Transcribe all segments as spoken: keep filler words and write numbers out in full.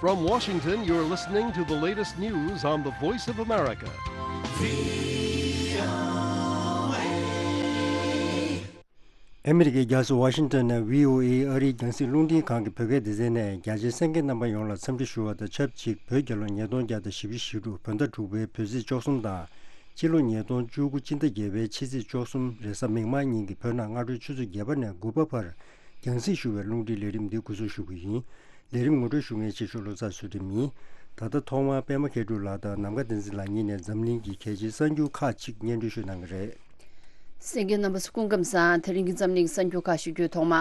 From Washington, you're listening to the latest news on the Voice of America. ཨ་མི་རི་ཀའི་རྒྱལ་ས་ཝ་ཤིང་ཏོན་ནས་བྷི་ཨོ་ཨེ་ཨ་རིའི་རྒྱང་སྲིང་རླུང་འཕྲིན་ཁང་གི་བོད་སྐད་སྡེ་ཚན་ནས་རྒྱ་ཆེའི་གསན་མཁན་རྣམ་པ་ཡོངས་ལ་འཚམས་འདྲི་ཞུ་བ་དང་ཆབས་ཅིག་བོད་རྒྱལ་ལོ་ཉིས་སྟོང་བརྒྱ་དང་བཞི་བཅུ་ཞེ་དྲུག་བོད་ཟླ་དྲུག་པའི་བོད་ཚེས་བཅུ་གསུམ་དང་། ཕྱི་ལོ་ཉིས་སྟོང་བཅུ་དགུ་སྤྱི་ཟླ་བརྒྱད་པའི་ཕྱི་ཚེས་བཅུ་གསུམ་རེས་གཟའ་མིག་དམར་ཉིན་གྱི་བོད་ནང་སྔ་དྲོའི་ཆུ་ཚོད་བརྒྱད་པ་ནས་དགུ་པ་བར་རྒྱང་སྲིང་ཞུ་བའི་རླུང་འཕྲིན་ལས་རིམ་འདི་འགོ་འཛུགས་ཞུ་གི་ཡིན། ལས་རིམ་ངོ་སྤྲོད་ཞུ་མཁན་ཆེ་ཤོས་བློ་བཟང་ཚུལ་ཁྲིམས་ཡིན། ད་ལྟ་ཐོག་མར་པད་མ་མཁས་གྲུབ་ལགས་དང་ནམ་མཁའ་བསྟན་འཛིན་ལགས་གཉིས་ནས་འཛམ་གླིང་གི་གལ་ཆེའི་གསར་འགྱུར་ཁག་ཅིག་སྙན་སྒྲོན་ཞུ་གནང་གི་རེད། གསན་མཁན་རྣམ་པ་ཚོ་སྐུ་ཁམས་བཟང་། དེ་རིང་གི་འཛམ་གླིང་གསར་འགྱུར་ཁག་ཞུ་རྒྱུའི་ཐོག་མ།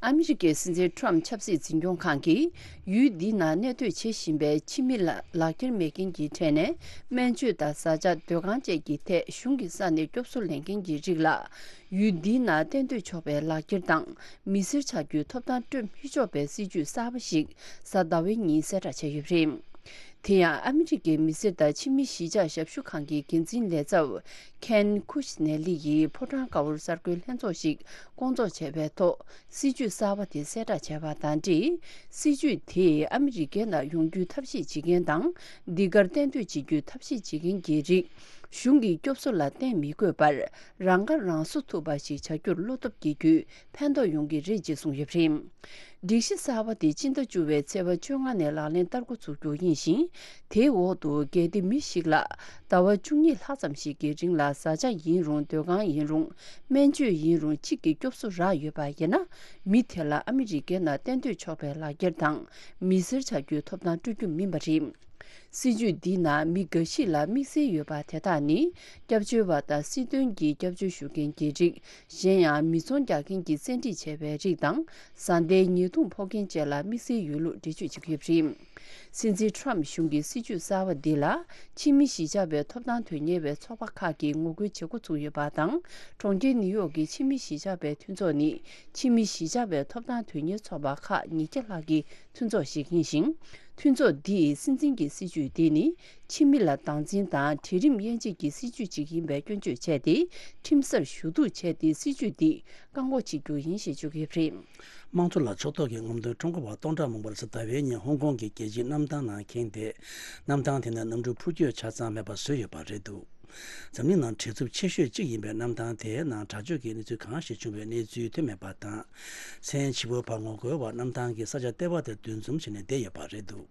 ཨ་མི་རི་ཀའི་སྲིད་འཛིན་ཊམ་ཕི་ཆབ་སྲིད་འཛིན་སྐྱོང་ཁང་གིས་ཡུལ་འདིའི་ནང་གནས་སྡོད་བྱེད་བཞིན་པའི་ཕྱི་མི་ལ་ལག་འཁྱེར་མེད་མཁན་གྱི་གྲས་ནས་སྨན་བཅོས་དང་བཟའ་བཅའ་སྡོད་ཁང་བཅས་ཀྱི་ཐད་གཞུང་གི་ས་ནས་སྐྱོབ་གསོ་ལེན་མཁན་གྱི་རིགས་ལ། ཡུལ་འདིའི་ནང་གཏན་སྡོད་ཆོག་པའི་ལག་འཁྱེར་དང་མི་སེར་ཆགས་རྒྱུའི་ཐོབ་ཐང་སྤྲོད་མི་ཆོག་པའི་སྲིད་ཇུས་གསར་པ་ཞིག་གཟའ་ཟླ་བའི་ཉིན་གསལ་བསྒྲགས་བྱས་ཡོད་པ་རེད། དེ་ཡང་ཨ་མི་རི་ཀའི་མི་སེར་དང་ཕྱི་མི་གཞིས་ཆགས་ཞབས་ཞུ་ཁང་གི་འགན་འཛིན་ལས་ཚབ་ཁེན་ཁུ་ཤི་ནེ་ལི་ཡིས་ཕོ་བྲང་དཀར་པོར་གསར་འགོད་ལྷན་ཚོགས་ཤིག་སྐོང་ཚོགས་བྱས་པའི་ཐོག་སྲིད་ཇུས་གསར་པ་དེ་གསལ་བསྒྲགས་བྱས་པ་དང་འབྲེལ། སྲིད་ཇུས་དེས་ཨ་མི་རི་ཀའི་ནང་ཡོང་རྒྱུའི་ཐབས་ཤེས་བྱེད་མཁན་དང་འདི་གར་གཏན་སྡོད་བྱེད་རྒྱུའི་ཐབས་ཤེས་བྱེད་མཁན་གྱི་རིགས་གཞུང་གི་སྐྱོབ་གསོ་ལ་བརྟེན་མི་དགོས་པར་རང་ཁ་རང་གསོ་ཐུབ་པ་ཞིག་བྱ་རྒྱུར་བློ་སྟོབས་སྐྱེ་རྒྱུའི་ཕན་ཐོགས་ཡོང་གི་རེད་ཅེས་གསུངས་ཡོད་པ་རེད། སྒྲིག་གཞི་གསར་པ་དེ་སྤྱི་ཟླ་བཅུ་པའི་ཚེས་པ་བཅོ་ལྔ་ནས་ལག་ལེན་བསྟར་འགོ་ཚུགས་རྒྱུ་ཡིན་ཞིང་། དེའི་འོག་ཏུ་གལ་ཏེ་མི་ཞིག་ལ་ཟླ་བ་བཅུ་གཉིས་ལྷག་ཙམ་ཞིག་གི་རིང་ལ་བཟའ་བཅའ་ཡིན་རུང་སྡོད་ཁང་ཡིན་རུང་སྨན་བཅོས་ཡིན་རུང་གཅིག་གི་སྐྱོབ་གསོ་རག་ཡོད་པ་ཡིན་ན། མི་དེ་ལ་ཨ་མི་རི་ཀའི་ནང་གཏན་སྡོད་ཆོག་པའི་ལག་འཁྱེར་དང་མི་སེར་ཆགས་རྒྱུའི་ཐོབ་ཐང་སྤྲོད་རྒྱུ་མིན་པ་རེད། སྲིད་ཇུས་འདིའི་ནང་མི་འགའ་ཞིག་ལ་དམིགས་བསལ་ཡོད་པ་དེ་དག་ནི་སྐྱབས་བཅོལ་བ་དང་སྲིད་དོན་གྱི་སྐྱབས་བཅོལ་ཞུ་མཁན་གྱི་རིགས། གཞན་ཡང་མི་ཚོང་རྒྱག་མཁན་གྱིས་བཙན་ཁྲིད་བྱས་པའི་རིགས་དང་བཟའ་ཟླའི་ཉེས་རྡུང་ཕོག་མཁན་བཅས་ལ་དམིགས་བསལ་ཡོད་ལུགས་འགྲེལ་བརྗོད་བྱེད་ཀྱི་ཡོད་པ་རེད། སྲིད་འཛིན་ཊམ་གཞུང་གི་སྲིད་ཇུས་གསར་པ་འདི་ལ་ཕྱི་མི་གཞིས་ཆགས་པའི་ཐོབ་ཐང་དོན་གཉེར་བའི་ཚོགས་པ་ཁག་གིས་ངོ་རྒོལ་བྱེད་འགོ་ཚུགས་ཡོད་པ་དང་། གྲོང་ཁྱེར་ནིའུ་ཡོག་གི་ཕྱི་མི་གཞིས་ཆགས་པའི་མཐུན་ཚོགས་ནི་ཕྱི་མི་གཞིས་ཆགས་པའི་ཐོབ་ཐང་དོན་གཉེར་ཚོགས་པ་ཁག་ཉིས་བརྒྱ་ལྷག་གི་མཐུན་ཚོགས་ཤིག་ཡིན་ཞིང་། མཐུན་ཚོགས་འདིས་སྲིད་འཛིན་གྱི་སྲིད་ཇུས་འདི་ནི་ཕྱི་མི་ལ་སྡང་འཛིན་དང་གྲལ་རིམ་དབྱེ་འབྱེད་ཀྱི་སྲིད་ཇུས་ཅིག་ཡིན་པའི་སྐྱོན་བརྗོད་བྱས་ཏེ། ཁྲིམས་སར་ཞུ་གཏུག་བྱས་ཏེ་སྲིད་ཇུས་འདི་བཀག་འགོག་བྱེད་རྒྱུ་ཡིན་ཞེས་བརྗོད་ཀྱི་ཡོད་པ་རེད། དམངས་གཙོ་ལ་ཕྱོགས་གཏོགས་ཀྱི་ངོ་རྒོལ་ཁྲོམ་སྐོར་བ་སྟོང་ཕྲག་མང་པོར་གཟའ་ཟླ་བའི་ཉིན་ཧོང་ཀོང་གི་རྒྱལ་སྤྱིའི་གནམ་ཐང་ནང་འཁེལ་ཏེ། གནམ་ཐང་དེ་ནི་གནམ་གྲུ་འཕུར་སྐྱོད་ཆ་ཚང་མེད་པ་བཟོས་ཡོད་པ་རེད་འདུག་འཛམ་གླིང་ནང་བྲེལ་འཚུབ་ཆེ་ཤོས་གཅིག་ཡིན་པའི་གནམ་ཐང་དེའི་ནང་དྲག་སྤྱོད་ཀྱི་གནས་ཚུལ་གང་ཞིག་བྱུང་བའི་གནས་ཚུལ་ཐོན་མེད་པ་དང་། མཚན་ཕྱི་པོ་བར་ངོ་རྒོལ་བ་གནམ་ཐང་གི་ས་ཆ་ལྟེ་བ་དེར་འདུ་འཛོམས་བྱས་ནས་བསྡད་ཡོད་པ་རེད་འདུག་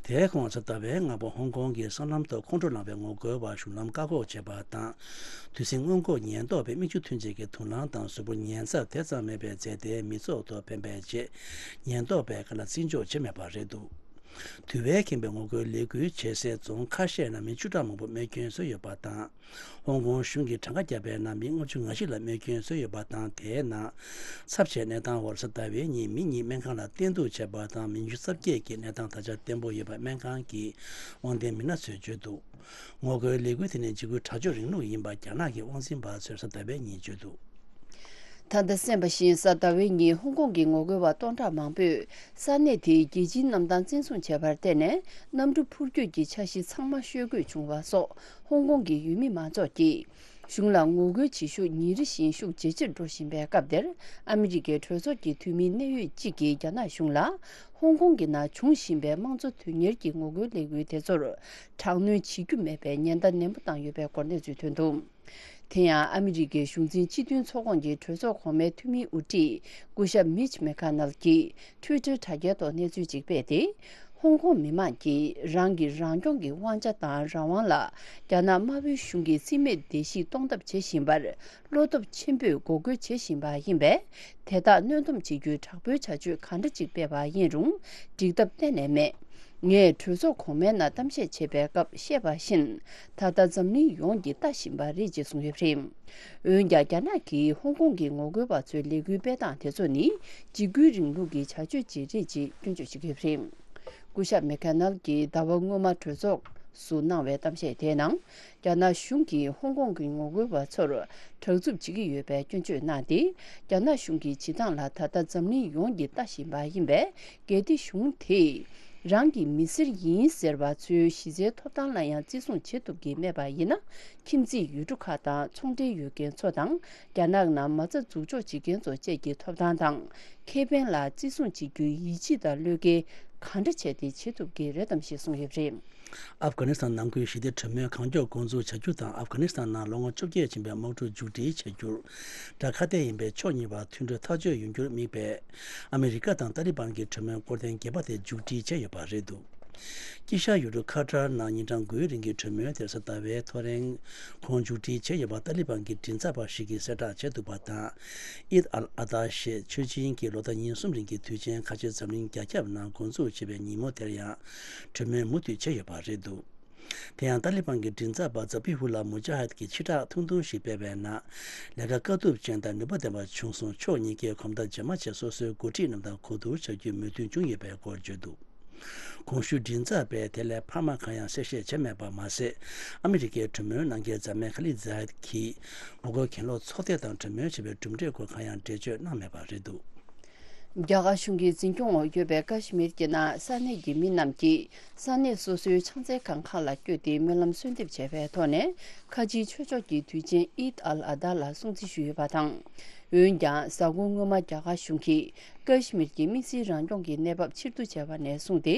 དེའི་གོང་གཟའ་ཟླ་བའི་སྔ་པོ་ཧོང་ཀོང་གི་སྲང་ལམ་ཐོག་ཁོང་ཁྲོ་ལངས་པའི་ངོ་རྒོལ་བ་གཞུང་ལམ་བཀག་འགོག་བྱས་པ་དང་། དུས་ཟིང་སྔོན་འགོག་ཉེན་རྟོག་པས་མིག་ཆུ་ཐོན་བྱེད་ཀྱི་དུག་རླངས་དང་གཟུགས་པོ་ཉེན་ཚབས་དེ་ཙམ་མེད་པའི་རྫས་དེ་མི་ཚོགས་ཐོག་འཕེན་པའི་རྗེས། ཉེན་རྟོག་པས་ག་ལ་བརྩི་འཇོག་བྱས་མེད་པ་རེད་འདུག་དུ་བས་ཁེངས་པའི་ངོ་རྒོལ་ལས་འགུལ་བྱེད་སའི་རྫོང་ཁ་ཤས་ནང་མི་བཅུ་ཕྲག་མང་པོ་རྨས་སྐྱོན་བཟོས་ཡོད་པ་དང་། ཧོང་ཀོང་གཞུང་གིས་གྲངས་ཀ་བརྒྱབ་པའི་ནང་མི་ལྔ་བཅུ་ང་བཞི་ལ་རྨས་སྐྱོན་བཟོས་ཡོད་པ་དང་། དེའི་ནང་ཚབས་ཆེའི་གནས་སྟངས་འོག་གཟའ་ཟླ་བའི་ཉིན་མི་གཉིས་སྨན་ཁང་ལ་བསྟེན་གཏུག་བྱས་པ་དང་། མི་ཉི་ཤུ་རྩ་བརྒྱད་ཀྱི་གནས་སྟངས་ད་ཆ་བརྟན་པོ་ཡོད་པ་སྨན་ཁང་གི་དབང་ལྡན་མི་སྣ་ཚོས་བརྗོད་འདུག་ངོ་རྒོལ་ལས་འགུལ་དེ་ནི་འཇིགས་སྐུལ་དྲག་སྤྱོད་རིང་ལུགས་ཡིན་པ་རྒྱ་ནག་གི་དབང་འཛིན་པ་ཚོས་གཟའ་ཟླ་བའི་ཉིན་བརྗོད་འདུག་ད་ལྟ་གསན་པ་བཞིན་གཟའ་ཟླ་བའི་ཉིན་ཧོང་ཀོང་གི་ངོ་རྒོལ་བ་སྟོང་ཕྲག་མང་པོས་ས་གནས་དེའི་རྒྱལ་སྤྱིའི་གནམ་ཐང་བཙན་བཟུང་བྱས་པར་བརྟེན་ནས་གནམ་གྲུ་འཕུར་སྐྱོད་ཀྱི་འཆར་གཞི་ཚང་མ་ཤོར་དགོས་བྱུང་བ་སོགས་ཧོང་ཀོང་གི་ཡུལ་མི་མང་ཚོགས་ཀྱིས་གཞུང་ལ་ངོ་རྒོལ་བྱེད་ཤུགས་ཉིན་རེ་བཞིན་ཤུགས་ཇེ་ཆེར་འགྲོ་བཞིན་པའི་སྐབས་དེར། ཨ་མི་རི་ཀའི་གྲོས་ཚོགས་ཀྱི་འཐུས་མིའི་གནད་ཡོད་གཅིག་གིས་རྒྱ་ནག་གཞུང་ལ་ཧོང་ཀོང་གི་ནང་འབྱུང་བཞིན་པའི་དམངས་གཙོ་དོན་གཉེར་གྱི་ངོ་རྒོལ་ལས་འགུལ་དེ་ཚོར་དྲག་གནོན་བྱེད་རྒྱུ་མེད་པའི་ཉེན་བརྡ་ནན་པོ་བཏང་ཡོད་པའི་སྐོར་གནས་ཚུལ་ཐོན་འདུག་དེ་ཡང་ཨ་མི་རི་ཀའི་གཞུང་འཛིན་སྤྱི་མཐུན་ཚོགས་ཁོངས་ཀྱི་གྲོས་ཚོགས་གོང་མའི་འཐུས་མིའི་དབུ་ཁྲིད་སྐུ་ཞབས་མིཆ་མེ་ཁ་ནལ་གྱིས་ཊུའི་ཊར་དྲ་རྒྱའི་ཐོག་གནས་ཚུལ་ཅིག་སྤེལ་ཏེ། ཧོང་ཀོང་མི་མང་གིས་རང་གི་རང་སྐྱོང་གི་དབང་ཆ་དང་རང་དབང་ལ་རྒྱ་ནག་དམར་པོའི་གཞུང་གིས་རྩིས་མེད་བརྡལ་བཤིག་གཏོང་ཐབས་བྱེད་བཞིན་པར་བློ་སྟོབས་ཆེན་པོས་འགོག་རྒོལ་བྱེད་བཞིན་པ་ཡིན་པས། དེ་དག་གནོན་སྡོམ་བྱེད་རྒྱུའི་དྲག་པོའི་བྱ་སྤྱོད་གང་འདྲ་ཅིག་སྤེལ་བ་ཡིན་རུང་འགྲིག་ཐབས་གཏན་ནས་མེད། ངས་གྲོས་ཚོགས་གོང་མའི་ནང་གཏམ་བཤད་བྱེད་པའི་སྐབས་བཤད་པ་བཞིན། ད་ལྟ་འཛམ་གླིང་ཡོངས་ཀྱིས་ལྟ་བཞིན་པ་རེད་ཅེས་གསུངས་ཡོད་པ་རེད། འོན་ཀྱང་རྒྱ་ནག་གིས་ཧོང་ཀོང་གི་ངོ་རྒོལ་བ་ཚོའི་ལས་འགུལ་སྤེལ་སྟངས་དེ་ཚོ་ནི་འཇིགས་སྐུལ་རིང་ལུགས་ཀྱི་བྱ་སྤྱོད་ཅིག་རེད་ཅེས་སྐྱོན་བརྗོད་བྱེད་ཀྱི་ཡོད་པ་རེད། སྐུ་ཞབས་མེ་ཁེ་ནལ་གྱིས་ཟླ་བ་སྔོན་མ་གྲོས་ཚོགས་སུ་གནང་བའི་གཏམ་བཤད་དེའི་ནང་། རྒྱ་ནག་གཞུང་གིས་ཧོང་ཀོང་གི་ངོ་རྒོལ་བ་ཚོར་དྲག་རྩུབ་བྱེད་ཀྱི་ཡོད་པའི་སྐྱོན་བརྗོད་གནང་སྟེ། རྒྱ་ནག་གཞུང་གི་བྱེད་སྟངས་ལ་ད་ལྟ་འཛམ་གླིང་ཡོངས་ཀྱིས་ལྟ་བཞིན་པ་ཡིན་པས། གལ་ཏེ་གཞུང་དེས་རང་གི་མི་སེར་ཡིན་ཟེར་བ་ཚོའི་གཞི་རྩའི་ཐོབ་ཐང་ལ་ཡང་བརྩི་སྲུང་བྱེད་ཐུབ་ཀྱི་མེད་པ་ཡིན་ན། ཁྱིམ་མཚེས་ཡུལ་གྲུ་ཁག་དང་ཚོང་འབྲེལ་ཡོད་མཁན་ཚོ་དང་། རྒྱ་ནག་ནང་མ་རྩ་འཛུགས་འཇོག་བྱེད་མཁན་ཚོ་བཅས་ཀྱི་ཐོབ་ཐང་དང་ཁེ་ཕན་ལ་བརྩི་སྲུང་བྱེད་རྒྱུའི་ཡིད་ཆེས་དང་བློས་འགེལ་ ག་འདྲ་བྱས་ཏེ་བྱེད་ཐུབ་ཀྱི་རེད་དམ་ཞེས་གསུངས་ཡོད་པ་རེད། ཨབ་གྷ་ནི་སི་ཐན་ནང་ཁུལ་ཞི་བདེ་གྲོས་མོལ་གང་མགྱོགས་འགོ་འཛུགས་བྱ་རྒྱུ་དང་། ཨབ་གྷ་ནི་སི་ཐན་ནང་ལོ་ངོ་བཅོ་བརྒྱད་ཕྱིན་པའི་དམག་འཁྲུག་མཇུག་སྒྲིལ་བྱ་རྒྱུར་དགྲ་ཁ་གཏད་ཡིན་པའི་ཕྱོགས་གཉིས་བར་མཐུན་གྲོས་ཐག་གཅོད་ཡོང་རྒྱུར་དམིགས་པའི་ཨ་མི་རི་ཀ་དང་ཏཱ་ལི་བན་གྱི་གྲོས་མོལ་སྐོར་ཐེངས་བརྒྱད་པ་དེ་མཇུག་སྒྲིལ་བྱས་ཡོད་པ་རེད་འདུག་དཀྱིལ་ཤར་ཡུལ་གྲུ་ཁ་ཏར་ནང་ཉིན་གྲངས་དགུའི་རིང་གི་གྲོས་མོལ་དེར་གཟའ་ཟླ་བའི་ཐོ་རེངས་གོང་མཇུག་སྒྲིལ་བྱས་ཡོད་པ་ཏཱ་ལི་བན་གྱི་མགྲིན་ཚབ་པ་ཞིག་གིས་གསལ་བསྒྲགས་བྱས་འདུག་པ་དང་། ཨིད་ཨལ་ཨ་ད་ཞེས་ཆོས་ཅན་གྱི་ལོ་ཟླ་ཉེར་གསུམ་རིང་གི་དུས་ཆེན་ཁ་ཆེ་འཛམ་གླིང་རྒྱ་ཁྱབ་ནང་འགོ་འཛུགས་བྱས་པའི་ཉིན་མོ་དེར་ཡང་གྲོས་མོལ་མུ་མཐུད་བྱས་ཡོད་པ་རེད་འདུག་དེ་ཡང་ཏཱ་ལི་བན་གྱི་མགྲིན་ཚབ་པ་ཛ་བྷི་ཧུ་ལ་མུ་ཇ་ཧད་ཀྱིས་ཕྱིར་བསྒྲགས་ཐུང་ཐུང་ཞིག་སྤེལ་བའི་ནང་། ལས་ཀ་དཀའ་སྡུག་ཅན་དང་ནུས་པ་ལྡན་པ་བྱུང་སོང་། ཕྱོགས་གཉིས་ཀས་གོམ་སྟབས་རྗེས་མ་བྱས་སོ་སོའི་འགོ་ཁྲིད་རྣམས་དང་གོ་བསྡུར་བྱ་རྒྱུའི་མོས་མཐུན་བྱུང་ཡོད་པའི་སྐོར་བརྗོད་འདུག་གོང་ཞུས་མགྲིན་ཚབ་པས་དེ་ལས་འཕར་མ་གང་ཡང་གསལ་བཤད་བྱས་མེད་པ་མ་ཟད། ཨ་མི་རི་ཀའི་གྲོས་མོལ་གནང་མཁན་མཛངས་མའི་ཁ་ལི་ཛ་ཧད་ཀྱིས་ངོ་རྒོལ་གྱེན་ལོག་ཚོགས་སྡེ་དང་གྲོས་མོལ་བྱས་པའི་གྲུབ་འབྲས་སྐོར་གང་ཡང་འགྲེལ་བརྗོད་གནང་མེད་པ་རེད་འདུག་རྒྱ་གར་གཞུང་གི་འཛིན་སྐྱོང་འོག་ཡོད་པའི་ཀ་ཤི་མིར་གྱི་ནང་ས་གནས་ཀྱི་མི་རྣམས་ཀྱིས་ས་གནས་སོ་སོའི་ཕྱག་འཚལ་ཁང་ཁག་ལ་བསྐྱོད་དེ་སྨོན་ལམ་གསོལ་འདེབས་བྱས་པའི་ཐོག་ནས། ཁ་ཆེའི་ཆོས་ཕྱོགས་ཀྱི་དུས་ཆེན་ཨིད་ཨལ་ཨ་ད་ལ་སྲུང་བརྩི་ཞུས་ཡོད་པ་དང་། འོན་ཀྱང་། གཟའ་འཁོར་སྔོན་མ་རྒྱ་གར་གཞུང་གིས་ཀ་ཤི་མིར་གྱི་དམིགས་བསལ་རང་སྐྱོང་གི་གནས་བབ་ཕྱིར་བསྡུ་བྱས་པ་ནས་བཟུང་སྟེ།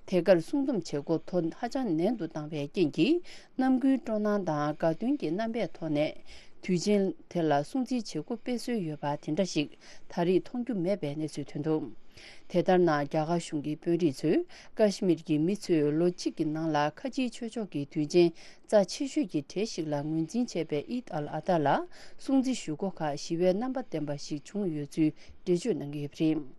དེ་གར་སྲུང་སྡོམ་བྱེད་སྒོ་དོ་ཧ་ཅང་ནན་དུ་བཏང་བའི་རྐྱེན་གྱིས། རྣམ་ཀུན་སྤྲོ་སྣང་དང་དགའ་སྟོན་གྱི་རྣམ་པའི་ཐོག་ནས། དུས་ཆེན་དེ་ལ་སྲུང་བརྩིའི་བྱེད་སྒོ་སྤེལ་སྲོལ་ཡོད་པ་དེ་འདྲ་ཞིག་ད་རེས་མཐོང་རྒྱུ་མེད་པའི་གནས་ཚུལ་ཐོན་འདུག་དེ་ལྟར་ན། རྒྱ་གར་གཞུང་གི་དཔོན་རིགས་ཚོས་ཀ་ཤི་མིར་གྱི་མི་ཚོས་ལོ་གཅིག་གི་ནང་ལ་ཁ་ཆེའི་ཆོས་ཕྱོགས་ཀྱི་དུས་ཆེན་རྩ་ཆེ་ཤོས་ཀྱི་གྲས་ཤིག་ལ་ངོས་འཛིན་བྱས་པའི་ཨིད་ཨལ་ཨ་ད་ལ་སྲུང་བརྩི་ཞུ་སྒོ་ཁག་ཞི་བའི་རྣམ་པ་ལྡན་པ་ཞིག་བྱུང་ཡོད་ཚུལ་འགྲེལ་བརྗོད་གནང་གི་ཡོད་པ་རེད།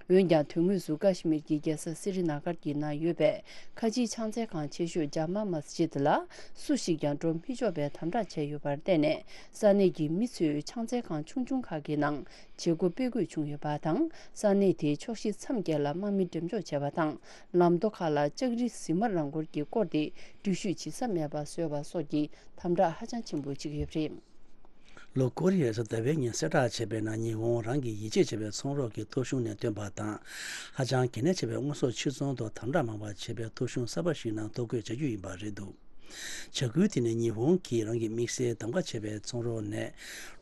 འོན་ཀྱང་། དོན་དངོས་སུ་ཀ་ཤི་མིར་གྱི་རྒྱལ་ས་སི་རི་ན་གར་གྱི་ནང་ཡོད་པའི་ཁ་ཆེའི་ཕྱག་འཚལ་ཁང་ཆེ་ཤོས་ཇཱ་མ་མཱ་སི་ཇིད་ལ་སུ་ཞིག་ཀྱང་འགྲོ་མི་ཆོག་པའི་དམ་དྲག་བྱས་ཡོད་པར་བརྟེན་ནས། ས་གནས་ཀྱི་མི་ཚོས་ཕྱག་འཚལ་ཁང་ཆུང་ཆུང་ཁག་གི་ནང་བྱེད་སྒོ་སྤེལ་དགོས་བྱུང་ཡོད་པ་དང་། ས་གནས་དེའི་ཕྱོགས་བཞི་མཚམས་བརྒྱད་ལ་དམག་མི་འགྲེམས་འཇོག་བྱས་པ་དང་། ལམ་མདོ་ཁག་ལ་ལྕགས་རི་ཟི་མ་རང་འཁོར་གྱིས་བསྐོར་ཏེ། འགྲུལ་བཞུད་བྱེད་ས་མེད་པ་བཟོས་པ་སོགས་ཀྱི་དམ་དྲག་ཧ་ཅང་ཆེན་པོ་བྱེད་ཀྱི་ཡོད་པ་རེད། ལྷོ་ཀོ་རི་ཡས་གཟའ་ཟླ་བའི་ཉིན་གསལ་བསྒྲགས་བྱས་པའི་ནང་། ཉི་ཧོང་རང་གིས་ཡིད་ཆེས་བྱེད་པའི་ཚོང་རོགས་ཀྱི་ཐོ་གཞུང་ནས་བཏོན་པ་དང་། ཧ་ཅང་གལ་གནད་ཆེ་བའི་དངོས་ཟོག་ཕྱིར་ཚོང་ཐོག་དམ་དྲག་མང་བ་བྱེད་པའི་ཐོ་གཞུང་གསར་པ་ཞིག་ནང་ཐོ་འགོད་བྱ་རྒྱུ་ཡིན་པ་རེད་འདུག་བྱ་འགུལ་དེ་ནི་ཉི་ཧོང་གིས་རང་གི་དམིགས་བསལ་གདམ་ག་བྱས་པའི་ཚོང་རོགས་ནས་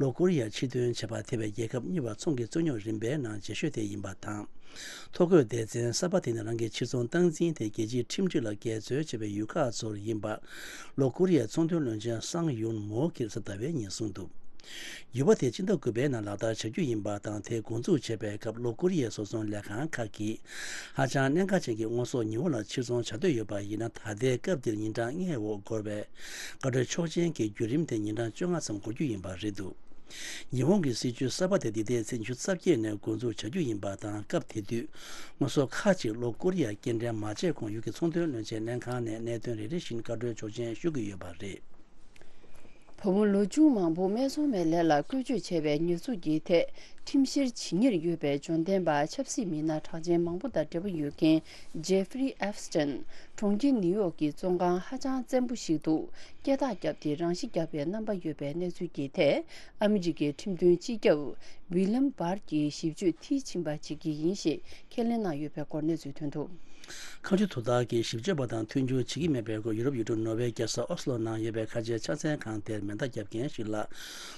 ལྷོ་ཀོ་རི་ཡར་ཕྱིར་ཐོན་བྱས་པ། དེ་བས་རྒྱལ་ཁབ་གཉིས་བར་ཚོང་གི་རྩོད་རྙོག་རིམ་པའི་ནང་ཇེ་ཤོས་དེ་ཡིན་པ་དང་། ཐོ་འགོད་སྡེ་ཚན་གསར་པ་དེ་ནི་རང་གི་ཕྱིར་ཚོང་སྟངས་འཛིན་དེ་རྒྱལ་སྤྱིའི་ཁྲིམས་སྒྲིག་ལ་འགལ་འཛོལ་བྱས་པའི་ཡུལ་ཁག་ཚོར་ཡིན་པ། ལྷོ་ཀོ་རི་ཡའི་ཚོང་དོན་བློན་ཆེན་སང་ཡུན་མོ་གིས་གཟའ་ཟླ་བའི་ཉིན་གསུངས་འདུག་འགྱུར་བ་དེ་སྤྱི་ཟླ་དགུ་པའི་ནང་ལག་བསྟར་བྱ་རྒྱུ་ཡིན་པ་དང་། དེ་འགོ་འཛུགས་བྱས་པའི་སྐབས་ལྷོ་ཀོ་རི་ཡའི་བཟོ་ཚོང་ལས་ཁང་ཁག་གིས་ཧ་ཅང་གནད་འགག་ཅན་གྱི་དངོས་ཟོག་ཉི་ཧོང་ལ་ཕྱིར་ཚོང་བྱ་འདོད་ཡོད་པ་ཡིན་ན། ད་ལྟའི་སྐབས་འདིར་ཉིན་གྲངས་ལྔའི་འོག་འགོར་བའི་བཀའ་འཁྲོལ་ཆོག་མཆན་གྱི་བརྒྱུད་རིམ་དེ་ཉིན་གྲངས་བཅོ་ལྔ་ཙམ་འགོར་རྒྱུ་ཡིན་པ་རེད་འདུག་ཉི་ཧོང་གི་སྲིད་ཇུས་གསར་པ་དེ་འདི་ཟླའི་ཚེས་ཉི་ཤུ་རྩ་བརྒྱད་ནས་འགོ་འཛུགས་བྱ་རྒྱུ་ཡིན་པ་དང་། སྐབས་དེ་དུས་དངོས་ཟོག་ཁག་ཅིག་ལྷོ་ཀོ་རི་ཡར་སྐྱེལ་འདྲེན་མ་བྱས་གོང་ཡུལ་གྱི་ཚོང་དོན་བློན་ཆེན་ལྷན་ཁང་ནས་གནད་དོན་རེ་རེ་བཞིན་བཀའ་འཁྲོལ་ཆོག་མཆན་ཞུ་གི་ཡོད་པ་རེད། བུ་མོ་ལོ་ཆུང་མང་པོ་སྨད་འཚོང་བའི་ལས་ལ་བཀོལ་སྤྱོད་བྱས་པའི་ཉེས་འཛུགས་ཀྱི་ཐད་ཁྲིམས་བཤེར་བྱེད་ཉེར་ཡོད་པའི་འབྱོར་ལྡན་པ་ཆབ་སྲིད་མི་སྣ་གྲགས་ཅན་མང་པོ་དང་འབྲེལ་བ་ཡོད་མཁན་ཇེ་ཧྥི་རི་ཨེབ་སི་ཊིན། གྲོང་ཁྱེར་ནིའུ་ཡོག་གི་བཙོན་ཁང་ཧ་ཅང་བཙན་པོ་ཞིག་ཏུ་སྐད་གྲགས་བརྒྱབ་སྟེ་རང་ཤི་བརྒྱབ་པའི་རྣམ་པ་ཡོད་པའི་གནས་ཚུལ་གྱི་ཐད། ཨ་མི་རི་ཀའི་ཁྲིམས་དོན་སྤྱི་ཁྱབ་ཝི་ལམ་བར་གྱིས་ཞིབ་དཔྱོད་མཐིལ་ཕྱིན་པ་བྱེད་ཀྱི་ཡིན་ཞེས་ཁས་ལེན་གནང་ཡོད་པའི་སྐོར་གནས་ཚུལ་ཐོན་འདུག་ཁ་མཆུ་དོ་བདག་གིས་ཞིབ་དཔྱོད་པ་དང་མཐུན་འགྱུར་བྱེད་ཀྱི་མེད་པའི་སྐོར། ཡུ་རོབ་ཡུལ་གྲུ་ནོར་ཝེ་རྒྱལ་ས་ཨོ་སི་ལོ་ནང་ཡོད་པའི་ཁ་ཆེའི་ཕྱག་འཚལ་ཁང་དེར་མེ་མདའ་བརྒྱབ་མཁན་ཞིག་ལ་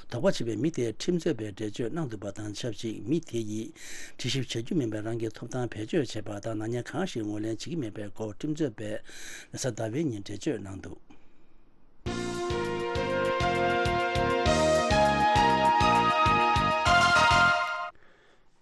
དོགས་པ་བྱས་པའི་མི་དེས་ཁྲིམས་རྩོད་པའི་འགྲེལ་བརྗོད་གནང་འདུག་པ་དང་ཆབས་ཅིག་མི་དེ་ཡིས་དྲི་ཞིབ་བྱ་རྒྱུ་མིན་པའི་རང་གི་ཐོབ་ཐང་བེད་སྤྱོད་བྱས་པ་དང་། ནག་ཉེས་གང་ཞིག་ངོས་ལེན་བྱེད་ཀྱི་མེད་པའི་སྐོར་ཁྲིམས་རྩོད་པས་གཟའ་ཟླ་བའི་ཉིན་འགྲེལ་བརྗོད་གནང་འདུག་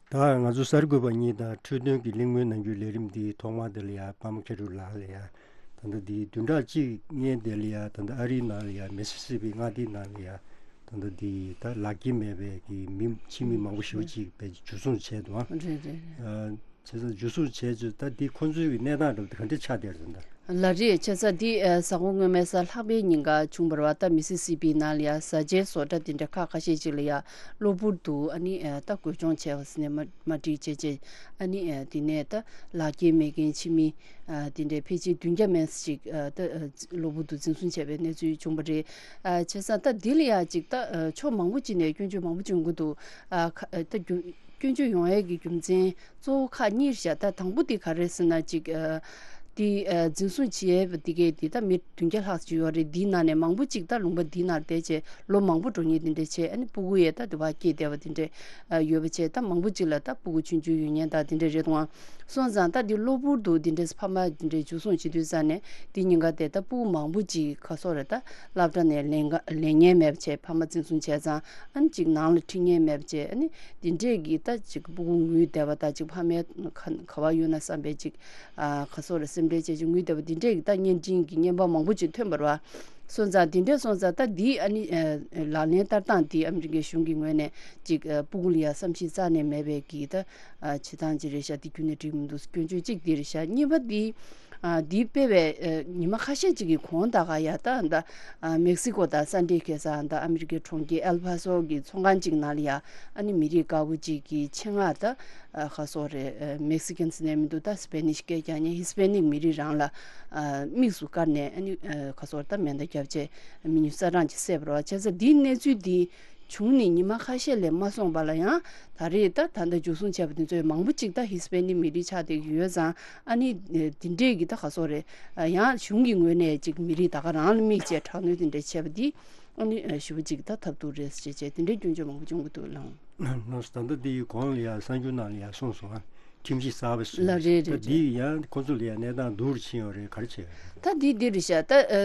ད་ང་ཚོ་གསར་འགོད་པ་གཉིས་དང་འཕྲོད་བསྟེན་གྱི་གླེང་མོལ་གནང་རྒྱུའི་ལས་རིམ་འདི་ཐོག་མ་དེ་ལ་ཡ་པདྨ་མཁས་གྲུབ་ལགས་ལ་ཡ། ད་ལྟ་འདི་བདུན་ཕྲག་གཅིག་སྔོན་དེ་ལ་ཡ། ད་ལྟ་ཨ་རིའི་ནང་ལ་ཡ། མི་སི་སི་པི་མངའ་སྡེའི་ནང་ལ་ཡ། ད་ལྟ་འདི་ད་ལག་འཁྱེར་མེད་པའི་གི་མི་ཕྱི་མི་མང་པོ་ཞེ་པོ་ཅིག་པའི་འཇུ་བཟུང་བྱས་འདུག་ཨ། རེད་རེད་རེད། བྱས་ཙང་འཇུ་བཟུང་བྱས་ཚུལ་ད་འདི་ཁོང་ཚོའི་གི་གནས་སྟངས་འདྲ་པོ་དེ་ག་འདྲ་ཆགས་བསྡད་རེད་ད། ལགས་རེད། བྱས་ཙང་འདི་ཨ་གཟའ་འཁོར་སྔོན་མའི་གཟའ་ལྷག་པའི་ཉིན་ཀ་བྱུང་བ་རེད་པ། ད་མི་སི་སི་པི་ནང་ལ་ཡ་བཟའ་བཅའི་བཟོ་གྲྭ་དེ་འདྲ་ཁག་ཁ་ཤས་ཅིག་ལ་ཡ་གློ་བུར་དུ་ཨ་ནི་ཨ་ད་འགོས་སྦྱོང་བྱས་པ་ཟེར་ནས་མ་མ་འགྲིག་བྱས་བྱས། ཨ་ནི་ཨ་དེ་ནས་ད་ལག་འཁྱེར་མེད་མཁན་ཕྱི་མི་ཨ་དེ་འདྲའི་ཕལ་ཆེར་བདུན་བརྒྱ་མན་ཙམ་ཅིག་ཨ་ད་ཨ་གློ་བུར་དུ་འཛིན་བཟུང་བྱས་པའི་གནས་ཚུལ་བྱུང་བ་རེད། ཨ་བྱས་ཙང་ད་འདི་ལ་ཡ་ཅིག་ད་ཨ་ཕྱོགས་མང་པོ་ཅིག་ནས་སྐྱོན་བརྗོད་མང་པོ་ཅིག་ཡོང་གི་འདུག་ཨ་ཁ་ཨ་ད་རྒྱུ་སྐྱོན་བརྗོད་ཡོང་ཡས་ཀྱི་རྒྱུ་མཚན་གཙོ་བོ་ཁག་གཉིས་རེད་ཤག་ད་དང་པོ་དེ་ག་རེ་ཟེར་ན་ཅིག་ཨ་ དེ་ཨ་འཛིན་བཟུང་བྱས་པ་དེ་གས་དེ་ད་མི་བདུན་བརྒྱ་ལྷག་ཅིག་ཡོད་རེད། དེའི་ནང་ནས་མང་པོ་ཅིག་ད་ལུང་པ་འདིའི་ནང་བསྡད་བྱས་ལོ་མང་པོ་འགྲོ་མཁན་དེ་འདྲས་བྱས། ཨ་ནི་སྤུ་གུ་ཡས་ད་དེ་བ་སྐྱེས་བསྡད་པ་དེ་འདྲས་ཨ་ཡོད་པ་བྱས། ད་མང་པོ་ཅིག་ལ་ད་སྤུ་གུ་ཆུང་ཆུང་ཡོད་མཁན་ད་དེ་འདྲས་རེད་འདུག་ཨང་། སོང་ཙང་ད་འདི་གློ་བུར་དུ་དེ་འདྲས་ཕ་མ་དེ་འདྲས་འཇུ་བཟུང་བྱེད་དུས་ཙ་ནས་དེ་ཉེན་ཁ་དེ་ད་སྤུ་གུ་མང་པོ་ཅིག་ག་སོག་རེད། ད་སློབ་གྲྭ་ནས་ལེན་ག་ལེན་མཁན་མེད་པ་བྱས། ཕ་མ་འཛིན་བཟུང་བྱས་ཙང་ཨ་ནི་ཅིག་ནང་ལ་ཁྲིད་མཁན་མེད་པ་བྱས། ཨ་ནི་དེ་འདྲས་ཀྱི་ད་ཅིག་སྤུ་གུ་ངུས་བསྡད་པ་ད་ཅིག་ཕ་མའི་ག་ག་བ་ཡོད་ན་བསམ་པའི་ཅིག་ཨ་ག་སོག་རེད། སེམས་ཁྲལ་བྱས་ཅིག་ངུས་བསྡད་པ་དེ་འདྲས་ཀྱི་ད་བརྙན་འཕྲིན་གྱི་བརྙན་པར་མང་པོ་ཅིག་ཐོན་པ་རེད་བ། སོང་ཙང་དེ་འདྲས་སོང་ཙང་ད་འདི་ཨ་ནི་ཨ་ལག་ལེན་བསྟར་སྟངས་འདི་ཨ་མི་རི་ཀའི་གཞུང་གི་ངོས་ནས་ཅིག་ཨ་སྤུ་གུ་ལ་ཡ་བསམ་ཤེས་རྩ་ནས་མེད་པའི་གི་ད་ཨ་བྱེད་སྟངས་ཅིག་རེད་ཤག་འདི་ཁྱོན་ནས་འགྲིག་མི་འདུག་སྐྱོན་བརྗོད་ཅིག་འདི་རེད་ཤག་གཉིས་པ་འདི་ཨ་འདི་སྤེལ་བའི་ཨ་ཉི་མ་ཁ་ཤས་ཅིག་གི་གོང་ད་ག་ཡ་ད་ད་ཨ་མེག་སི་ཀོ་དང་ས་འབྲེལ་ཁེ་ས་ད་ཨ་མི་རི་ཀའི་གྲོང་ཁྱེར་ཨེལ་ཕ་སོ་གི་ཚོང་ཁང་ཅིག་ནང་ལ་ཡ་ཨ་ནི་མི་རིགས་དཀར་པོ་ཅིག་གི་ཆེད་མངགས་ད་ཨ་ག་སོག་རེད། ཨ་མེག་སི་ཀན་ཟེར་ནས་མི་འདུག་ད་སི་པེ་ནིཤ་སྐད་རྒྱག་མཁན་ཧི་སི་པེ་ནིག་མི་རིགས་རང་ལ་ཨ་དམིགས་སུ་བཀར་ནས་ཨ་ནི་ཨ་ག་སོག་ད་མེ་མདའ་བརྒྱབ་བྱས་མི་ཉུང་ས་གྲངས་ཅིག་བསད་པ་རེད་བ། བྱས་ཙང་འདིའི་གནས་ཚུལ་འདི་བྱུང་ནས་ཉི་མ་ཁ་ཤས་ལས་མ་སོང་བ་ལ་ཡང་ད་རེས་ད་ད་ལྟ་འཇུ་བཟུང་བྱས་པ་དེ་ཚོའི་མང་པོ་ཅིག་ད་ཧི་སི་པེ་ནིག་མི་རིགས་ཆགས་བསྡད་ཀྱི་ཡོད་ཙང་ཨ་ནི་ཨ་འདི་འདྲས་ཀྱི་ད་ག་སོག་རེད། ཨ་ཡང་གཞུང་གི་ངོས་ནས་ཅིག་མི་རིགས་ད་ག་རང་ལ་དམིགས་བྱས་དྲག་གནོན་དེ་འདྲས་བྱས་པ་འདི་ཨ་ནི་ཨ་ཞེ་པོ་ཅིག་ད་ཐབས་སྡུག་རེད་ཟེར་བྱས་དེ་འདྲའི་སྐྱོན་བརྗོད་མང་པོ་བྱུང་གི་འདུག་ལགས། ལགས་སོ། ད་ལྟ་འདི་ཡི་གོང་ལ་ཡང་གསར་འགྱུར་ནང་ལ་ཡང་གསུངས་སོང་ཨ། ཁྲིམས་ཞིབ་གསར་པ་ཞིག་ལ་རེད་ད་རེད་འདི་རེད། ཡང་ཁོ་ཚོ་ལ་ཡང་གནས་སྟངས་སྡུག་རུ་ཕྱིན་ཡོད་རེད། ག་རེ་བྱས་ཡོད་རེད། ད་འདི་འདི་རེད་ཤག་ད་ཨ་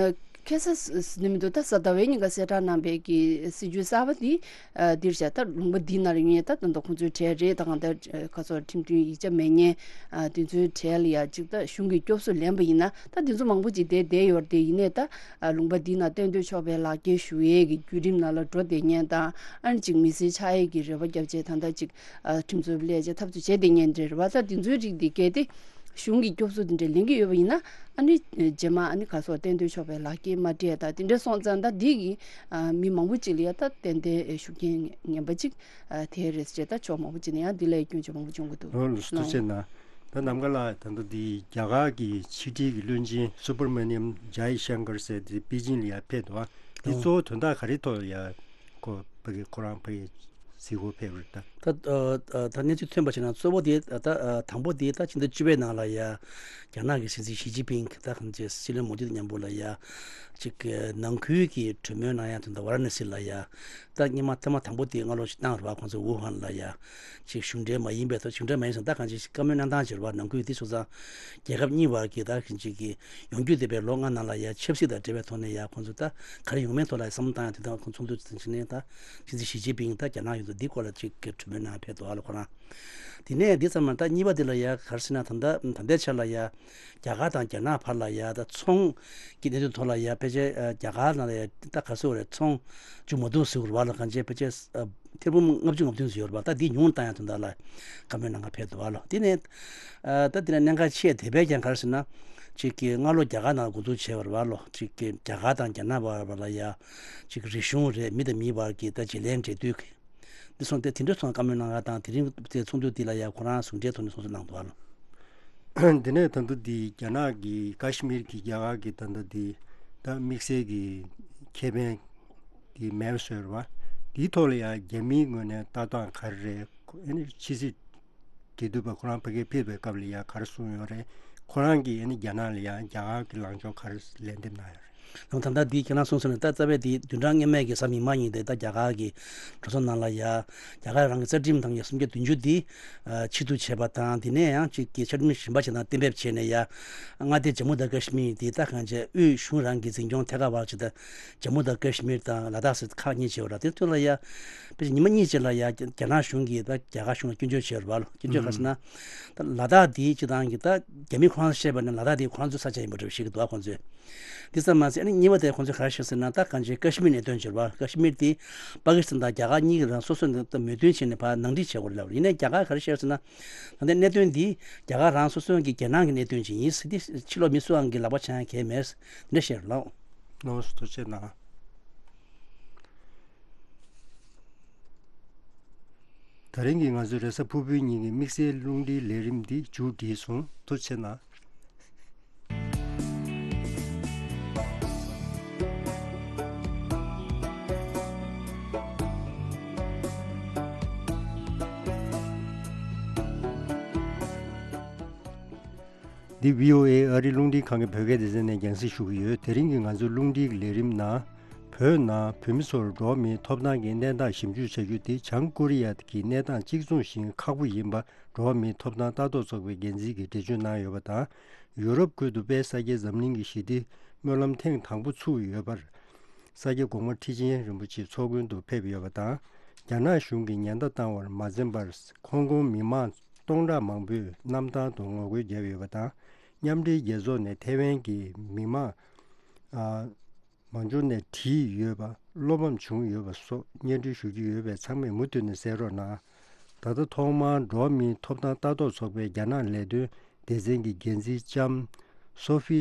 ཨ་ཁ་སང་ཟེར་ནི་མི་འདུག་ད་གཟའ་ཟླ་བའི་ཉིན་ཀ་གསལ་བསྒྲགས་གནང་པའི་གི་སྲིད་ཇུས་གསར་པ་འདི་ཨ་འདི་རེད་ཤག་ད་ལུང་པ་འདི་ནང་ལ་ཡོད་མཁན་ད་ད་ལྟ་ཁོང་ཚོའི་གྲས་རེད། ད་གང་ལྟར་ཨ་ཁ་སང་ཁྲིམས་མཐུན་ཡིག་ཆ་མེད་མཁན་ཨ་དེ་ཚོའི་གྲས་ལ་ཡང་ཅིག་ད་གཞུང་གི་སྐྱོབ་གསོ་ལེན་པ་ཡིན་ན་ད་དེ་ཚོ་མང་པོ་ཅིག་བསྡད་བསྡད་ཡོད་རེད་དེ། ཡིན་ནའི་ད་ཨ་ལུང་པ་འདི་ནང་གཏན་སྡོད་ཆོག་པའི་ལག་འཁྱེར་ཞུ་ཡས་ཀྱི་བརྒྱུད་རིམ་ནང་ལ་འགྲོ་བསྡད་མཁན་དང་ཨ་ནི་ཅིག་མི་སེར་ཆགས་ཡས་ཀྱི་རེ་བ་བརྒྱབ་བྱས་ད་ལྟ་ཅིག་ཨ་ཁྲིམས་རྩོད་པ་སླེབས་བྱས་འཐབ་རྩོད་བྱས་བསྡད་མཁན་འདྲ་རེད་བ། ད་དེ་ཚོའི་རིགས་འདི་གལ་ཏེ་གཞུང་གི་སྐྱོབ་གསོ་དེ་འདྲ་ལེན་གྱི་ཡོད་པ་ཡིན་ན་ཨ་ནི་རྗེས་མ་ཨ་ནི་ག་སོགས་གཏན་སྡོད་ཆོག་པའི་ལག་འཁྱེར་མ་སྤྲད་ད་དེ་འདྲ་སོང་ཙང་ད་འདི་གི་ཨ་མི་མང་པོ་ཅིག་ལ་ཡ་ད་ཏན་ཏན་ཤུགས་རྐྱེན་ངན་པ་ཅིག་ཨ་ཐེབས་རེད་ཅེས་ད་ཕྱོགས་མང་པོ་ཅིག་ནས་ཡང་འདི་ལ་སྐྱོན་བརྗོད་མང་པོ་བྱུང་གི་འདུག་ལགས་སོ། ཐུགས་རྗེ་གནང་། ད་ནམ་མཁའ་ལགས་ད་ལྟ་འདི་རྒྱ་གར་གྱི་ཕྱི་དྲིལ་གྱི་བློན་ཆེན་སུ་བྷར་མ་ནི་ཡམ་ཇའི་ཤང་ཀར་ཟེར་དེ་པེ་ཅིང་ལ་ཡར་ཕེབས་འདུག་ཨ། འདི་ཨོ། གཙོ་བོ་དོན་དག་ག་རེ་ཐོག་ལ་ཡ་ཁོ་ཕ་གི་ཁོ་རང་ཕ་གི་གཟིགས་སྐོར་ཕེབས་རེད་ད། ད་ཨ་ཨ་ད་གནས་ཚུལ་ཐོན་པ་བྱས་ན་གཙོ་བོ་དེ་ད་ཨ་དང་པོ་དེ་ད་ཕྱི་ཟླ་བཅུ་པའི་ནང་ལ་ཡ་རྒྱ་ནག་གི་སྲིད་འཛིན་ཞི་ཅིན་ཕིང་གིས་ད་གང་ཅི་སྲིད་བློན་མོ་དི་དང་མཉམ་པོ་ལ་ཡ་ཅིག་ནང་ཁུལ་གྱི་གྲོས་མོལ་གནང་ཡ་དོན་དུ་ཝཱ་ར་ཎ་སི་ལ་ཡ་ད་སྔོན་མ་ཐེངས་མ་དང་པོ་དེ་སྔ་ལོ་ཞིག་བཏང་རེད་བ། ཁོང་ཚོ་ཝུ་ཧན་ལ་ཡ་ཅིག་གཞུང་འབྲེལ་མ་ཡིན་པའི་ཐོག་གཞུང་འབྲེལ་མ་ཡིན་ཟེར་ན་ད་གང་ཅི་བཀའ་མོལ་གནང་སྟངས་ཅིག་རེད་བ། ནང་ཁུལ་དེ་སོང་ཙང་རྒྱལ་ཁབ་གཉིས་བར་གྱི་ད་གང་ཅི་གི་ཡོང་རྒྱུ་བསྡད་པའི་ལོ་ལྔ་ནང་ལ་ཡ་ཆབ་སྲིད་དང་འབྲེལ་བའི་ཐོག་ནས་ཡ་ཁོང་ཚོ་ད་ག་རེ་ཡོང་མིན་ཐོག་ལ་བསམ་བློ་བཏང་ཡ་དེ་དང་ཁོང་ཚོགས་འདུ་དེ་ཕྱིན་ནས་ད་ཕྱི་ཚེས་ཞི་ཅིན་ཕིང་ད་རྒྱ་ནག་ཡོང་དུས་འདི་སྐོར་ལ་ཅིག་གི་གྲོས་མོལ་གནང་ཕེབས་འདུག་ཨ་ལ་ཁོ་རང་། དེ་ནས་འདི་ཚང་མ་ད་གཉིས་པ་དེ་ལ་ཡ་ག་རེ་ཟེར་ན་ད་ལྟ་ད་ལྟའི་ཆ་ལ་ཡ་རྒྱ་གར་དང་རྒྱ་ནག་བར་ལ་ཡ་ད་ཚོང་གི་གནད་དོན་ཐོག་ལ་ཡ་ཕལ་ཆེར་རྒྱ་གར་ནང་ལ་ཡ་ད་ག་རེ་ཟེར་དགོས་རེད། ཚོང་བཅུ་མ་བདུན་ཟེར་དགོས་རེད་བ་ལ། གང་ཅི་ཕལ་ཆེར་ཐེར་འབུམ་ལྔ་བཅུ་ང་བདུན་ཙམ་ཡོད་རེད་པ། ད་འདི་ཉུང་བཏང་ཡ་དོན་དག་ལ་བཀའ་མོལ་གནང་ག་ཕེབས་འདུག་བ་ལོ། དེ་ནས་ཨ་ད་དེ་ནས་གནད་འགག་ཆེ་དེ་བས་ཀྱང་ག་རེ་ཟེར་ན་ཅིག་གི་སྔ་ལོ་རྒྱ་གར་ནང་འགོ་འཛུགས་བྱས་པ་རེད་བ་ལོ། ཅིག་གི་རྒྱ་གར་དང་རྒྱ་ནག་བར་བར་ལ་ཡ་ཅིག་རིག་གཞུང་རེད། མི་དང་མིའི་བར་གྱི་ད་བརྗེ་ལེན་འབྲེལ་མཐུད་ཀྱི་འདི་སོང་སྟེ་དེ་འདྲ་སོང་བཀའ་མོལ་གནང་ག་དང་། དེ་རིང་དེ་ཚོགས་འདུ་འདི་ལ་ཡ་ཁོ་རང་ཟུང་འབྲེལ་ཐོག་ནས་ཚོགས་འདུ་གནང་འདུག་བ་ལོ། འདི་ནས་ད་ལྟ་འདི་རྒྱ་ནག་གི་ཀ་ཤི་མིར་གྱི་རྒྱ་གར་གྱི་ད་ལྟ་འདི་ད་དམིགས་བསལ་གྱི་ཁེ་ཕན་དེ་མེད་པ་བཟོས་རེད་བ། དེའི་ཐོག་ལ་ཡང་རྒྱ་མིའི་ངོས་ནས་ལྟ་སྟངས་ག་རེ་རེད། ཨ་ནི་ཕྱི་སྲིད་འབྲེལ་མཐུད་པ་ཁོ་རང་ཕ་གིར་ཕེབས་པའི་སྐབས་ལ་ཡང་ག་རེ་གསུངས་ཡོད་རེད། ཁོ་རང་གིས་ཨ་ནི་རྒྱ་ནག་ལ་ཡང་རྒྱ་གར་གྱི་ལངས་ཕྱོགས་ག་རེ་ལན་འདེབས་གནང་ཡོད་རེད། ནང་ད་ལྟ་འདི་ཁྱེད་རང་གསུངས་སོང་ནས་ད་རྩ་བའི་འདི་བདུན་ཕྲག་སྔོན་མའི་གི་གཟའ་མིག་དམར་ཉིན་དེ་ད་རྒྱ་གར་གྱི་གྲོས་ཚོགས་ནང་ལ་ཡ་རྒྱ་གར་རང་གི་རྩ་ཁྲིམས་དང་ཡ་སུམ་བརྒྱ་བདུན་ཅུ་འདི་ཨ་ཕྱིར་བསྡུ་བྱས་པ་དང་། དེ་ནས་ཡང་གཅིག་གི་འཆར་ལྡན་གཞན་པ་ཞིག་དང་གཏན་འབེབས་བྱས་ནས་ཡ་མངའ་སྡེ་ཇམ་མུ་དང་ཀ་ཤི་མིར་འདི་ད་གང་བྱས་དབུས་གཞུང་རང་གི་འཛིན་སྐྱོང་ཐད་ཀར་བར་ཆེད་དུ་ཇམ་མུ་དང་ཀ་ཤི་མིར་དང་ལ་དྭགས་ཟེར་ཁག་གཉིས་བྱས་པ་རེད། དེ་ཚོ་ལ་ཡ་དཔེ་ཆ་ཉི་མ་གཉིས་ཅིག་ལ་ཡ་རྒྱ་ནག་གཞུང་གིས་ད་རྒྱ་གར་གཞུང་ལ་སྐྱོན་བརྗོད་བྱས་པ་རེད་བ་ལོ། སྐྱོན་བརྗོད་ག་རེ་ཟེར་ན་ད་ལ་དྭགས་འདི་སྤྱི་བཏང་གི་ད་རྒྱ་མི་ཁོ་རང་བཤད་པ་ནི་ལ་དྭགས་འདི་ཁོ་རང་ཚོའི་ས་ཆ་ཡིན་པ་འདྲ་བཤད་ཀྱི་འདུག་བ་ཁོང་ཚོས། འདི་ཙམ་མ་ཟད་ཨ་ནི་གཉིས་པ་དེ་ཁོང་ཚོས་ག་རེ་བཤད་ཟེར་ན་ད་གང་ཅི་ཀ་ཤི་མིར་གནད་དོན་བྱས་པ། ཀ་ཤི་མིར་དེ་པ་ཀི་སི་ཐན་དང་རྒྱ་གར་གཉིས་ཀྱིས་རང་སོ་སོ་ནས་མོས་མཐུན་བྱས་ནས་ཕར་ནང་འཁྲིད་བྱས་པ་རེད་ལབ་རེད། ཡིན་ནའི་རྒྱ་གར་ག་རེ་བཤད་ཟེར་ན་ད་ལྟའི་གནད་དོན་འདི་རྒྱ་གར་རང་སོ་སོ་གི་རྒྱལ་ནང་གི་གནད་དོན་ཅིག་ཡིན་ཟེར་ཏེ་ཕྱི་ལོགས་མི་སུའང་གི་ལག་པ་འཆང་ཡ་གང་ཡང་མེད་ཟེར་འདི་འདྲ་བཤད་རེད་ལགས། ནོར་སུ་ཐུགས་རྗེ་གནང་། ད་རིང་གི་ང་ཚོའི་རེས་གཟའ་ཕུར་བུའི་ཉིན་གྱི་དམིགས་བསལ་རླུང་འཕྲིན་ལས་རིམ་འདི་མཇུག་བསྒྲིལ་སོང་། ཐུགས་རྗེ་གནང་། འདི་བྷི་ཨོ་ཨེ་ཨ་རིའི་རླུང་འཕྲིན་ཁང་གི་བོད་སྐད་སྡེ་ཚན་ནས་རྒྱང་སྲིང་ཞུ་གི་ཡོད། དེ་རིང་གི་ང་ཚོའི་རླུང་འཕྲིན་གྱི་ལས་རིམ་ནང་། བོད་ནང་བོད་མི་ཚོར་འགྲོ་བ་མིའི་ཐོབ་ཐང་གི་གནས་སྟངས་ཞིབ་འཇུག་བྱ་རྒྱུ་དེ་བྱང་ཀོ་རི་ཡ་གི་གནས་སྟངས་གཅིག་མཚུངས་ཤིང་ཁག་པོ་ཡིན་པ། འགྲོ་བ་མིའི་ཐོབ་ཐང་ལྟ་རྟོག་ཚོགས་པའི་འགན་འཛིན་གྱིས་འགྲེལ་བརྗོད་གནང་ཡོད་པ་དང་། ཡུ་རོབ་ཁུལ་དུ་དཔལ་ས་སྐྱའི་འཛམ་གླིང་གི་ཞི་བདེ་སྨོན་ལམ་ཐེངས་དང་པོ་ཚུགས་ཡོད་པར། ས་སྐྱ་གོང་མ་ཁྲི་ཆེན་རིན་པོ་ཆེ་ཚོགས་མགོན་དུ་ཕེབས་ཡོད་པ་དང་། རྒྱ་ནག་གཞུང་གིས་ཉེན་བརྡ་བཏང་བར་མ་འཛེམས་པར། ཧོང་ཀོང་མི་མང་སྟོང་ཕྲག་མང་པོས་གནམ་ཐང་དུ་ངོ་རྒོལ་བརྒྱབ་ཡོད་པ་དང་། མཉམ་འབྲེལ་རྒྱལ་ཚོགས་ནས་ཐའེ་ཝན་གྱི་མི་མང་། ཨ། མང་ཚོགས་ནས་བྲིས་ཡོད་པ། བློ་ཕམ་བྱུང་ཡོད་པ་སོགས་སྙན་སྒྲོན་ཞུ་རྒྱུ་ཡོད་པས། ཚང་མས་མུ་མཐུད་ནས་གསན་རོགས་གནང་། ད་ལྟ་ཐོག་མར་འགྲོ་བ་མིའི་ཐོབ་ཐང་ལྟ་རྟོག་ཚོགས་པའི་རྒྱ་ནག་ལས་དོན་སྡེ་ཚན་གྱི་འགན་འཛིན་ལྕམ་སོ་ཧྥི་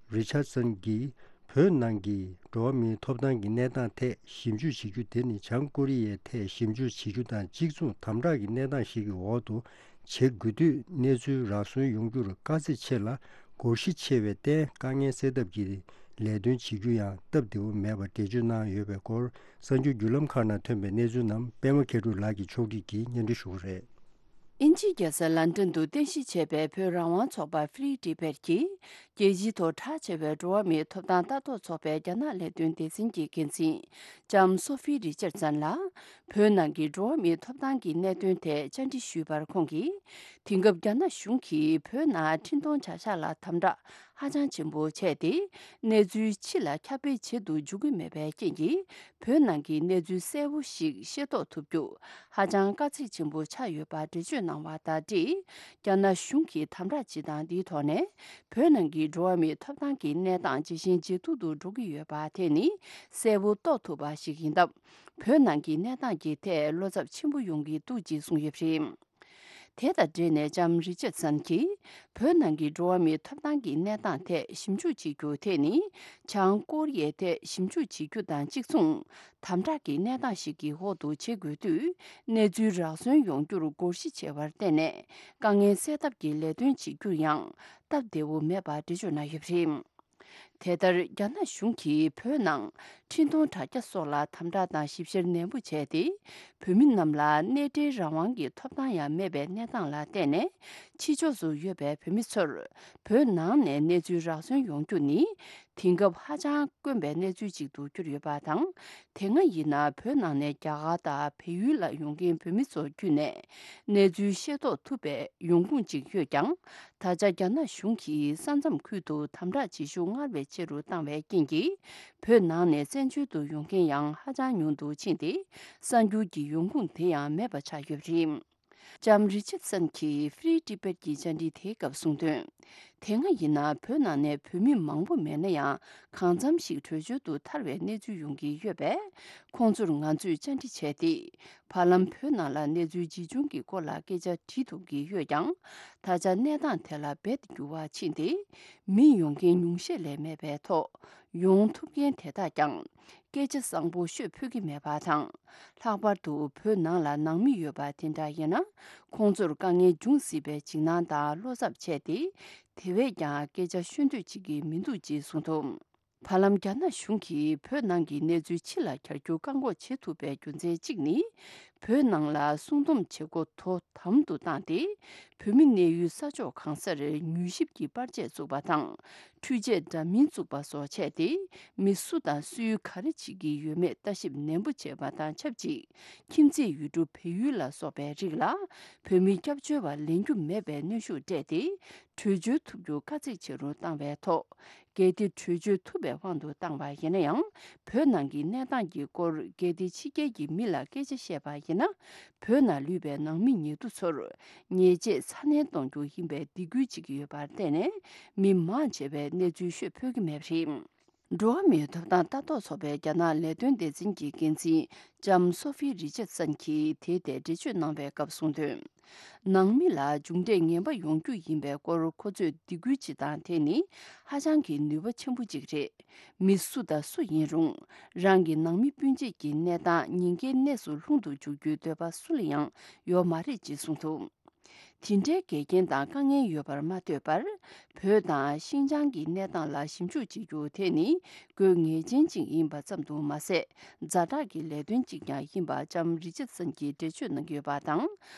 རི་ཆར་སན་གྱིས། བོད་ནང་གི་འགྲོ་བ་མིའི་ཐོབ་ཐང་གི་གནས་སྟངས་ཐད་ཞིབ་འཇུག་བྱེད་རྒྱུ་དེ་ནི། བྱང་ཀོ་རི་ཡའི་ཐད་ཞིབ་འཇུག་བྱེད་རྒྱུ་དང་གཅིག་མཚུངས་དམ་དྲག་གི་གནས་སྟངས་ཤིག་གི་འོག་ཏུ་བྱེད་དགོས་དུས། གནས་ཚུལ་རག་སོན་ཡོང་རྒྱུར་དཀའ་ཚེགས་ཆེ་ལ། སྒོར་གཞི་ཆེ་བས་བརྟེན། དཀའ་ངལ་སེལ་ཐབས་ཀྱི་ལས་དོན་བྱེད་རྒྱུ་ཡང་སྟབས་བདེ་བོ་མེད་པར་འགྲེལ་བརྗོད་གནང་ཡོད་པའི་སྐོར། གསར་འགྱུར་བརྒྱུད་ལམ་ཁག་ནང་ཐོན་པའི་གནས་ཚུལ་རྣམས་པད་མ་མཁས་གྲུབ་ལགས་ཀྱིས་ཕྱོགས་སྒྲིག་གིས་སྙན་སྒྲོན་ཞུ་གི་རེད། དབྱིན་ཇིའི་རྒྱལ་ས་ལན་ཀྲན་དུ་རྟེན་གཞི་བྱས་པའི་བོད་རང་དབང་ཚོགས་པ་Free Tibet་གྱིས། རྒྱལ་སྤྱིའི་ཐོག་གྲགས་ཆེ་བའི་འགྲོ་བ་མིའི་ཐོབ་ཐང་ལྟ་རྟོག་ཚོགས་པའི་རྒྱ་ནག་ལས་དོན་སྡེ་ཚན་གྱི་འགན་འཛིན་ལྕམ་སོ་ཧྥི་རི་ཅར་སན་ལ། བོད་ནང་གི་འགྲོ་བ་མིའི་ཐོབ་ཐང་གི་གནད་དོན་ཐད་བཅར་འདྲི་ཞུས་པར། ཁོང་གིས། དེང་སྐབས་རྒྱ་ནག་གཞུང་གིས་བོད་ནང་འཕྲིན་གཏོང་བྱ་གཞག་ལ་དམ་དྲག་ཧ་ཅང་ཆེན་པོ་བྱས་ཏེ། གནས་ཚུལ་ཕྱི་ལ་ཁྱབ་སྤེལ་བྱེད་དུ་འཇུག་གི་མེད་པའི་རྐྱེན་གྱིས། བོད་ནང་གི་གནས་ཚུལ་གསལ་པོ་ཞིག་ཤེས་རྟོགས་ཐུབ་རྒྱུ་ཧ་ཅང་དཀའ་ཚེགས་ཆེན་པོ་ཆགས་ཡོད་པ་འགྲེལ་བརྗོད་གནང་བ་དང་འབྲེལ། རྒྱ་ནག་གཞུང་གིས་དམ་དྲག་བྱེད་སྟངས་འདིའི་ཐོག་ནས། བོད་ནང་གི་འགྲོ་བ་མིའི་ཐོབ་ཐང་གི་གནས་སྟངས་ཇེ་ཞན་ཇེ་སྡུག་ཏུ་འགྲོ་གི་ཡོད་པ་དེ་ནི་གསལ་པོ་རྟོགས་ཐུབ་པ་ཞིག་ཡིན་སྟབས། བོད་ནང་གི་གནས་སྟངས་ཀྱི་ཐད་བློ་འཚབ་ཆེན་པོ་ཡོང་གི་འདུག་ཅེས་གསུངས་ཡོད་པ་རེད། དེ་དང་འབྲེལ་ནས་ལྕམ་རི་ཅར་སན་གྱིས། བོད་ནང་གི་འགྲོ་བ་མིའི་ཐོབ་ཐང་གི་གནས་སྟངས་ཐད་ཞིབ་འཇུག་བྱེད་རྒྱུ་དེ་ནི། བྱང་ཀོ་རི་ཡའི་ཐད་ཞིབ་འཇུག་བྱེད་རྒྱུ་དང་གཅིག་མཚུངས། དམ་དྲག་གི་གནས་སྟངས་ཤིག་གི་འོག་ཏུ་བྱེད་དགོས་དུས། གནས་ཚུལ་རག་སོན་ཡོང་རྒྱུར་སྒོར་གཞི་ཆེ་བར་བརྟེན་ནས། དཀའ་ངལ་སེལ་ཐབས་ཀྱི་ལས་དོན་བྱེད་རྒྱུར་ཡང་སྟབས་བདེ་བོ་མེད་པ་འགྲེལ་བརྗོད་གནང་ཡོད་པ་རེད། དེ་ལྟར། རྒྱ་ནག་གཞུང་གིས་བོད་ནང་འཕྲིན་གཏོང་དྲ་རྒྱ་སོགས་ལ་དམ་དྲག་དང་ཞིབ་བཤེར་ནན་པོ་བྱས་ཏེ། བོད་མི་རྣམས་ལ་གནས་འབྲེལ་རང་དབང་གི་ཐོབ་ཐང་ཡང་མེད་པའི་གནས་སྟངས་ལ་བརྟེན་ནས། ཕྱི་ཕྱོགས་སུ་ཡོད་པའི་བོད་མི་ཚོར། བོད་ནང་ནས་གནས་ཚུལ་རག་སོན་ཡོང་རྒྱུ་ནི། དེང་སྐབས་ཧ་ཅང་དཀོན་པའི་གནས་ཚུལ་ཅིག་ཏུ་གྱུར་ཡོད་པ་དང་། དེ་སྔ་ཡིན་ན་བོད་ནང་ནས་རྒྱ་གར་དང་བལ་ཡུལ་ལ་ཡོང་མཁན་བོད་མི་ཚོ་བརྒྱུད་ནས་གནས་ཚུལ་ཤེས་རྟོགས་ཐུབ་པའི་ཡོང་ཁུངས་ཅིག་ཡོད་ཀྱང་། ད་ཆ་རྒྱ་ནག་གཞུང་གིས་ས་མཚམས་ཁུལ་དུ་དམ་དྲག་བྱེད་ཤུགས་སྔར་བས་ཆེ་རུ་བཏང་བའི་རྐྱེན་གྱིས། བོད་ནང་ནས་བཙན་བྱོལ་དུ་ཡོང་མཁན་ཡང་ཧ་ཅང་ཉུང་དུ་ཕྱིན་ཏེ། གསར་འགྱུར་གྱི་ཡོང་ཁུངས་དེ་ཡང་མེད་པ་ཆགས་ཡོད་པ་རེད། ལྕམ་རི་ཅར་སན་གྱིས་Free Tibet་གྱི་བཅར་འདྲི་དེའི་སྐབས་གསུངས་དོན། དེ་སྔ་ཡིན་ན་བོད་ནང་ནས་བོད་མི་མང་པོ་མེད་ན་ཡང་། གང་འཚམ་ཞིག་བྲོས་བྱོལ་དུ་ཐར་བའི་གནས་ཚུལ་ཡོང་གི་ཡོད་པས། ཁོང་ཚོར་ང་ཚོས་བཅར་འདྲི་བྱས་ཏེ། བར་ལམ་བོད་ནང་ལ་གནས་ཚུལ་ཇི་བྱུང་གི་སྐོར་ལ་སྐད་ཆ་དྲིས་ཐུབ་ཀྱི་ཡོད་ཀྱང་། ད་ཆ་གནས་སྟངས་དེ་ལ་རྦད་དེ་འགྱུར་བ་ཕྱིན་ཏེ། མི་ཡོང་མཁན་ཉུང་ཤས་ལས་མེད་པའི་ཐོག་ཡོང་ཐུབ་མཁན་དེ་དག་ཀྱང་། སྐད་ཆ་བཟང་པོ་ཤོད་ཕོད་ཀྱི་མེད་པ་དང་། ལྷག་པར་དུ་བོད་ནང་ལ་ནང་མི་ཡོད་པ་དེ་འདྲ་ཡིན་ན། ཁོང་ཚོར་དཀའ་ངལ་འབྱུང་སྲིད་པའི་འཇིགས་སྣང་དང་བློ་འཚབ་བྱས་ཏེ། དེ་བས་ཀྱང་སྐད་ཆ་ཤོད་འདོད་བྱེད་ཀྱི་མི་འདུག་ཅེས་གསུངས་འདུག། བར་ལམ་རྒྱ་ནག་གཞུང་གིས་བོད་ནང་གི་གནས་ཚུལ་ཕྱི་ལ་གྱར་རྒྱུ་བཀག་འགོག་བྱེད་ཐུབ་པའི་རྒྱུ་མཚན་གཅིག་ནི། བོད་ནང་ལ་སྲུང་སྡོམ་བྱེད་སྒོ་དོ་དམ་དུ་བཏང་སྟེ། བོད་མི་གནས་ཡུལ་ས་ཕྱོགས་གང་སར་མྱུལ་ཞིབ་ཀྱི་པར་ཆས་བཙུགས་པ་དང་། འཕྲུལ་ཆས་འདྲ་མིན་བཙུགས་པ་སོགས་བྱས་ཏེ། མི་སུ་དང་སུས་ག་རེ་བྱེད་ཀྱི་ཡོད་མེད་ལྟ་ཞིབ་ནན་པོ་བྱས་པ་དང་ཆབས་ཅིག། ཁྱིམ་མཚེས་ཡུལ་གྲུ་བལ་ཡུལ་ལ་སོགས་པའི་རིགས་ལ། བོད་མི་སྐྱབས་བཅོལ་བ་ལེན་རྒྱུ་མེད་པའི་གནོན་ཤུགས་སྤྲད་དེ། བྲོས་བྱོལ་ཐུབ་རྒྱུ་དཀའ་ཚེགས་ཆེ་རུ་བཏང་བའི་ཐོག་གལ་ཏེ་བྲོས་བྱོལ་ཐུབ་པའི་དབང་དུ་བཏང་བ་ཡིན་ན་ཡང་། བོད་ནང་གི་གནས་སྟངས་ཀྱི་སྐོར་གལ་ཏེ་ཕྱི་རྒྱལ་གྱི་མི་ལ་སྐད་ཆ་བཤད་པ་ཡིན་ན། བོད་ནང་ལུས་པའི་ནང་མི་ཉེ་དུ་ཚོར་ཉེས་ཆད་ཚ་ནན་གཏོང་རྒྱུ་ཡིན་པའི་སྡིགས་སྐུལ་བྱེད་ཀྱི་ཡོད་པར་བརྟེན་ནས། མི་མང་ཆེ་བས་གནས་ཚུལ་ཤོད་ཕོད་ཀྱི་མེད་པ་རེད། འགྲོ་བ་མིའི་ཐོབ་ཐང་ལྟ་རྟོག་ཚོགས་པའི་རྒྱ་ནག་ལས་དོན་སྡེ་ཚན་གྱི་འགན་འཛིན་ལྕམ་སོ་ཧྥི་རི་ཅར་སན་གྱིས་དེའི་ཐད་འགྲེལ་བརྗོད་གནང་བའི་སྐབས་གསུངས་དོན། ནང་མི་ལ་མཇུག་འབྲས་ངན་པ་ཡོང་རྒྱུ་ཡིན་པའི་སྐོར་ཁོ་ཚོས་སྡིགས་སྐུལ་བྱེད་སྟངས་དེ་ནི་ཧ་ཅང་གི་ནུས་པ་ཆེན་པོ་ཅིག་རེད། མི་སུ་དང་སུ་ཡིན་རུང་། རང་གི་ནང་མི་སྤུན་མཆེད་ཀྱི་གནས་སྟངས་ཉེན་ཁའི་གནས་སུ་ལྷུང་དུ་འཇུག་རྒྱུའི་འདོད་པ་སུ་ལ་ཡང་ཡོད་མ་རེད་ཅེས་གསུངས་འདུག། དེ་འདྲའི་འགལ་རྐྱེན་དང་དཀའ་ངལ་ཡོད་པར་མ་ལྟོས་པར། བོད་དང་ཤིན་ཅང་གི་གནས་སྟངས་ལ་ཞིབ་འཇུག་བྱེད་རྒྱུ་དེ་ནི་དགོས་ངེས་ཅན་ཅིག་ཡིན་པ་ཙམ་དུ་མ་ཟད། ཛ་དྲག་གི་ལས་དོན་ཅིག་ཀྱང་ཡིན་པ་ལྕམ་རི་ཅར་སན་གྱིས་འགྲེལ་བརྗོད་གནང་གི་ཡོད་པ་དང་།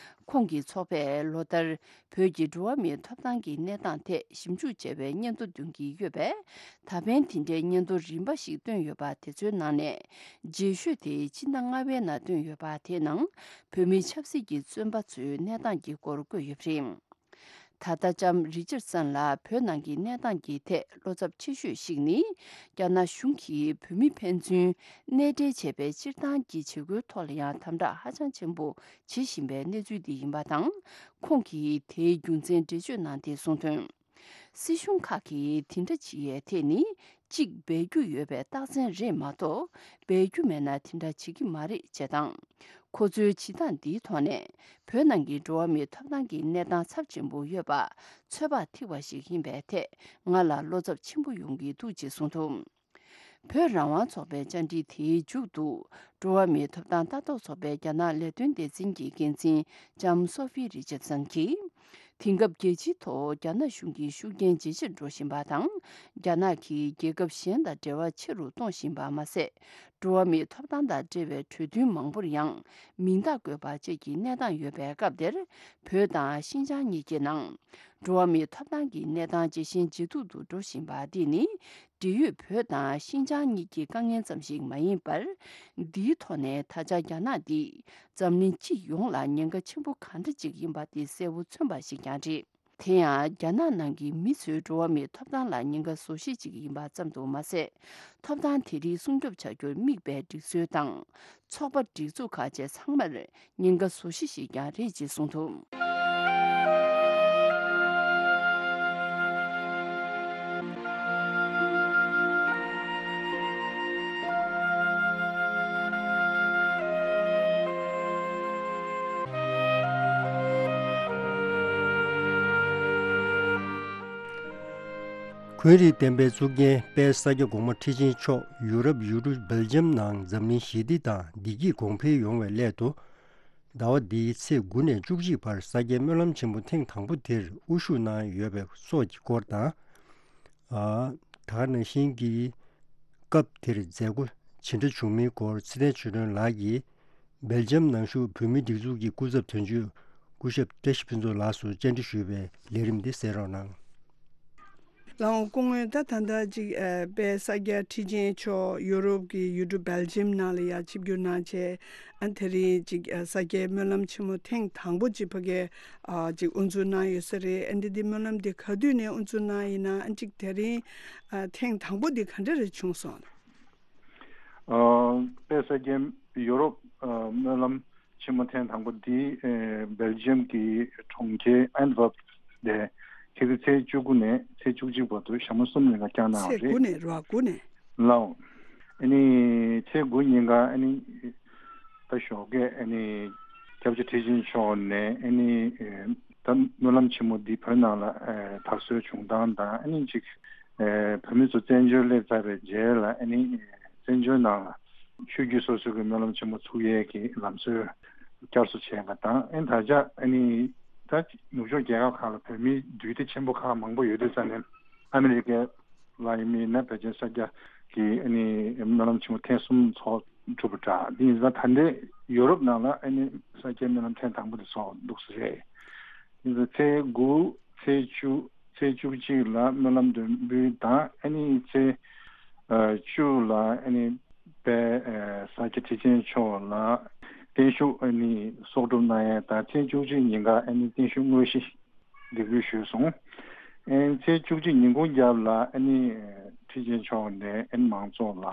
ཁོང་གི་ཚོགས་པས་ལོ་ལྟར་བོད་ཀྱི་འགྲོ་བ་མིའི་ཐོབ་ཐང་གི་གནས་སྟངས་ཐད་ཞིབ་འཇུག་བྱས་པའི་སྙན་ཐོ་འདོན་གྱི་ཡོད་པས། ད་ཕན་དེ་འདྲའི་སྙན་ཐོ་རིམ་པ་ཞིག་བཏོན་ཡོད་པ་དེ་ཚོའི་ནང་ནས་རྗེས་ཤོས་དེ་ཕྱི་ཟླ་ལྔ་པའི་ནང་བཏོན་ཡོད་པ། དེའི་ནང་བོད་མི་ཆབ་སྲིད་ཀྱི་བཙོན་པ་ཚོའི་གནས་སྟངས་ཀྱི་སྐོར་བཀོད་ཡོད་པ་རེད། ད་ལྟ་ལྕམ་རི་ཅར་སན་ལགས་བོད་ནང་གི་གནས་སྟངས་ཀྱི་ཐད་བློ་འཚབ་ཆེ་ཤོས་ཤིག་ནི། རྒྱ་ནག་གཞུང་གིས་བོད་མི་ཕན་ཚུན་གནས་འབྲེལ་བྱས་པའི་སྤྱིར་བཏང་གི་བྱེད་སྒོའི་ཐོག་ལ་ཡང་དམ་དྲག་ཧ་ཅང་ཆེན་པོ་བྱེད་བཞིན་པའི་གནས་ཚུལ་འདི་ཡིན་པ་དང་། ཁོང་གིས་དེའི་རྒྱུ་མཚན་འགྲེལ་བརྗོད་གནང་སྟེ་གསུངས་དོན། སྲིད་གཞུང་ཁག་གིས་དེ་འདྲ་བྱེད་ཡས་ཐད་ནི། གཅིག་སྦས་རྒྱུ་ཡོད་པའི་རྟགས་མཚན་རེད་མ་གཏོགས། སྦས་རྒྱུ་མེད་ན་དེ་འདྲ་བྱེད་ཀྱི་མ་རེད་ཅེས་དང་། ཁོ་ཚོའི་བྱེད་སྟངས་འདིའི་ཐོག་ནས། བོད་ནང་གི་འགྲོ་བ་མིའི་ཐོབ་ཐང་གི་གནས་སྟངས་ཚབས་ཆེན་པོ་ཡོད་པ་ཚོད་དཔག་ཐིག་པ་ཞིག་ཡིན་པའི་ཐད། ང་ལ་བློ་འཚབ་ཆེན་པོ་ཡོང་གི་འདུག་ཅེས་གསུངས་འདུག་བོད་རང་དབང་ཚོགས་པའི་བཅར་འདྲི་དེའི་མཇུག་ཏུ། འགྲོ་བ་མིའི་ཐོབ་ཐང་ལྟ་རྟོག་ཚོགས་པའི་རྒྱ་ནག་ལས་དོན་སྡེ་ཚན་གྱི་འགན་འཛིན་ལྕམ་སོ་ཧྥི་རི་ཅར་སན་གྱིས། དེང་སྐབས་རྒྱལ་སྤྱིའི་ཐོག་རྒྱ་ནག་གཞུང་གི་ཤུགས་རྐྱེན་ཇེ་ཆེར་འགྲོ་བཞིན་པ་དང་། རྒྱ་ནག་གིས་རྒྱལ་ཁབ་གཞན་དང་འབྲེལ་བ་ཆེ་རུ་གཏོང་བཞིན་པ་མ་ཟད། འགྲོ་བ་མིའི་ཐོབ་ཐང་དང་འབྲེལ་བའི་གྲོས་མཐུན་མང་པོར་ཡང་མིང་རྟགས་བཀོད་པ་བཅས་ཀྱི་གནས་སྟངས་ཡོད་པའི་སྐབས་འདིར། བོད་དང་ཤིན་ཅང་གཉིས་ཀྱི་ནང་འགྲོ་བ་མིའི་ཐོབ་ཐང་གི་གནས་སྟངས་ཇེ་ཞན་ཇེ་སྡུག་ཏུ་འགྲོ་བཞིན་པ་འདི་ནི། འབྲེལ་ཡོད་བོད་དང་ཤིན་ཅང་གཉིས་ཀྱི་དཀའ་ངལ་ཙམ་ཞིག་མ་ཡིན་པར། འདིའི་ཐོག་ནས་ད་ཆ་རྒྱ་ནག་འདིས་འཛམ་གླིང་སྤྱི་ཡོངས་ལ་ཉེན་ཁ་ཆེན་པོ་གང་འདྲ་ཅིག་ཡིན་པ་དེ་གསལ་པོ་མཚོན་པ་ཞིག་ཀྱང་རེད། དེ་ཡང་རྒྱ་ནག་ནང་གི་མི་ཚོའི་འགྲོ་བ་མིའི་ཐོབ་ཐང་ལ་ཉེན་ཁ་བཟོ་གཞི་ཅིག་ཡིན་པ་ཙམ་དུ་མ་ཟད། ཐོབ་ཐང་དེ་རིགས་སྲུང་སྐྱོབ་བྱ་རྒྱུར་དམིགས་པའི་སྒྲིག་སྲོལ་དང་། ཚོགས་པ་སྒྲིག་འཛུགས་ཁག་བཅས་ཚང་མར་ཉེན་ཁ་བཟོ་གཞི་ཞིག་ཀྱང་རེད་ཅེས་གསུངས་འདུག་ཁུལ་རིགས་ལྡན་པའི་གཙུག་རྒྱན་དཔལ་ས་སྐྱ་གོང་མ་ཁྲི་ཆེན་མཆོག་ཡུ་རོབ་ཡུལ་གྲུ་སྦེལ་ཇམ་ནང་འཛམ་གླིང་ཞི་བདེ་དང་བདེ་སྐྱིད་གོང་འཕེལ་ཡོང་བའི་སླད་དུ། ཟླ་བ་འདིའི་ཚེས་དགུ་ནས་བཅུ་གཅིག་བར་ས་སྐྱའི་སྨོན་ལམ་ཆེན་མོ་ཐེངས་དང་པོ་དེར་དབུ་བཞུགས་གནང་ཡོད་པའི་སོགས་ཀྱི་སྐོར་དང་། ཨ། ད་ག་ནང་བཞིན་གྱི་སྐབས་དེར་མཛད་སྒོ་ཇི་འདྲ་བྱུང་མིན་སྐོར་ཚེ་བརྟན་ཆོས་སྒྲོན་ལགས་ཀྱིས། སྦེལ་ཇམ་ནང་བཞུགས་བོད་མིའི་སྒྲིག་འཛུགས་ཀྱི་སྐུ་ཚབ་དོན་གཅོད་སྐུ་ཞབས་བཀྲ་ཤིས་ཕུན་ཚོགས་ལགས་སུ་བཅར་འདྲི་ཞུས་པའི་ལས་རིམ་འདི་གསན་རོགས་གནང་། ལགས་འོང་། སྐུ་ངོ། ད་ད་ལྟ་ཅིག་ཨ་དཔལ་ས་སྐྱ་ཁྲི་ཆེན་མཆོག་ཡུ་རོབ་ཀྱི་ཡུལ་གྲུ་སྦེལ་ཇམ་ནང་ལ་ཡར་ཆིབས་བསྒྱུར་གནང་བྱས། ཨ་དེ་རིང་ཅིག་ཨ་ས་སྐྱའི་སྨོན་ལམ་ཆེན་མོ་ཐེངས་དང་པོ་ཅིག་ཕ་གིར་ཨ་ཅིག་དབུ་འཛུགས་གནང་ཡོད་ས་རེད། ཨ་འདི་འདི་སྨོན་ལམ་འདི་ག་དུས་ནས་དབུ་འཛུགས་གནང་ཡིན་ན། ཨ་ཅིག་དེ་རིང་ཨ་ཐེངས་དང་པོ་འདི་ག་འདྲ་རེ་བྱུང་སོང་། ཨ་དཔལ་ས་སྐྱའི་ཡུ་རོབ་ཨ་སྨོན་ལམ་ཆེན་མོ་ཐེངས་དང་པོ་འདི་ཨ་སྦེལ་ཇམ་གྱི་གྲོང་ཁྱེར་ཨན་ཝར་པ་ནས་ཕྱི་ཚེས་བཅུ་དགུ་ནས་ཚེས་བཅུ་གཅིག་བར་དུ་ཞག་མ་གསུམ་རིང་ལ་བསྐྱངས་གནང་བ་ཚེས་དགུ་རེད། ནས་རེད་པ། དགུ་ནས། ལགས་འོང་། ཨ་ནི་ཚེས་དགུ་ཉིན་ཀ་ཨ་ནི་ད་ཞོགས་ཀས་ཨ་ནི་སྐྱབས་རྗེ་ཁྲི་ཆེན་མཆོག་ནས་ཨ་ནི་ཨ་ད་སྨོན་ལམ་ཆེན་མོ་འདི་བོད་ནང་ལ་ཨ་དར་སྲོལ་བྱུང་སྟངས་དང་། ཨ་ནི་ཅིག་ཨ་བོད་མི་ཚོ་བཙན་བྱོལ་སླེབས་ཚར་བའི་རྗེས་ལ་ཨ་ནི་བཙན་བྱོལ་ནང་ལ་ཆོས་བརྒྱུད་སོ་སོ་གི་སྨོན་ལམ་ཆེན་མོ་ཚུགས་ཡས་ཀྱི་ལམ་སྲོལ་བསྐྱར་གསོ་བྱས་པ་དང་། ཨ་ནི་ད་ཆ་ཨ་ནི་ད་ནུབ་ཕྱོགས་རྒྱལ་ཁབ་ཁག་ལ་བོད་མིའི་འདུས་སྡེ་ཆེན་པོ་ཁག་མང་པོ་ཡོད་དུས་ཙང་ནས། ཨ་མི་རི་ཀའི་ལ་ཡིན་མིན་ན་བོད་ཆེན་ས་སྐྱ་གི་ཨ་ནི་སྨོན་ལམ་ཆེན་མོ་ཐེངས་གསུམ་ཚོགས་གྲུབ་པ་འདྲ། འདི་ཡིན་ཙང་ད་ལྟའི་ཡོ་རོབ་ནང་ལ་ཨ་ནི་ས་སྐྱའི་སྨོན་ལམ་ཐེངས་དང་པོ་དེ་ཚོགས་འདུག་ས་རེད། ཡིན་ཙང་ཚེས་དགུ། ཚེས་བཅུ། ཚེས་བཅུ་གཅིག་ལ་སྨོན་ལམ་འདོན་འབུལ་དང་། ཨ་ནི་ཚེས་ཨ་བཅུ་ལ་ཨ་ནི་དཔལ་ཨ་ས་སྐྱ་ཁྲི་ཆེན་མཆོག་ལ་བརྟན་བཞུགས་ཨ་ནི་གསོག་སྒྲུབ་གནང་ཡས་དང་། ཚེས་བཅུ་གཅིག་ཉིན་ཀ་ཨ་ནི་བརྟན་བཞུགས་དངོས་གཞི་འདེགས་འབུལ་ཞུས་སོང་། ཨ་ནི་ཚེས་བཅུ་གཅིག་ཉིན་གུང་རྒྱབ་ལ་ཨ་ནི་ཁྲི་ཆེན་མཆོག་ནས་ཨ་ནི་མང་ཚོགས་ལ་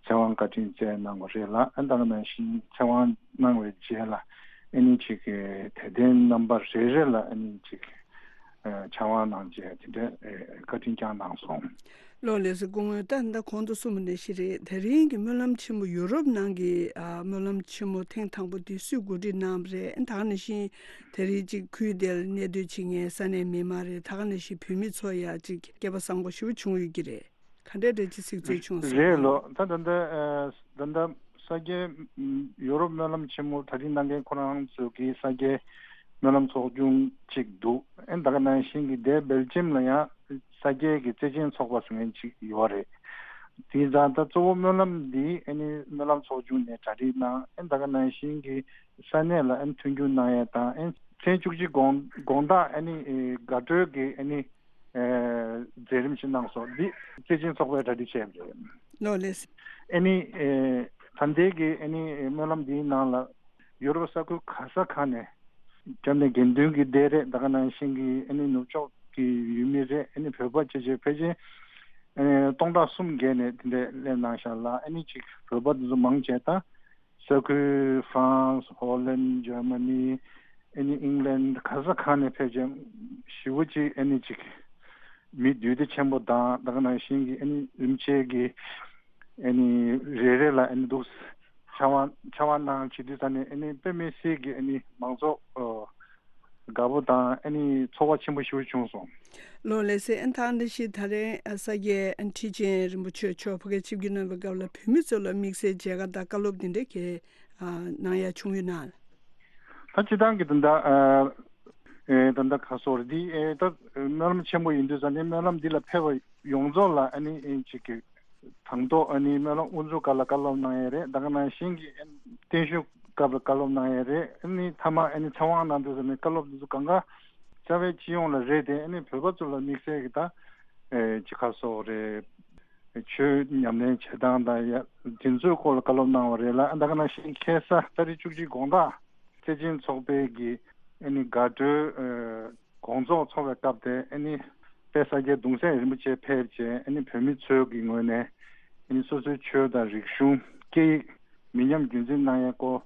ཚེ་དབང་བཀའ་དྲིན་སྩལ་གནང་བ་རེད་ལ། ཨ་ནི་ད་ག་ནང་བཞིན་ཚེ་དབང་གནང་བའི་རྗེས་ལ་ཨ་ནི་ཅིག་དད་ལྡན་རྣམ་པ་རེ་རེ་ལ་ཨ་ནི་ཅིག་ཕྱག་དབང་གནང་བྱས་དེ་འདྲའི་བཀའ་དྲིན་བསྐྱངས་གནང་སོང་། ལགས་ལགས་སོ། སྐུ་ངོ། ད་ད་གོང་དུ་གསུངས་པ་ནང་བཞིན་རེད། དེ་རིང་གི་སྨོན་ལམ་ཆེན་མོ་ཡུ་རོབ་ནང་གི་ཨ་སྨོན་ལམ་ཆེན་མོ་ཐེངས་དང་པོ་དེ་སུས་གོ་སྒྲིག་གནང་བ་རེད། ད་ག་ནང་བཞིན་དེ་རིང་ཅིག་ཁུལ་དེར་གནས་སྡོད་བྱེད་མཁན་ས་གནས་མི་མང་རེད། ད་ག་ནང་བཞིན་བོད་མི་ཚོ་ཡ་ཅིག་སྐལ་པ་བཟང་པོ་ཞེ་པོ་བྱུང་ཡོད་ཀྱི་རེད། ག་འདྲས་འདྲ་ཅིག་གཟིགས་ཚུལ་བྱུང་སོང་། རེད་ལོ། ད་ད་ལྟ་ཨ་ད་ལྟ་ས་སྐྱའི་ཨམ་ཡོ་རོབ་སྨོན་ལམ་ཆེན་མོ་གྲ་སྒྲིག་གནང་མཁན་ཁོ་རང་ཚོ་གི་ས་སྐྱའི་སྨོན་ལམ་ཚོགས་ཆུང་གཅིག་འདུག་ཨ་ད་ག་ནང་བཞིན་གྱི་དེ་སྦེལ་ཇམ་ལ་ཡང་ས་སྐྱའི་གི་བརྩེ་ཆེན་ཚོགས་པ་ཟེར་མཁན་ཅིག་ཡོད་རེད། དེ་ཙང་ད་གཙོ་བོ་སྨོན་ལམ་འདི་ཨ་ནི་སྨོན་ལམ་ཚོགས་ཆུང་ནས་གྲ་སྒྲིག་གནང་། ཨ་ད་ག་ནང་བཞིན་གྱི་ས་གནས་ལ་ཨ་ནི་མཐུན་འགྱུར་གནང་ཡས་དང་། ཨ་ ཚེས་བཅུ་གཅིག་དགོང་དགོང་དག་ཨ་ནི་ཨེ་དགའ་སྤྲོའི་གི་ཨ་ནི་ཨེ་མཛད་རིམ་ཞིག་གནང་སོང་། འདི་སྲིད་སྤྱི་ཚོགས་པས་གྲ་སྒྲིག་བྱས་པ་རེད། ལགས་ལགས། ཨ་ནི་ཨེ་ད་ལྟའི་གི་ཨ་ནི་ཨེ་སྨོན་ལམ་འདིའི་ནང་ལ་ཡུ་རོབ་ས་ཁུལ་ག་ས་ག་ནས་བཅར་ནས་དགེ་འདུན་གྱི་སྡེ་རེད། ད་ག་ནང་བཞིན་གྱི་ཨ་ནི་ནུབ་ཕྱོགས་ཀྱི་ཡུལ་མི་རེད། ཨ་ནི་བོད་པ་བཅས་བཅས་ཕལ་ཆེར་ཨ་ནི་སྟོང་ཕྲག་གསུམ་བརྒལ་ནས་དེ་འདྲས་སླེབས་གནང་ཤག་ལ། ཨ་ནི་ཅིག་བོད་པ་དེ་ཚོ་མང་ཆེ་ད་ས་ཁུལ་ཧྥ་རན་སི། ཧོ་ལན། འཇར་མ་ནི། ཨ་ནི་ཨིང་ལན། ག་ས་ག་ནས་ཕལ་ཆེར་ཞེ་པོ་ཅིག་ཨ་ནི་ཅིག་མི་འདུས་སྡེ་ཆེན་པོ་དང་། ད་ག་ནང་བཞིན་གྱི་ཨ་ནི་རིམ་བྱས་ཀྱི་ཨ་ནི་རེ་རེ་ལ་ཨ་ནི་འདུག་ཕྱག་དབང་ཕྱག་དབང་གནང་བྱེད་དུས་ད་ནི་ཨ་ནི་དཔེ་མི་སྲིད་ཀྱི་ཨ་ནི་མང་ཚོགས་ཨ་དགའ་པོ་དང་ཨ་ནི་ཚོར་བ་ཆེན་པོ་ཞེ་པོ་བྱུང་སོང་། ལགས་ལགས་སེ། ཨ་ནི་ད་འདི་ཞིག་ད་རེས་ཨ་ས་སྐྱའི་ཨ་ཁྲི་ཆེན་རིན་པོ་ཆེ་མཆོག་ཕ་གིར་ཆིབས་བསྒྱུར་གནང་བའི་སྐབས་ལ་བོད་མི་ཚོ་ལ་དམིགས་བསལ་མཇལ་ཁ་དང་བཀའ་སློབ་འདི་འདྲ་གི་ཨ་གནང་ཡ་བྱུང་ཡོད་ན། ད་སྤྱིར་བཏང་གི་ད་ལྟ་ཨ་ཨེ་ད་ལྟ་ག་སོར་འདི་ཨེ་ད་སྨོན་ལམ་ཆེན་པོ་ཡིན་དུས་ཙང་ནས་སྨོན་ལམ་འདི་ལ་ཕེབས་པ་ཡོངས་རྫོགས་ལ་ཨ་ནི་ཨེ་ཅིག་གི་དང་ཐོག་ཨ་ནི་སྨོན་ལམ་དབུ་འཛུགས་སྐབས་ལ་བཀའ་སློབ་གནང་ཡས་རེད། ད་ག་ནང་བཞིན་གྱི་ཨ་ནི་བརྟན་བཞུགས་སྐབས་ལ་བཀའ་སློབ་གནང་ཡས་རེད། ཨ་ནི་མཐའ་མ་ཨ་ནི་ཚེ་དབང་གནང་དུས་ཙང་ནས་བཀའ་སློབ་འདི་ཚོ་གང་ག་རྩ་བའི་སྤྱི་ཡོངས་ལ་རེད་དེ། ཨ་ནི་བོད་པ་ཚོ་ལ་དམིགས་བསལ་གྱི་ད་ཨེ་ཅི་ག་སོགས་རེད། ཆོས་ཉམས་ལེན་བྱེད་སྟངས་དང་ཡ་དེ་ཚོའི་སྐོར་ལ་བཀའ་སློབ་གནང་བ་རེད་ལ། ད་ག་ནང་བཞིན་ཁ་སང་ཏ་རིག་བཅུ་གཅིག་དགོང་དག་སྲིད་སྤྱི་ཚོགས་པའི་གི་ཨ་ནི་དགའ་སྤྲོའི་ཨ་དགོང་ཚོགས་འཚོགས་པའི་སྐབས་དེ། ཨ་ནི་དཔལ་ས་སྐྱའི་གདུང་སྲས་རིན་པོ་ཆེ་ཕེབས་བྱས། ཨ་ནི་བོད་མི་ཚོའི་གི་ངོས་ནས་ཨ་ནི་སོ་སོའི་ཆོས་དང་རིག་གཞུང་སྐད་ཡིག་མི་ཉམས་རྒྱུན་འཛིན་གནང་ཡས་སྐོར་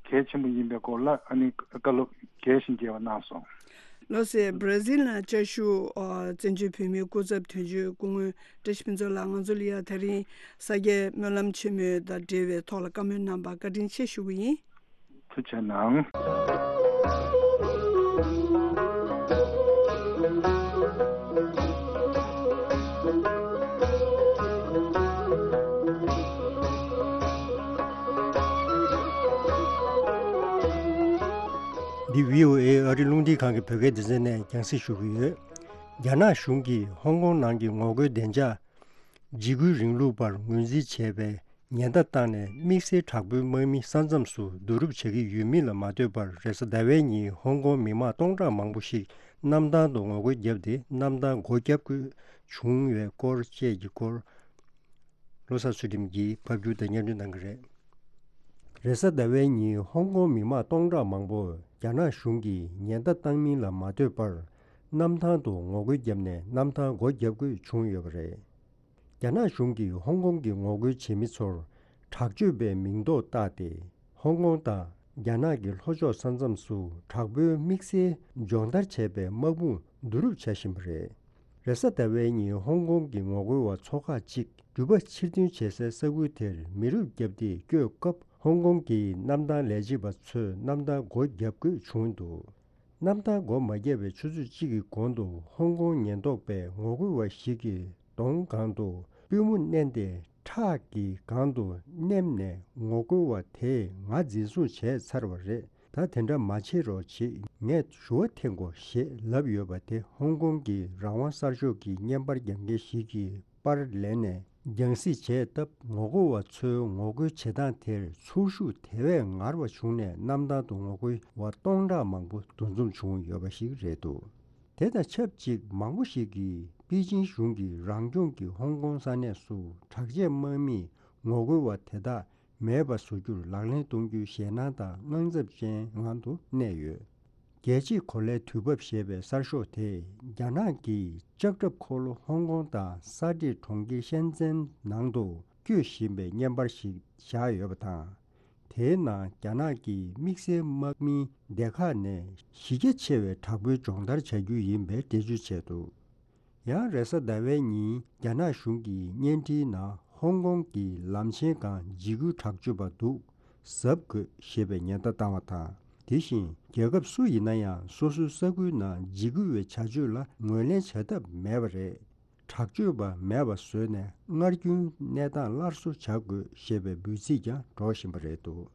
གལ་ཆེན་པོ་ཡིན་པའི་སྐོར་ལ་ཨ་ནི་བཀའ་སློབ་རྒྱས་ཤིང་རྒྱས་པ་གནང་སོང་། ལགས་སེ། བྷར་ཛིལ་ནང་བཅའ་བཞུགས་ཨ་བཙན་བྱོལ་བོད་མིའི་སྐུ་ཚབ་དོན་གཅོད་སྐུ་ངོ་བཀྲ་ཤིས་ཕུན་ཚོགས་ལགས་ང་ཚོ་ལ་ཡ་དེ་རིང་ས་སྐྱའི་སྨོན་ལམ་ཆེན་མོ་དང་འབྲེལ་བའི་ཐོག་ལ་བཀའ་མོལ་གནང་བར་བཀའ་དྲིན་ཆེ་ཞུ་གི་ཡིན། ཐུགས་རྗེ་གནང་། འདི་བྷི་ཨོ་ཨེ་ཨ་རི་རླུང་འཕྲིན་ཁང་གི་བོད་སྐད་སྡེ་ཚན་ནས་རྒྱང་སྲིང་ཞུ་གི་ཡོད། རྒྱ་ནག་གཞུང་གིས་ཧོང་ཀོང་ནང་གི་ངོ་རྒོལ་བདེ་འཇགས། འཇིགས་སྐུལ་རིང་ལུགས་པར་ངོས་འཛིན་བྱས་པའི་ཉེན་བརྡ་བཏང་ནས་དམིགས་བསལ་དྲག་པོའི་དམག་མི་ས་མཚམས་སུ་བསྡུ་རུབ་བྱེད་ཀྱི་ཡོད་མིན་ལ་མ་ལྟོས་པར། རེས་གཟའ་ཟླ་བའི་ཉིན་ཧོང་ཀོང་མི་མང་སྟོང་ཕྲག་མང་པོ་ཞིག་གནམ་ཐང་དུ་ངོ་རྒོལ་བརྒྱབ་སྟེ་གནམ་ཐང་སྒོ་བརྒྱབ་དགོས་བྱུང་བའི་སྐོར་བཅས་ཀྱི་སྐོར། ལོ་གསར་ཚུལ་ཁྲིམས་ཀྱིས་ཕབ་སྒྱུར་དང་སྙན་སྒྲོན་གནང་གི་རེད། རེས་གཟའ་ཟླ་བའི་ཉིན་ཧོང་ཀོང་མི་མང་སྟོང་ཕྲག་མང་པོ་རྒྱ་ནག་གཞུང་གིས་ཉེན་བརྡ་བཏང་མིན་ལ་མ་ལྟོས་པར། གནམ་ཐང་དུ་ངོ་རྒོལ་བརྒྱབ་ནས་གནམ་ཐང་སྒོ་བརྒྱབ་དགོས་བྱུང་ཡོད་པ་རེད། རྒྱ་ནག་གཞུང་གིས་ཧོང་ཀོང་གི་ངོ་རྒོལ་བྱེད་མི་ཚོར་དྲག་སྤྱོད་པའི་མིང་འདོགས་བཏགས་ཏེ། ཧོང་ཀོང་དང་རྒྱ་ནག་གི་ལྷོ་ཕྱོགས་ས་མཚམས་སུ་དྲག་པོའི་དམིགས་བསལ་སྦྱོང་བརྡར་བྱས་པའི་དམག་དཔུང་བསྡུ་རུབ་བྱ་བཞིན་པ་རེད། རེས་གཟའ་ཟླ་བའི་ཉིན་ཧོང་ཀོང་གི་ངོ་རྒོལ་བ་ཚོ་ཁག་ཅིག་འགྲུལ་པ་ཕྱིར་འཐེན་བྱེད་སའི་ས་ཁུལ་དེར་མེ་རུབ་བརྒྱབ་སྟེ་བསྐྱོད་སྐབས། ཧོང་ཀོང་གི་གནམ་ཐང་ལས་བྱེད་པ་ཚོས་གནམ་ཐང་སྒོ་བརྒྱབ་དགོས་བྱུང་འདུག་གནམ་ཐང་སྒོ་མ་བརྒྱབ་པའི་ཆུ་ཚོད་གཅིག་གི་གོང་དུ་ཧོང་ཀོང་ཉེན་རྟོག་པས་ངོ་རྒོལ་བ་ཞིག་གི་གདོང་སྒང་དུ་པུས་མོ་མནན་ཏེ། ཁྲག་གིས་གང་དུ་མནན་ནས་ངོ་རྒོལ་བ་དེས་ང་འཛིན་བཟུང་བྱས་ཚར་བ་རེད། ད་དེ་འདྲ་མ་བྱེད་རོགས་བྱེད། ངས་ཞུ་བ་འཐེན་དགོས་ཞེས་ལབ་ཡོད་པ་དེ་ཧོང་ཀོང་གི་རང་དབང་གསར་ཤོག་གི་བརྙན་པར་རྒྱག་མཁན་ཞིག་གིས་པར་ལེན་ནས་རྒྱང་སྲིང་བྱས་སྟབས། ངོ་རྒོལ་བ་ཚོའི་ངོ་རྒོལ་བྱེད་སྟངས་དེར་ཚོར་ཤུགས་དེ་བས་ངར་བ་བྱུང་ནས་གནམ་ཐང་དུ་ངོ་རྒོལ་བ་སྟོང་ཕྲག་མང་པོ་འདུ་འཛོམས་བྱུང་ཡོད་པ་ཞིག་རེད་འདུག་དེ་དང་ཆབས་ཅིག་མང་པོ་ཞིག་གིས་པེ་ཅིང་གཞུང་གིས་རང་སྐྱོང་གི་ཧོང་ཀོང་ས་གནས་སུ་དྲག་ཆས་དམག་མིས་ངོ་རྒོལ་བ་དེ་དག་མེད་པ་བཟོ་རྒྱུར་ལག་ལེན་གཏོང་རྒྱུའི་ཞེད་སྣང་དང་དངངས་འཚབ་ཅན་ངང་དུ་གནས་ཡོད། རྒྱལ་གཅེས་གོ་ལའི་དུས་བབ་ཞེས་པའི་གསར་ཤོག་དེས་རྒྱ་ནག་གིས་ལྕགས་ཁྲབ་འཁོར་ལོ་ཧོང་ཀོང་དང་ས་འདྲེས་གྲོང་ཁྱེར་ཤན་ཙེན་ནང་དུ་སྐྱོད་བཞིན་པའི་བརྙན་པར་ཞིག་བཞག་ཡོད་པ་དང་། དེའི་ནང་རྒྱ་ནག་གི་དམིགས་བསལ་དམག་མིའི་སྡེ་ཁག་ནས་གཞི་རྒྱ་ཆེ་བའི་དྲག་པོའི་སྦྱོང་བརྡར་བྱ་རྒྱུ་ཡིན་པའི་འགྲེལ་བརྗོད་བྱས་འདུག་ཡང་རེས་གཟའ་ཟླ་བའི་ཉིན་རྒྱ་ནག་གཞུང་གི་བརྙན་འཕྲིན་ནང་ཧོང་ཀོང་གི་ལམ་ཆེན་སྒང་འཇིགས་སྐུལ་དྲག་སྤྱོད་པ་འདུག་གཟབ་དགོས་ཞེས་པའི་ཉེན་བརྡ་བཏང་བ་དང་། དེ་བཞིན་རྒྱལ་ཁབ་སུ་ཡིན་ན་ཡང་སོ་སོའི་ས་ཁུལ་ནང་འཇིགས་སྐུལ་བའི་བྱ་སྤྱོད་ལ་ངོས་ལེན་བྱ་ཐབས་མེད་པ་རེད། དྲག་སྤྱོད་པ་མེད་པ་བཟོས་ནས་སྔར་རྒྱུན་གནས་སྟངས་སླར་གསོ་བྱ་དགོས་ཞེས་པའི་འབོད་ཚིག་ཀྱང་སྒྲོག་བཞིན་པ་རེད་འདུག་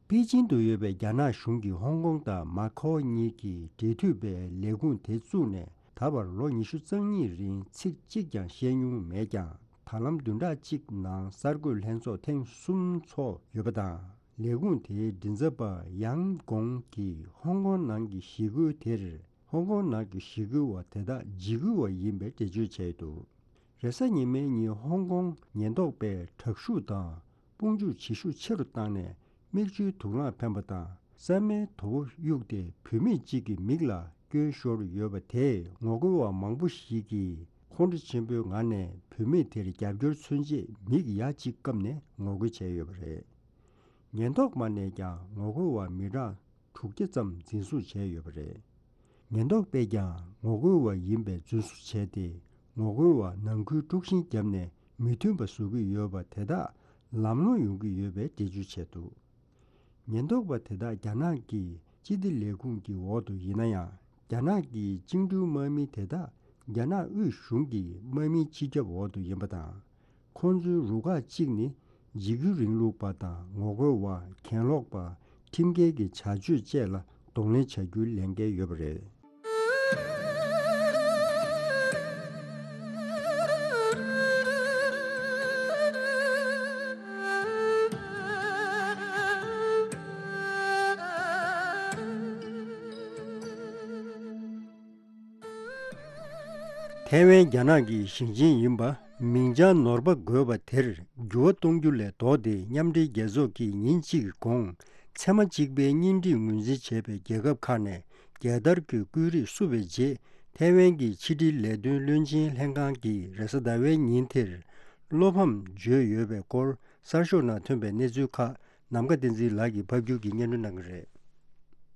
པེ་ཅིང་དུ་ཡོད་པའི་རྒྱ་ནག་གཞུང་གིས་ཧོང་ཀོང་དང་མ་ཁའོ་གཉིས་ཀྱི་འབྲེལ་མཐུད་པའི་ལས་ཁུངས་དེ་བཙུགས་ནས་ད་བར་ལོ་ཉི་ཤུ་རྩ་གཉིས་རིང་ཚིག་གཅིག་ཀྱང་བཤད་མྱོང་མེད་ཀྱང་། ད་ལམ་བདུན་ཕྲག་གཅིག་ནང་གསར་འགོད་ལྷན་ཚོགས་ཐེངས་གསུམ་ཚོགས་ཡོད་པ་དང་། ལས་ཁུངས་དེའི་མགྲིན་ཚབ་པ་ཡང་གོང་གིས་ཧོང་ཀོང་ནང་གི་ཞི་རྒོལ་དེར་ཧོང་ཀོང་ནང་གི་ཞི་རྒོལ་བ་དེ་དག་འཇིགས་སྐུལ་བ་ཡིན་པའི་འགྲེལ་བརྗོད་བྱས་འདུག་རེས་གཟའ་ཉི་མའི་ཉིན་ཧོང་ཀོང་ཉེན་རྟོག་པས་དྲག་ཤུགས་དང་དཔུང་འཇུག་བྱེད་ཤུགས་ཆེ་རུ་བཏང་ནས། མིག་ཆུའི་དུག་རླངས་འཕེན་པ་དང་། གསར་མའི་དོ་པོ་གཡུགས་ཏེ་བུད་མེད་ཅིག་གི་མིག་ལ་སྐྱོན་ཤོར་ཡོད་པ་དེས། ངོ་རྒོལ་བ་མང་པོ་ཞིག་གིས་ཁོང་ཁྲོ་ཆེན་པོའི་ངང་ནས་བུད་མེད་དེར་རྒྱབ་སྐྱོར་མཚོན་ཆེད་མིག་ཡ་གཅིག་བཀབ་ནས་ངོ་རྒོལ་བྱས་ཡོད་པ་རེད། ཉེན་རྟོག་པ་ནས་ཀྱང་ངོ་རྒོལ་བ་མི་གྲངས་དྲུག་བརྒྱ་ཙམ་འཛིན་བཟུང་བྱས་ཡོད་པ་རེད། ཉེན་རྟོག་པས་ཀྱང་ངོ་རྒོལ་བ་ཡིན་པའི་རྫུན་བཟོ་བྱས་ཏེ། ངོ་རྒོལ་བ་ནང་ཁུལ་དཀྲུག་ཤིང་བརྒྱབ་ནས་མི་མཐུན་པ་བཟོ་གི་ཡོད་པ་དེ་དག་ལམ་ལྷོང་ཡོང་གི་ཡོད་པའི་འགྲེལ་བརྗོད་བྱས་འདུག་ཉེན་རྟོག་པ་དེ་དག་རྒྱ་ནག་གི་སྤྱི་བདེ་ལས་ཁུངས་ཀྱི་འོག་ཏུ་ཡིན་ན་ཡང་། རྒྱ་ནག་གི་བཅིངས་འགྲོལ་དམག་མི་དེ་དག་རྒྱ་ནག་དབུས་གཞུང་གི་དམག་མིའི་སྤྱི་ཁྱབ་འོག་ཏུ་ཡིན་པ་དང་། ཁོང་ཚོའི་རུ་ཁག་གཅིག་ནི་འཇིགས་སྐུལ་རིང་ལུགས་པ་དང་ངོ་རྒོལ་བ། གྱེན་ལོག་པ། ཁྲིམས་འགལ་གྱི་བྱ་སྤྱོད་བཅས་ལ་གདོང་ལེན་བྱ་རྒྱུའི་ལས་འགན་ཡོད་པ་རེད། ཐའེ་ཝན་རྒྱ་ནག་གི་ཞིང་ཆེན་ཡིན་པ་མིང་བྱང་ནོར་བ་དགོས་པ་དེར་འགྱུར་བ་གཏོང་རྒྱུ་ལས་ལྡོག་སྟེ། མཉམ་འབྲེལ་རྒྱལ་ཚོགས་ཀྱིས་ཉིན་གཅིག་གི་གོང་ཚད་མ་གཅིག་པའི་གཉེན་སྒྲིག་ངོས་འཛིན་བྱས་པའི་རྒྱལ་ཁབ་ཁག་ནས་རྒྱལ་དར་གྱི་བཀོད་རིས་བསུབས་པའི་རྗེས། ཐའེ་ཝན་གྱི་ཕྱི་འབྲེལ་ལས་དོན་བློན་ཆེན་ལྷན་ཁང་གིས་རེས་གཟའ་ཟླ་བའི་ཉིན་དེར་བློ་ཕམ་བརྗོད་ཡོད་པའི་སྐོར། གསར་ཤོག་ནང་ཐོན་པའི་གནས་ཚུལ་ཁག་ནམ་མཁའ་བསྟན་འཛིན་ལགས་ཀྱིས་ཕབ་སྒྱུར་གྱིས་སྙན་སྒྲོན་གནང་གི་རེད།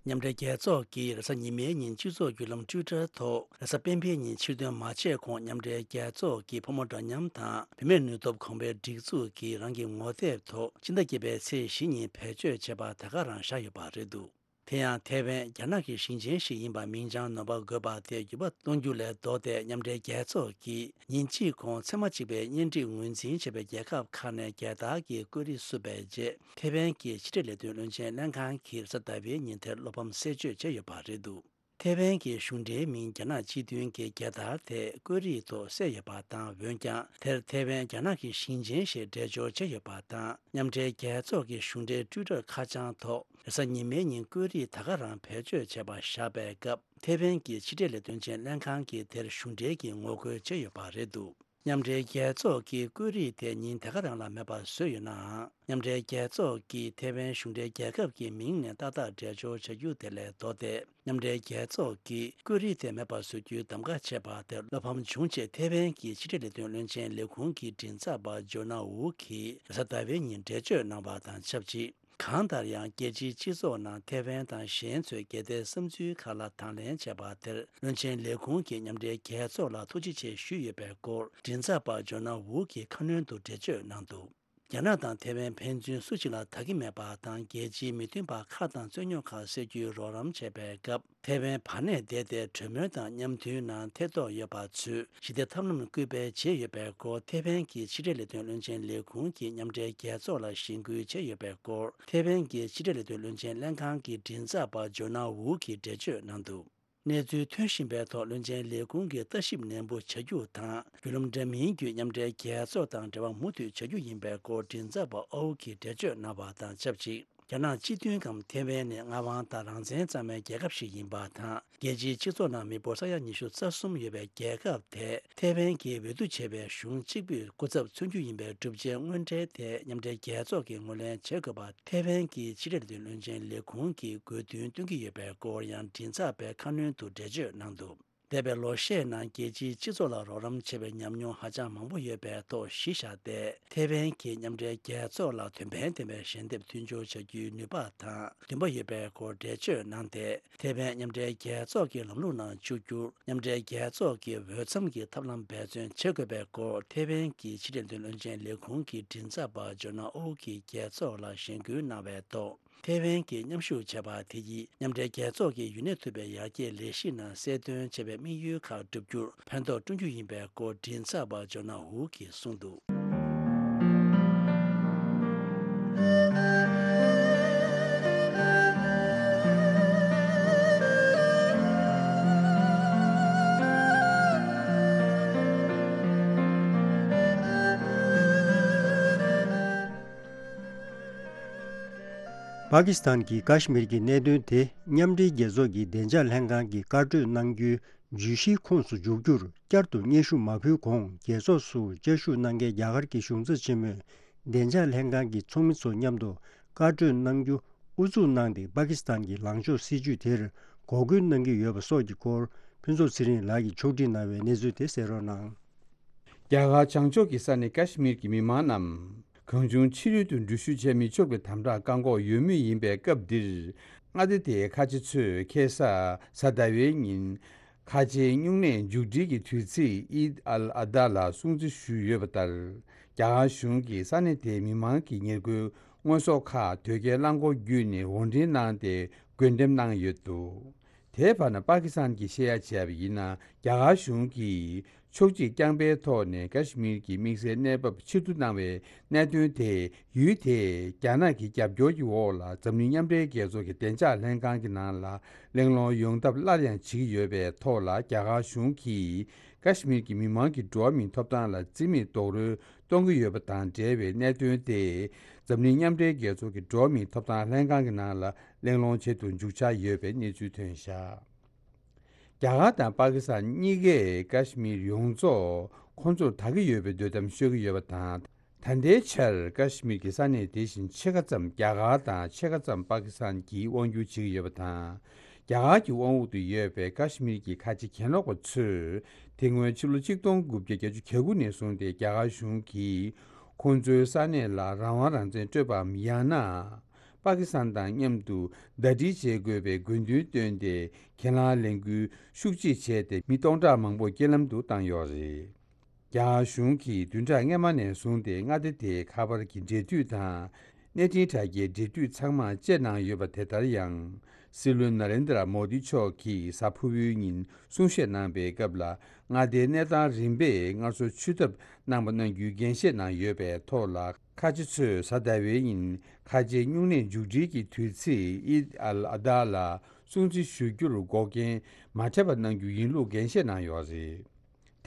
མཉམ་འབྲེལ་རྒྱལ་ཚོགས་ཀྱིས་རེས་གཟའ་ཉི་མའི་ཉིན་སྤྱི་ཚོགས་བརྒྱུད་ལམ་ཊུའི་ཊར་ཐོག་རེས་གཟའ་སྤེན་པའི་ཉིན་ཕྱིར་ཐོན་མ་བྱས་གོང་མཉམ་འབྲེལ་རྒྱལ་ཚོགས་ཀྱི་ཕོ་མོ་འདྲ་མཉམ་དང་བུད་མེད་ནུས་སྟོབས་གོང་འཕེལ་སྒྲིག་འཛུགས་ཀྱིས་རང་གི་ངོ་དེབ་ཐོག་ཕྱི་ཟླ་བརྒྱད་པའི་ཚེས་བཞི་ཉིན་བེད་སྤྱོད་བྱས་པ་ད་ག་རང་བཞག་ཡོད་པ་རེད་འདུག་དེ་ཡང་ཐའེ་ཝན་རྒྱ་ནག་གི་ཞིང་ཆེན་ཞིག་ཡིན་པ་མིང་བྱང་ནོར་བ་དགོས་པ་དེ་འགྱུར་བ་གཏོང་རྒྱུ་ལས་ལྡོག་སྟེ། མཉམ་འབྲེལ་རྒྱལ་ཚོགས་ཀྱིས་ཉིན་གཅིག་གོང་ཚད་མ་གཅིག་པའི་གཉེན་སྒྲིག་ངོས་འཛིན་བྱས་པའི་རྒྱལ་ཁབ་ཁག་ནས་རྒྱལ་དར་གྱི་བཀོད་རིས་བསུབས་པའི་རྗེས། ཐའེ་ཝན་གྱི་ཕྱི་འབྲེལ་ལས་དོན་བློན་ཆེན་ལྷན་ཁང་གིས་རེས་གཟའ་ཟླ་བའི་ཉིན་དེར་བློ་ཕམ་གསལ་བརྗོད་བྱས་ཡོད་པ་རེད་འདུག་ཐའེ་ཝན་གྱི་གཞུང་འབྲེལ་མིང་རྒྱ་ནག་སྤྱི་མཐུན་གྱི་རྒྱལ་དར་དེ་བཀོད་རིས་ཐོག་གསལ་ཡོད་པ་དང་། འོན་ཀྱང་དེར་ཐའེ་ཝན་རྒྱ་ནག་གི་ཞིང་ཆེན་ཞེས་འགྲེལ་སྦྱོར་བྱས་ཡོད་པ་དང་། མཉམ་འབྲེལ་རྒྱལ་ཚོགས་ཀྱི་གཞུང་འབྲེལ་ཊུའི་ཊར་ཁ་བྱང་ཐོག་རེས་གཟའ་ཉི་མའི་ཉིན་བཀོད་རིས་ད་ག་རང་བེད་སྤྱོད་བྱས་པ་བཞག་པའི་སྐབས། ཐའེ་ཝན་གྱི་ཕྱི་འབྲེལ་ལས་དོན་ཆེན་ལྷན་ཁང་གིས་དེར་གཞུང་འབྲེལ་གྱི་ངོ་རྒོལ་བྱས་ཡོད་པ་རེད་འདུག་མཉམ་འབྲེལ་རྒྱལ་ཚོགས་ཀྱིས་བཀོད་རིས་དེ་ཉིན་དེ་ག་རང་ལ་མེད་པ་བཟོས་ཡོད་ནའང་། མཉམ་འབྲེལ་རྒྱལ་ཚོགས་ཀྱིས་ཐའེ་ཝན་གཞུང་འབྲེལ་རྒྱལ་ཁབ་ཀྱི་མིང་ནས་ཏག་ཏག་འགྲེལ་སྦྱོར་བྱ་རྒྱུ་དེ་ལས་ལྡོག་སྟེ། མཉམ་འབྲེལ་རྒྱལ་ཚོགས་ཀྱིས་བཀོད་རིས་དེ་མེད་པ་བཟོ་རྒྱུའི་གདམ་ག་བྱས་པ་དེར་བློ་ཕམ་བྱུང་ཆེད། ཐའེ་ཝན་གྱི་ཕྱི་འབྲེལ་ལས་དོན་བློན་ཆེན་ལས་ཁུངས་ཀྱི་མགྲིན་ཚབ་པ་ཇོ་ན་ཝུ་གིས་རེས་གཟའ་ཟླ་བའི་ཉིན་འགྲེལ་བརྗོད་གནང་བ་དང་ཆབས་ཅིག་གང་ལྟར་ཡང་། རྒྱལ་སྤྱིའི་སྤྱི་ཚོགས་ནང་ཐའེ་ཝན་དང་གཞན་ཚོས་གལ་ཏེ་བསམ་ཚུལ་ཁག་ལ་དང་ལེན་བྱས་པ་དེར། བློན་ཆེན་ལས་ཁུངས་ཀྱིས་མཉམ་འབྲེལ་རྒྱལ་ཚོགས་ལ་ཐུགས་རྗེ་ཆེ་ཞུས་ཡོད་པའི་སྐོར། མགྲིན་ཚབ་པ་ཇོ་ན་ཝུ་གིས་ཁ་སྣོན་དུ་འགྲེལ་བརྗོད་གནང་འདུག་རྒྱ་ནག་དང་ཐའེ་ཝན་ཕན་ཚུན་སུ་གཅིག་ལ་ད་གི་མེད་པ་དང་། རྒྱལ་སྤྱིའི་མི་མཐུན་པ་ཁག་དང་རྩོད་རྙོག་ཁག་སེལ་རྒྱུའི་རོགས་རམ་བྱས་པའི་སྐབས། ཐའེ་ཝན་བར་གནས་བསྡད་དེ་གྲོས་མོལ་དང་མཉམ་མཐུན་ནང་ཐེ་གཏོགས་ཡོད་པ་ཚོས་ཞི་བདེ་ཐབས་ལམ་སྐུལ་སྤེལ་བྱས་ཡོད་པའི་སྐོར། ཐའེ་ཝན་གྱི་ཕྱི་འབྲེལ་ལས་དོན་བློན་ཆེན་ལས་ཁུངས་ཀྱིས་མཉམ་འབྲེལ་རྒྱལ་ཚོགས་ལ་གཞེན་སྐུལ་བྱས་ཡོད་པའི་སྐོར། ཐའེ་ཝན་གྱི་ཕྱི་འབྲེལ་ལས་དོན་བློན་ཆེན་ལྷན་ཁང་གི་མགྲིན་ཚབ་པ་ཇོ་ན་ཝུ་གིས་འགྲེལ་བརྗོད་གནང་འདུག་གནས་ཚུལ་ཐོན་བཞིན་པའི་ཐོག་བློན་ཆེན་ལས་ཁུངས་ཀྱིས་ལྟ་ཞིབ་ནན་པོ་བྱ་རྒྱུ་དང་། བརྒྱུད་ལམ་འདྲ་མིན་བརྒྱུད་མཉམ་འབྲེལ་རྒྱལ་ཚོགས་དང་འབྲེལ་བ་མུ་མཐུད་བྱ་རྒྱུ་ཡིན་པའི་སྐོར། མགྲིན་ཚབ་པ་ཨོའུ་གིས་འགྲེལ་བརྗོད་གནང་བ་དང་ཆབས་ཅིག་རྒྱ་ནག་སྤྱི་མཐུན་གམ་ཐའེ་ཝན་ནི་མངའ་དབང་དང་རང་བཙན་གཙང་མའི་རྒྱལ་ཁབ་ཞིག་ཡིན་པ་དང་། རྒྱལ་སྤྱིའི་སྤྱི་ཚོགས་ནང་མི་འབོར་ས་ཡ་ཉི་ཤུ་རྩ་གསུམ་ཡོད་པའི་རྒྱལ་ཁབ་དེ། ཐའེ་ཝན་གྱི་འོས་བསྡུ་བྱས་པའི་གཞུང་གཅིག་པུས་སྐུ་ཚབ་མཚོན་རྒྱུ་ཡིན་པའི་གྲུབ་ཆའི་དངོས་འབྲེལ་དེ་མཉམ་འབྲེལ་རྒྱལ་ཚོགས་ཀྱིས་ངོས་ལེན་བྱེད་དགོས་པ། ཐའེ་ཝན་གྱི་ཕྱི་འབྲེལ་ལས་དོན་བློན་ཆེན་ལས་ཁུངས་ཀྱིས་དགོས་འདུན་བཏོན་གྱི་ཡོད་པའི་སྐོར་ཡང་མགྲིན་ཚབ་པས་ཁ་སྣོན་དུ་འགྲེལ་བརྗོད་གནང་འདུག་འདས་པའི་ལོ་ཤས་ནང་རྒྱལ་སྤྱིའི་སྤྱི་ཚོགས་ལ་རོགས་རམ་བྱས་པའི་ཉམས་མྱོང་ཧ་ཅང་མང་པོ་ཡོད་པའི་ཐོག་གཞི་བཞག་སྟེ། ཐའེ་ཝན་གྱིས་མཉམ་འབྲེལ་རྒྱལ་ཚོགས་ལ་དོན་ཕན་ལྡན་པའི་ཞལ་འདེབས་མཐུན་སྦྱོར་བྱ་རྒྱུའི་ནུས་པ་དང་འདུན་པ་ཡོད་པའི་སྐོར་འགྲེལ་བརྗོད་གནང་སྟེ། ཐའེ་ཝན་མཉམ་འབྲེལ་རྒྱལ་ཚོགས་ཀྱི་ལམ་ལུགས་ནང་བཅུག་རྒྱུར་མཉམ་འབྲེལ་རྒྱལ་ཚོགས་ཀྱི་འོས་འཚམ་གྱི་ཐབས་ལམ་འབད་བརྩོན་བྱེད་དགོས་པའི་སྐོར། ཐའེ་ཝན་གྱི་ཕྱི་འབྲེལ་དོན་བློན་ཆེན་ལས་ཁུངས་ཀྱི་མགྲིན་ཚབ་པ་ཇོ་ན་ཨོ་གིས་རྒྱལ་ཚོགས་ལ་གཞེན་སྐུལ་གནང་བའི་ཐོག་ཐའེ་ཝན་གྱིས་མཉམ་ཞུགས་བྱས་པ་དེ་ཡིས་མཉམ་འབྲེལ་རྒྱལ་ཚོགས་ཀྱི་ཡུན་གནས་ཐུབ་པའི་ཡར་རྒྱས་ལས་གཞི་ནང་གསལ་སྟོན་བྱས་པའི་དམིགས་ཡུལ་ཁག་བསྒྲུབ་རྒྱུར་ཕན་ཐོགས་བསྐྲུན་རྒྱུ་ཡིན་པའི་སྐོར། མགྲིན་ཚབ་པ་ཇོ་ན་ཧུ་གིས་གསུངས་འདུག་པ་ཀི་སི་ཐན་གྱིས་ཀ་ཤི་མིར་གྱི་གནད་དོན་དེ་མཉམ་འབྲེལ་རྒྱལ་ཚོགས་ཀྱི་བདེ་འཇགས་ལྷན་ཁང་གིས་བཀའ་གྲོས་གནང་རྒྱུའི་བརྗོད་གཞིའི་ཁོངས་སུ་འཇུག་རྒྱུར་བསྐྱར་དུ་སྙན་ཞུ་མ་ཕུལ་གོང་རྒྱལ་ཚོགས་སུ་བཅའ་བཞུགས་གནང་མཁན་རྒྱ་གར་གྱི་གཞུང་ཚབ་ཆེན་མོས་བདེ་འཇགས་ལྷན་ཁང་གི་ཚོགས་མི་ཚོ་མཉམ་དུ་བཀའ་གྲོས་གནང་རྒྱུ་ཨུ་ཚུགས་གནང་སྟེ་པ་ཀི་སི་ཐན་གྱི་ལངས་ཕྱོགས་སྲིད་ཇུས་དེར་འགོག་རྒོལ་གནང་གི་ཡོད་པ་སོགས་ཀྱི་སྐོར་ཕུན་ཚོགས་ཚེ་རིང་ལགས་ཀྱིས་ཕྱོགས་སྒྲིག་གནང་བའི་གནས་ཚུལ་དེ་གསན་རོགས་གནང་། རྒྱ་གར་བྱང་ཕྱོགས་ཀྱི་ས་གནས་ཀ་ཤི་མིར་གྱི་མི་མང་རྣམས་གང་བྱུང་ཕྱི་རོལ་དུ་འགྲུལ་བཞུད་བྱས་མི་ཆོག་པའི་དམ་དྲག་བཀག་འགོག་ཡོད་མུས་ཡིན་པའི་སྐབས་འདིར། མངའ་སྡེ་དེའི་ཁ་ཆེ་ཚོས་ཁ་སང་གཟའ་ཟླ་བའི་ཉིན། ཁ་ཆེའི་སྨྱུང་གནས་མཇུག་སྒྲིལ་གྱི་དུས་ཚིགས་ཨིད་ཨལ་ཨ་དྷ་ལ་སྲུང་བརྩི་ཞུས་ཡོད་པ་ལྟར། རྒྱ་གར་གཞུང་གིས་ས་གནས་དེའི་མི་མང་གི་ཉེར་མཁོའི་དངོས་ཟོག་ཁག་དོས་སྐྱེལ་རླངས་འཁོར་བརྒྱུད་ནས་དབོར་འདྲེན་གནང་སྟེ་བགོ་འགྲེམས་གནང་ཡོད་འདུག་དེའི་བར་ན་པ་ཀི་སི་ཐན་གྱིས་བཤད་ཡ་བྱས་པ་ཡིན་ན། རྒྱ་གར་གཞུང་གིས་ཕྱོགས་གཅིག་རྐྱང་པའི་ཐོག་ནས་ཀ་ཤི་མིར་གྱི་དམིགས་བསལ་གནས་བབ་ཕྱིར་བསྡུ་གནང་བའི་གནད་དོན་དེ། ཡུལ་དེས་རྒྱ་ནག་གི་རྒྱབ་སྐྱོར་གྱི་འོག་ལ་འཛམ་གླིང་མཉམ་འབྲེལ་རྒྱལ་ཚོགས་ཀྱི་བདེ་འཇགས་ལྷན་ཁང་གི་ནང་ལ་གླེང་སློང་ཡོང་ཐབས་སླར་ཡང་བྱེད་ཀྱི་ཡོད་པའི་ཐོག་ལ། རྒྱ་གར་གཞུང་གིས་ཀ་ཤི་མིར་གྱི་མི་མང་གི་འགྲོ་བ་མིའི་ཐོབ་ཐང་ལ་བརྩི་མེད་རྡོག་རོལ་གཏོང་གི་ཡོད་པ་དང་འབྲེལ་བའི་གནད་དོན་དེ། འཛམ་གླིང་མཉམ་འབྲེལ་རྒྱལ་ཚོགས་ཀྱི་འགྲོ་བ་མིའི་ཐོབ་ཐང་ལྷན་ཁང་གི་ནང་ལ་གླེང་སློང་བྱེད་དུ་འཇུག་འཆར་ཡོད་པའི་གནས་ཚུལ་ཐོན་བཞག་རྒྱ་གར་དང་པ་ཀི་སི་ཐན་གཉིས་ཀས་ཀ་ཤི་མིར་ཡོངས་རྫོགས་ཁོང་ཚོར་བདག་གི་ཡོད་པའི་འདོད་གཏམ་ཤོད་ཀྱི་ཡོད་པ་དང་། ད་ལྟའི་ཆར་ཀ་ཤི་མིར་གྱི་ས་གནས་དེ་བཞིན་ཕྱེད་ཀ་ཙམ་རྒྱ་གར་དང་ཕྱེད་ཀ་ཙམ་པ་ཀི་སི་ཐན་གྱིས་དབང་སྒྱུར་བྱེད་ཀྱི་ཡོད་པ་དང་། རྒྱ་གར་གྱི་དབང་འོག་ཏུ་ཡོད་པའི་ཀ་ཤི་མིར་གྱི་ཁ་ཆེ་གྱེན་ལོག་པ་ཚོས་དེ་སྔོན་ཕྱི་ལོ་ཆིག་སྟོང་དགུ་བརྒྱ་བརྒྱད་ཅུ་གྱ་དགུ་ནས་བཟུང་སྟེ་རྒྱ་གར་གཞུང་གིས་ཁོང་ཚོའི་ས་གནས་ལ་རང་དབང་རང་བཙན་སྤྲོད་པའམ་ཡང་ན། པ་ཀི་སི་ཐན་དང་མཉམ་དུ་ཟླ་སྒྲིལ་བྱེད་དགོས་པའི་དགོས་འདུན་བཏོན་ཏེ་གྱེན་ལངས་ལས་འགུལ་ཤུགས་ཆེ་བྱས་ཏེ་མི་སྟོང་ཕྲག་མང་པོ་རྐྱེན་ལམ་དུ་བཏང་ཡོད་རེད། རྒྱ་གར་གཞུང་གིས་བདུན་ཕྲག་སྔོན་མ་ནས་བཟུང་སྟེ་མངའ་སྡེ་དེའི་ཁ་པར་གྱི་འབྲེལ་མཐུད་དང་། གནས་འཕྲིན་དྲ་རྒྱའི་འབྲེལ་མཐུད་ཚང་མ་བཅད་གནང་ཡོད་པ་དེ་ལྟར་ཡང་། སྲིད་བློན་ན་རེན་དྲ་མོ་དི་མཆོག་གིས་གཟའ་ཕུར་བུའི་ཉིན་གསུང་བཤད་གནང་པའི་སྐབས་ལ། མངའ་སྡེའི་གནས་སྟངས་རིམ་པས་སྔར་སྲོལ་ཆུད་ཐབས་གནང་པ་གནང་རྒྱུའི་འགན་བཞེས་གནང་ཡོད་པའི་ཐོག་ལ། ཁ་ཆེ་ཚོས་གཟའ་ཟླ་བའི་ཉིན་ཁ་ཆེའི་སྨྱུང་གནས་མཇུག་སྒྲིལ་གྱི་དུས་ཚིགས་ཨིད་ཨལ་ཨ་དྷ་ལ་སྲུང་བརྩི་ཞུ་རྒྱུར་འགོག་རྐྱེན་མ་འཕྲད་པ་གནང་རྒྱུ་ཡིན་ལུགས་འགན་བཞེས་གནང་ཡོད་རེད།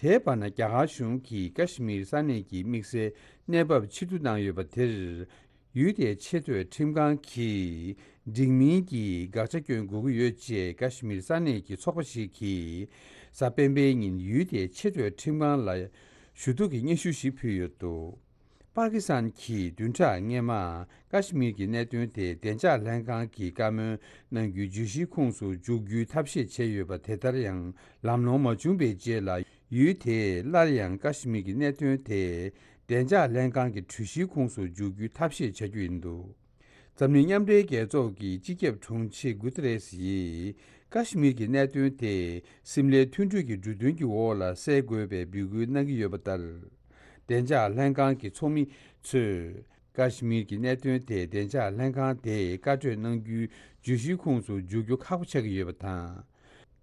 དེའི་བར་ན་རྒྱ་གར་གཞུང་གིས་ཀ་ཤི་མིར་ས་གནས་ཀྱི་དམིགས་བསལ་གནས་བབ་ཕྱིར་བསྡུ་གནང་ཡོད་པ་དེར། ཡུལ་དེའི་ཆེས་མཐོའི་ཁྲིམས་ཁང་གིས་འགྲིག་མིན་གྱི་དགག་བྱ་སྐྱོན་དགོས་ཀྱི་ཡོད་ཅེས་ཀ་ཤི་མིར་ས་གནས་ཀྱི་ཚོགས་པ་ཞིག་གིས་གཟའ་སྤེན་པའི་ཉིན་ཡུལ་དེའི་ཆེས་མཐོའི་ཁྲིམས་ཁང་ལ་ཞུ་གཏུག་གི་སྙན་ཞུ་ཞིག་ཕུལ་ཡོད་འདུག་པ་ཀི་སི་ཐན་གྱིས་བདུན་ཕྲག་སྔོན་མ་ཀ་ཤི་མིར་གྱི་གནད་དོན་དེ་བདེ་འཇགས་ལྷན་ཁང་གི་བཀའ་མོལ་གནང་རྒྱུའི་བརྗོད་གཞིའི་ཁོངས་སུ་འཇུག་རྒྱུའི་ཐབས་ཤེས་བྱས་ཡོད་པ་དེ་ལྟར་ཡང་ལམ་ལྷོང་མ་བྱུང་བའི་རྗེས་ལ། ཡུལ་དེས་སླར་ཡང་ཀ་ཤི་མིར་གྱི་གནད་དོན་དེ་བདེ་འཇགས་ལྷན་ཁང་གི་གྲོས་གཞིའི་ཁོངས་སུ་འཇུག་རྒྱུའི་ཐབས་ཤེས་བྱ་རྒྱུ་ཡིན་འདུག་འཛམ་གླིང་མཉམ་འབྲེལ་རྒྱལ་ཚོགས་ཀྱི་སྤྱི་ཁྱབ་དྲུང་ཆེ་གུ་ཏེ་རེས་ཡིས་ཀ་ཤི་མིར་གྱི་གནད་དོན་དེ་སིམ་ལའི་མཐུན་གྲོས་ཀྱི་འབྲུ་དོན་གྱི་འོག་ལ་སེལ་དགོས་པའི་འབོད་སྐུལ་གནང་གི་ཡོད་པ་ལྟར། བདེ་འཇགས་ལྷན་ཁང་གི་ཚོགས་མི་ཚོས་ཀ་ཤི་མིར་གྱི་གནད་དོན་དེ་བདེ་འཇགས་ལྷན་ཁང་དེས་བཀའ་གྲོས་གནང་རྒྱུའི་བརྗོད་གཞིའི་ཁོངས་སུ་འཇུག་རྒྱུ་ཁག་པོ་ཆགས་ཀྱི་ཡོད་པ་དང་།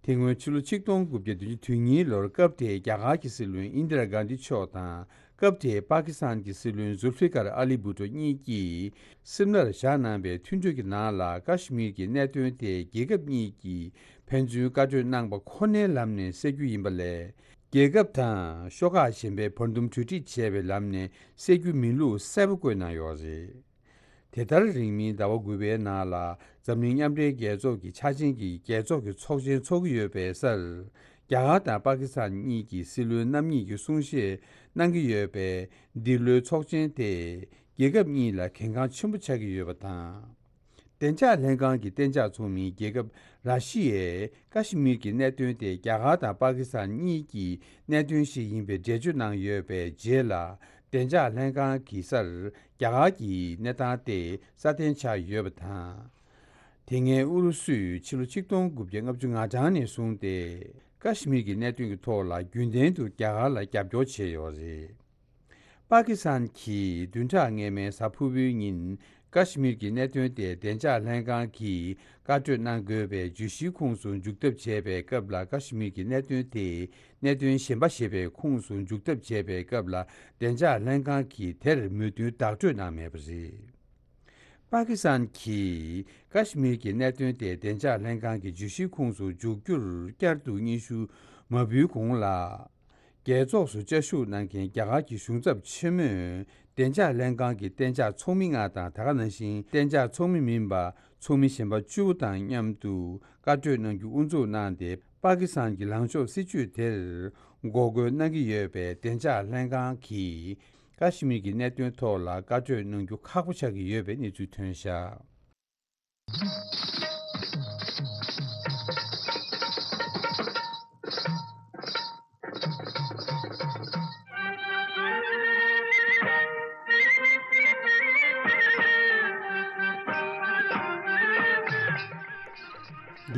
དེ་སྔོན་ཕྱི་ལོ་ཆིག་སྟོང་དགུ་བརྒྱ་བདུན་ཅུ་དོན་གཉིས་ལོར་སྐབས་དེའི་རྒྱ་གར་གྱི་སྲིད་བློན་ཨིན་དི་ར་གྷན་དྷི་མཆོག་དང་སྐབས་དེའི་པ་ཀི་སི་ཐན་གྱི་སྲིད་བློན་ཟུལ་ཕི་ཀར་ཨ་ལི་བྷུ་ཏོ་གཉིས་ཀྱིས་སིམ་ལར་བཞག་གནང་བའི་མཐུན་གྲོས་ཀྱི་ནང་ལ་ཀ་ཤི་མིར་གྱི་གནད་དོན་དེ་རྒྱལ་ཁབ་གཉིས་ཀྱིས་ཕན་ཚུན་བཀའ་གྲོས་གནང་པ་ཁོ་ནའི་ལམ་ནས་སེལ་རྒྱུ་ཡིན་པ་ལས། རྒྱལ་ཁབ་དང་ཤོག་ཁག་གཞན་པའི་བར་འདུམ་གྲོས་འགྲིག་བྱས་པའི་ལམ་ནས་སེལ་རྒྱུ་མིན་ལུགས་གསལ་པོ་བཀོད་གནང་ཡོད་རེད། དེ་ལྟར་རིང་མིན་ཟླ་བ་དགུ་པའི་ནང་ལ་འཛམ་གླིང་མཉམ་འབྲེལ་རྒྱལ་ཚོགས་ཀྱི་འཆར་ཅན་གྱི་རྒྱལ་ཚོགས་ཀྱི་ཚོགས་ཆེན་འཚོགས་ཀྱི་ཡོད་པའི་སར། རྒྱ་གར་དང་པ་ཀི་སི་ཐན་གཉིས་ཀྱི་སྲིད་བློན་རྣམ་གཉིས་ཀྱིས་གསུང་བཤད་གནང་གི་ཡོད་པས། འདི་ལོའི་ཚོགས་ཆེན་དེ་རྒྱལ་ཁབ་གཉིས་ལ་གལ་འགངས་ཆེན་པོ་ཆགས་ཀྱི་ཡོད་པ་དང་། བདེ་འཇགས་ལྷན་ཁང་གི་གཏན་འཇགས་ཚོགས་མིའི་རྒྱལ་ཁབ་ར་ཤི་ཡས་ཀ་ཤི་མིར་གྱི་གནད་དོན་དེ་རྒྱ་གར་དང་པ་ཀི་སི་ཐན་གཉིས་ཀྱི་གནད་དོན་ཞིག་ཡིན་པའི་འགྲེལ་བརྗོད་གནང་ཡོད་པའི་རྗེས་ལ། བདེ་འཇགས་ལྷན་ཁང་གི་སར་རྒྱ་གར་གྱི་གནས་སྟངས་དེ་སྲ་བརྟན་ཆགས་ཡོད་པ་དང་། དེ་སྔའི་ཨུ་རུ་སུས་ཕྱི་ལོ་ཆིག་སྟོང་དགུ་བརྒྱ་ལྔ་བཅུ་ང་གྲངས་ནས་བཟུང་སྟེ། ཀ་ཤི་མིར་གྱི་གནད་དོན་གྱི་ཐོག་ལ་རྒྱུན་ལྡན་དུ་རྒྱ་གར་ལ་རྒྱབ་སྐྱོར་བྱས་ཡོད་རེད། པ་ཀི་སི་ཐན་གྱིས་བདུན་ཕྲག་སྔོན་མའི་གཟའ་ཕུར་བུའི་ཉིན། ཀ་ཤི་མིར་གྱི་གནད་དོན་དེ་བདེ་འཇགས་ལྷན་ཁང་གིས་བཀའ་གྲོས་གནང་དགོས་པའི་བརྗོད་གཞིའི་ཁོངས་སུ་འཇུག་ཐབས་བྱས་པའི་སྐབས་ལ། ཀ་ཤི་མིར་གྱི་གནད་དོན་དེ་གནད་དོན་གཞན་པ་ཞེས་པའི་ཁོངས་སུ་འཇུག་ཐབས་བྱས་པའི་སྐབས་ལ། བདེ་འཇགས་ལྷན་ཁང་གིས་དེར་མོས་མཐུན་བདག་སྤྲོད་གནང་མེད་པ་རེད། པ་ཀི་སི་ཐན་གྱིས་ཀ་ཤི་མིར་གྱི་གནད་དོན་དེ་བདེ་འཇགས་ལྷན་ཁང་གི་བརྗོད་གཞིའི་ཁོངས་སུ་འཇུག་རྒྱུར་བསྐྱར་དུ་སྙན་ཞུ་མ་འབུལ་གོང་ལ། རྒྱལ་ཚོགས་སུ་བཅའ་བཞུགས་གནང་མཁན་རྒྱ་གར་གྱི་གཞུང་ཚབ་ཆེན་མོས་བདེ་འཇགས་ལྷན་ཁང་གི་གཏན་འཇགས་ཚོགས་མི་ལྔ་དང་། ད་ག་ནང་བཞིན་གཏན་འཇགས་ཚོགས་མི་མིན་པ་ཚོགས་མི་གཞན་པ་བཅུ་དང་མཉམ་དུ་བཀའ་གྲོས་གནང་རྒྱུ་དབུ་འཛུགས་གནང་སྟེ། པ་ཀི་སི་ཐན་གྱི་ལངས་ཕྱོགས་སྲིད་བྱུས་དེར་འགོག་རྒོལ་གནང་གི་ཡོད་པས། བདེ་འཇགས་ལྷན་ཁང་གིས་ཀ་ཤི་མིར་གྱི་གནད་དོན་ཐོག་ལ་བཀའ་གྲོས་གནང་རྒྱུ་ཁག་པོ་ཆགས་ཀྱི་ཡོད་པའི་གནས་ཚུལ་ཐོན་བཞག།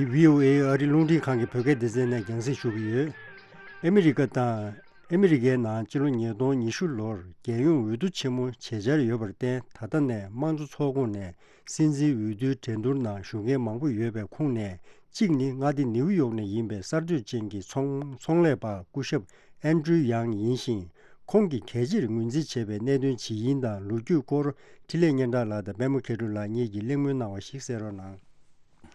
འདི་བྷི་ཨོ་ཨེ་ཨ་རི་རླུང་འཕྲིན་ཁང་གི་བོད་སྐད་སྡེ་ཚན་ནས་རྒྱང་སྲིང་ཞུ་གི་ཡོད། ཨ་མི་རི་ཀ་དང་། ཨ་མི་རི་ཀའི་ནང་སྤྱི་ལོ་ཉིས་སྟོང་ཉི་ཤུ་ལོར་རྒྱལ་ཡོངས་འོས་བསྡུ་ཆེན་མོ་བྱེད་འཆར་ཡོད་པར་བརྟེན། ད་ལྟ་ནས་དམངས་གཙོ་ཚོགས་ཁོངས་ནས་སྲིད་འཛིན་འོས་བསྡུའི་འགྲན་བསྡུར་ནང་ཞུགས་མཁན་མང་པོ་ཡོད་པའི་ཁོངས་ནས་གཅིག་ནི་མངའ་སྡེ་ནིའུ་ཡོག་ནས་ཡིན་པའི་གསར་གཏོད་ཅན་གྱི་ཚོང་ཚོང་ལས་པ་སྐུ་ཞབས་ཨན་ཌྲུ་ཡང་ཡིན་ཞིང་། ཁོང་གིས་གལ་ཆེར་ངོས་འཛིན་བྱས་པའི་གནད་དོན་ཇི་ཡིན་དང་ལོ་རྒྱུས་སྐོར་འཕྲིན་ལས་སྙན་གྲགས་ལགས་དང་པད་མ་མཁས་གྲུབ་ལགས་གཉིས་ཀྱིས་གླེང་མོལ་གནང་བ་ཞིག་གསན་རོགས་གནང་།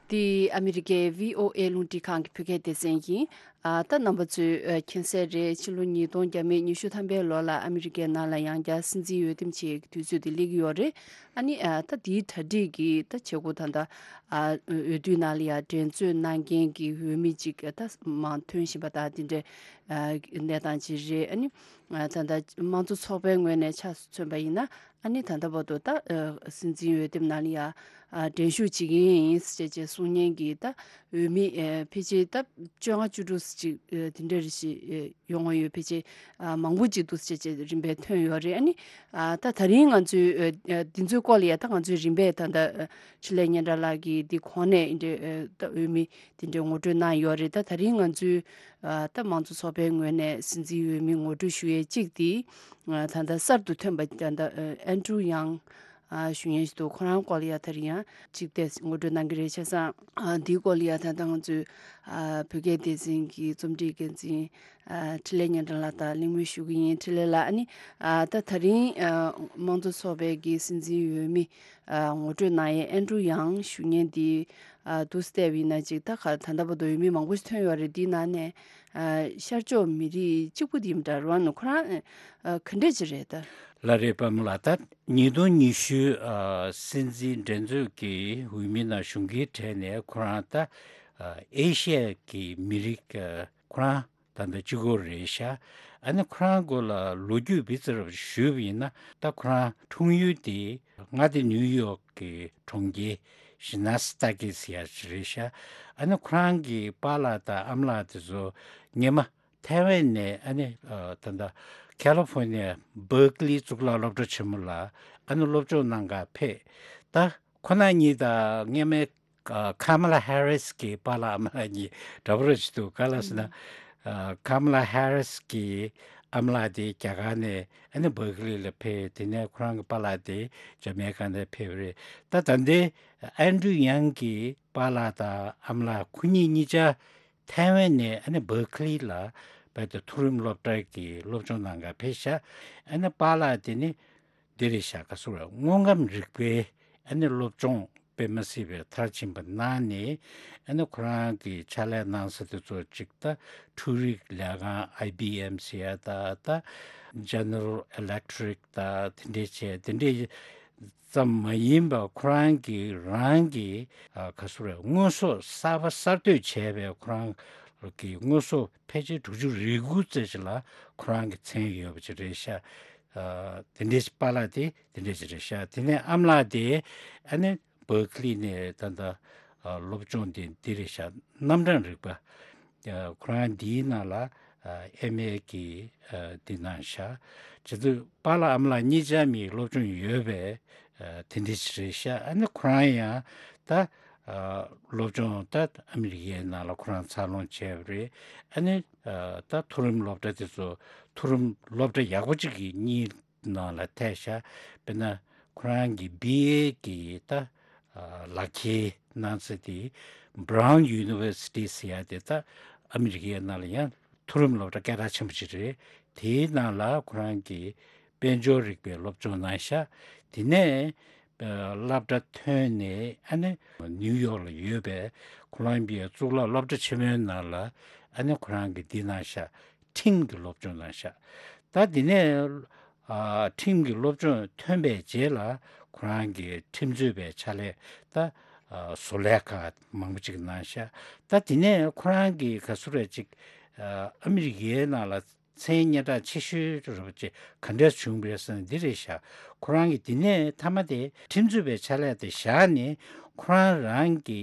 འདི་ཨ་མི་རི་ཀའི་བྷི་ཨོ་ཨེ་རླུང་འཕྲིན་ཁང་གི་བོད་སྐད་སྡེ་ཚན་ཡིན། ཨ། ད་རྣམ་པ་ཚོས་ཨ་མཁྱེན་གསལ་རེད། ཕྱི་ལོ་ཉིས་སྟོང་བརྒྱ་མེད་ཉི་ཤུ་ཐམ་པའི་ལོ་ལ་ཨ་མི་རི་ཀའི་ནང་ལ་ཡང་བསྐྱར་སྲིད་འཛིན་འོས་འདེམས་བྱེད་ཡག་གི་དུས་ཚོད་དེ་སླེབས་ཀྱི་ཡོད་རེད། ཨ་ནི་ཨ་ད་དེའི་གྲ་སྒྲིག་གི་ད་བྱེད་སྒོ་ད་ལྟ་ཨ་འོས་བསྡུའི་ནང་ལ་ཡང་འགྲན་རྩོད་གནང་མཁན་གྱི་འོས་མི་གཅིག་ད་མང་ཐོན་བཞིན་པ་དང་དེ་འདྲའི་ཨ་གནས་སྟངས་ཅིག་རེད། ཨ་ནི་ཨ་ད་ལྟ་དམངས་གཙོ་ཚོགས་པའི་ངོས་ནས་ཆ་མཚོན་པ་ཡིན་ན། ཨ་ནི་ད་ལྟ་བར་དུ་ད་ཨ་སྲིད་འཛིན་འོས་འདེམས་ནང་ལ་ཡ་ཨ་འགྲན་ཞུགས་བྱེད་ཀྱི་ཡིན་ཟེར་བྱས་གསུང་མཁན་གྱི་ད་འོས་མི་ཨ་ཕལ་ཆེར་ད་བཅོ་ལྔ་བཅུ་དྲུག་ཅིག་ཨ་དེ་འདྲ་རེ་ཞིག་ཨ་ཡོང་བ་ཡོད། ཕལ་ཆེར་ཨ་མང་པོ་ཅིག་འདུག་ཟེར་བྱས་རིམ་པས་ཐོན་ཡོད་རེད། ཨ་ནི་ཨ་ད་ད་རིང་ང་ཚོའི་ཨ་ཨ་འདི་ཚོའི་སྐོར་ལ་ཡ་ད་ང་ཚོའི་རིམ་པས་ད་ད་ཨ་འཕྲིན་ལས་སྙན་གྲགས་ལགས་ཀྱིས་འདི་གོང་ནས་འདི་འདྲའི་ཨ་ད་འོས་མི་དེ་འདྲའི་ངོ་སྤྲོད་གནང་ཡོད་རེད། ད་ད་རིང་ང་ཚོའི་ཨ་ད་དམངས་གཙོ་ཚོགས་པའི་ངོས་ནས་སྲིད་འཛིན་འོས་མི་ངོ་སྤྲོད་ཞུ་ཡས་གཅིག་དེ་ཨ་ད་ལྟ་གསར་དུ་ཐོན་པ་ད་ལྟ་ཨ་ཨན་ཌྲུ་ཡང་ཨ་ཞུ་མཁན་ཞིག་འདུག་ཁོ་རང་སྐོར་ལ་ཡ་ད་རིང་ཡང་གཅིག་དེ་ངོ་སྤྲོད་གནང་གི་རེད། བྱས་ཙང་ཨ་འདིའི་སྐོར་ལ་ཡ་ད་ལྟ་ང་ཚོའི་ཨ་བོད་སྐད་སྡེ་ཚན་གྱི་རྩོམ་སྒྲིག་འགན་འཛིན་ཨ་འཕྲིན་ལས་སྙན་གྲགས་ལགས་དང་གླེང་མོལ་ཞུ་གི་ཡིན། འཕྲིན་ལས་ལགས། ཨ་ནི་ཨ་ད་ད་རིང་ཨ་དམངས་གཙོ་ཚོགས་པའི་གི་སྲིད་འཛིན་འོས་མི་ཨ་ངོ་སྤྲོད་གནང་ཡས་ཨན་ཌྲུ་ཡང་ཞུ་མཁན་དེ། ཨ་དུ་བལྟས་པ་ཡིན་ན་ཅིག་ད་ག་ད་ལྟ་བར་དུ་འོས་མི་མང་པོ་ཞིག་ཐོན་ཡོད་རེད། འདིའི་ནང་ནས་ཨ་ཤར་ཕྱོགས་མི་རིགས་གཅིག་པུ་དེ་ཡིན་འདྲ་རོ། ཨ་ནི་ཁོ་རང་ཨ་ག་འདྲས་ཅིག་རེད་ད། ལགས་རེད། པདྨ་ལགས། ད་ཉིས་སྟོང་ཉི་ཤུ་ཨ་སྲིད་འཛིན་འགྲན་རྩོད་ཀྱི་འོས་མི་ནང་ཞུགས་མཁན་གྲས་ནས་ཁོ་རང་ད་ཨ་ཨེ་ཤི་ཡ་གི་མི་རིགས་ཨ་ཁོ་རང་ད་ལྟ་གཅིག་པོ་རེད་ཤག་ཨ་ནི་ཁོ་རང་སྐོར་ལ་ལོ་རྒྱུས་ཕར་ཙམ་ཞུས་པ་ཡིན་ན། ད་ཁོ་རང་འཁྲུངས་ཡུལ་དེ་མངའ་སྡེ་ནིའུ་ཡོག་གི་གྲོང་ཁྱེར་ཤི་ན་སི་ཏ་ཀེ་ཟེར་ཡ་ཅིག་རེད་ཤག་ཨ་ནི་ཁོ་རང་གི་པཱ་ལགས་དང་ཨ་མ་ལགས་དེ་ཚོ་སྔོན་མ་ཐའེ་ཝན་ནས་ཨ་ནི་ཨ་ད་ལྟ་ཁ་ལི་ཧྥོ་ནི་ཡ་བར་ཀི་ལི་གཙུག་ལག་སློབ་གྲྭ་ཆེན་མོ་ལ་ཨ་ནི་སློབ་སྦྱོང་གནང་ག་ཕེབས། ད་ཁོ་རང་གཉིས་དང་སྔོན་མའི་ཨ་ཁ་མ་ལ་ཧེ་རིས་ཀྱི་པཱ་ལགས་ཨ་མ་ལགས་གཉིས་འདྲ་པོ་རེ་ཞིག་འདུག་ག་ལ་ཟེར་ན། ཨ་ཁ་མ་ལ་ཧེ་རིས་ཀྱི་ཨ་མ་ལགས་དེ་རྒྱ་གར་ནས་ཨ་ནི་བར་ཀི་ལི་ལ་ཕེབས། དེ་ནས་ཁོ་རང་གི་པཱ་ལགས་དེ་ཇ་མེ་ཀ་ནས་ཕེབས་རེད། ད་ད་ལྟའི་ཨན་ཌྲུ་ཡང་གི་པཱ་ལགས་དང་ཨ་མ་ལགས་ཁོ་གཉིས་གཉིས་ཆ་ཐའེ་ཝན་ནས་ཨ་ནི་བར་ཀི་ལི་ལ་རྦད་དེ་མཐོ་རིམ་སློབ་གྲྭ་གི་སློབ་སྦྱོང་གནང་ག་ཕེབས་ཤག་ཨ་ནི་པཱ་ལགས་དེ་ནི་འདི་རེད་ཤག་ག་སུ་རེད། དངོས་ཁམས་རིག་པའི་ཨ་ནི་སློབ་སྦྱོང་དཔེ་མ་སྲིད་པའི་མཐར་ཕྱིན་པ་གནང་ནས། ཨ་ནི་ཁོ་རང་གི་ཕྱག་ལས་གནང་ས་དེ་ཚོ་གཅིག་ད་འཕྲུལ་རིག་ལས་ཁང་ཨའི་བྷི་ཨེམ་ཟེར་ཡ་ད་ད་ཇེ་ནེ་རལ་ཨི་ལེག་ཊི་རིག་ད་དེ་འདྲས་བྱས། དེ་འདྲས་ཙམ་མ་ཡིན་པར་ཁོ་རང་གི་རང་གི་ཨ་ག་སུ་རེད། དངོས་ཟོག་གསར་པ་གསར་གཏོད་བྱས་པའི་ཁོ་རང་གི་དངོས་ཟོག་ཕལ་ཆེར་དྲུག་ཅུ་རེ་དགུ་ཙམ་ཞིག་ལ་ཁོ་རང་གི་མཚན་ཡོད་པ་ཅིག་རེད་ཤག་ཨ་དེ་འདྲའི་པཱ་ལགས་དེ་དེ་འདྲའི་ཅིག་རེད་ཤག་དེ་ནས་ཨ་མ་ལགས་དེ་ཨ་ནི་བར་ཀི་ལི་ནས་ད་ལྟ་ཨ་སློབ་སྦྱོང་དེ་འདི་རེད་ཤག་རྣམ་གྲངས་རིག་པ། ཨ་ཁོ་རང་འདིའི་ནང་ལ་ཨ་ཨེམ་ཨེ་གི་ཨ་འདི་གནང་ཤག་བྱས་ཙང་པཱ་ལགས་ཨ་མ་ལགས་གཉིས་ཆ་མིའི་སློབ་སྦྱོང་ཡོད་པའི་ཨ་དེ་འདྲ་ཞིག་རེད་ཤག་ཨ་ནི་ཁོ་རང་ཡང་ད་ཨ་སློབ་སྦྱོང་ད་ཨ་མི་རི་ཀའི་ནང་ལ་ཁོ་རང་འཚར་ལོངས་བྱས་པ་རེད། ཨ་ནི་ཨ་ད་མཐོ་རིམ་སློབ་གྲྭ་དེ་ཚོ་མཐོ་རིམ་སློབ་གྲྭ་ཡག་པོ་གཅིག་གི་གཉིས་ནང་ལ་ཐེ་ཤག་དཔེར་ན་ཁོ་རང་གི་བྷི་ཨེ་གི་ད་ཨ་ལག་འཁྱེར་གནང་ས་དེ་Brown University ཟེར་ཡ་དེ་ད་ཨ་མི་རི་ཀའི་ནང་ལ་ཡང་མཐོ་རིམ་སློབ་གྲྭ་སྐད་གྲགས་ཆེན་པོ་ཅིག་རེད། དེའི་ནང་ལ་ཁོ་རང་གི་དཔལ་འབྱོར་རིག་པའི་སློབ་སྦྱོང་གནང་ཤག་དེ་ནས་ཨ་སློབ་གྲྭ་ཐོན་ནས་ཨ་ནི་ནིའུ་ཡོག་ལ་ཡོད་པའི་ཁོ་ལོམ་བི་ཡ་གཙུག་ལག་སློབ་གྲྭ་ཆེན་མོའི་ནང་ལ་ཨ་ནི་ཁོ་རང་གིས་འདི་གནང་ཤག་ཁྲིམས་ཀྱི་སློབ་སྦྱོང་གནང་ཤག་ད་དེ་ནས་ཨ་ཁྲིམས་ཀྱི་སློབ་སྦྱོང་ཐོན་པའི་རྗེས་ལ་ཁོ་རང་གི་ཁྲིམས་རྩོད་པའི་ཕྱག་ལས་ད་ཨ་བཟོ་ལས་ཁག་མང་པོ་ཅིག་གནང་ཤག་ད་དེ་ནས་ཁོ་རང་གི་ག་ཚོད་རེད་ཅིག་ཨ་ཨ་མི་རི་ཀའི་ནང་ལ་མཚན་སྙན་གྲགས་ཆེ་ཤོས་རེད་པ་ཅིག་ག་འདྲས་བྱུང་བ་རེད་ཟེར་ན་འདི་རེད་ཤག་ཁོ་རང་གིས་དེ་ནས་མཐའ་མ་དེ་ཁྲིམས་རྩོད་པའི་ཕྱག་ལས་དེ་བཞག་ནས་ཁོ་རང་རང་གི་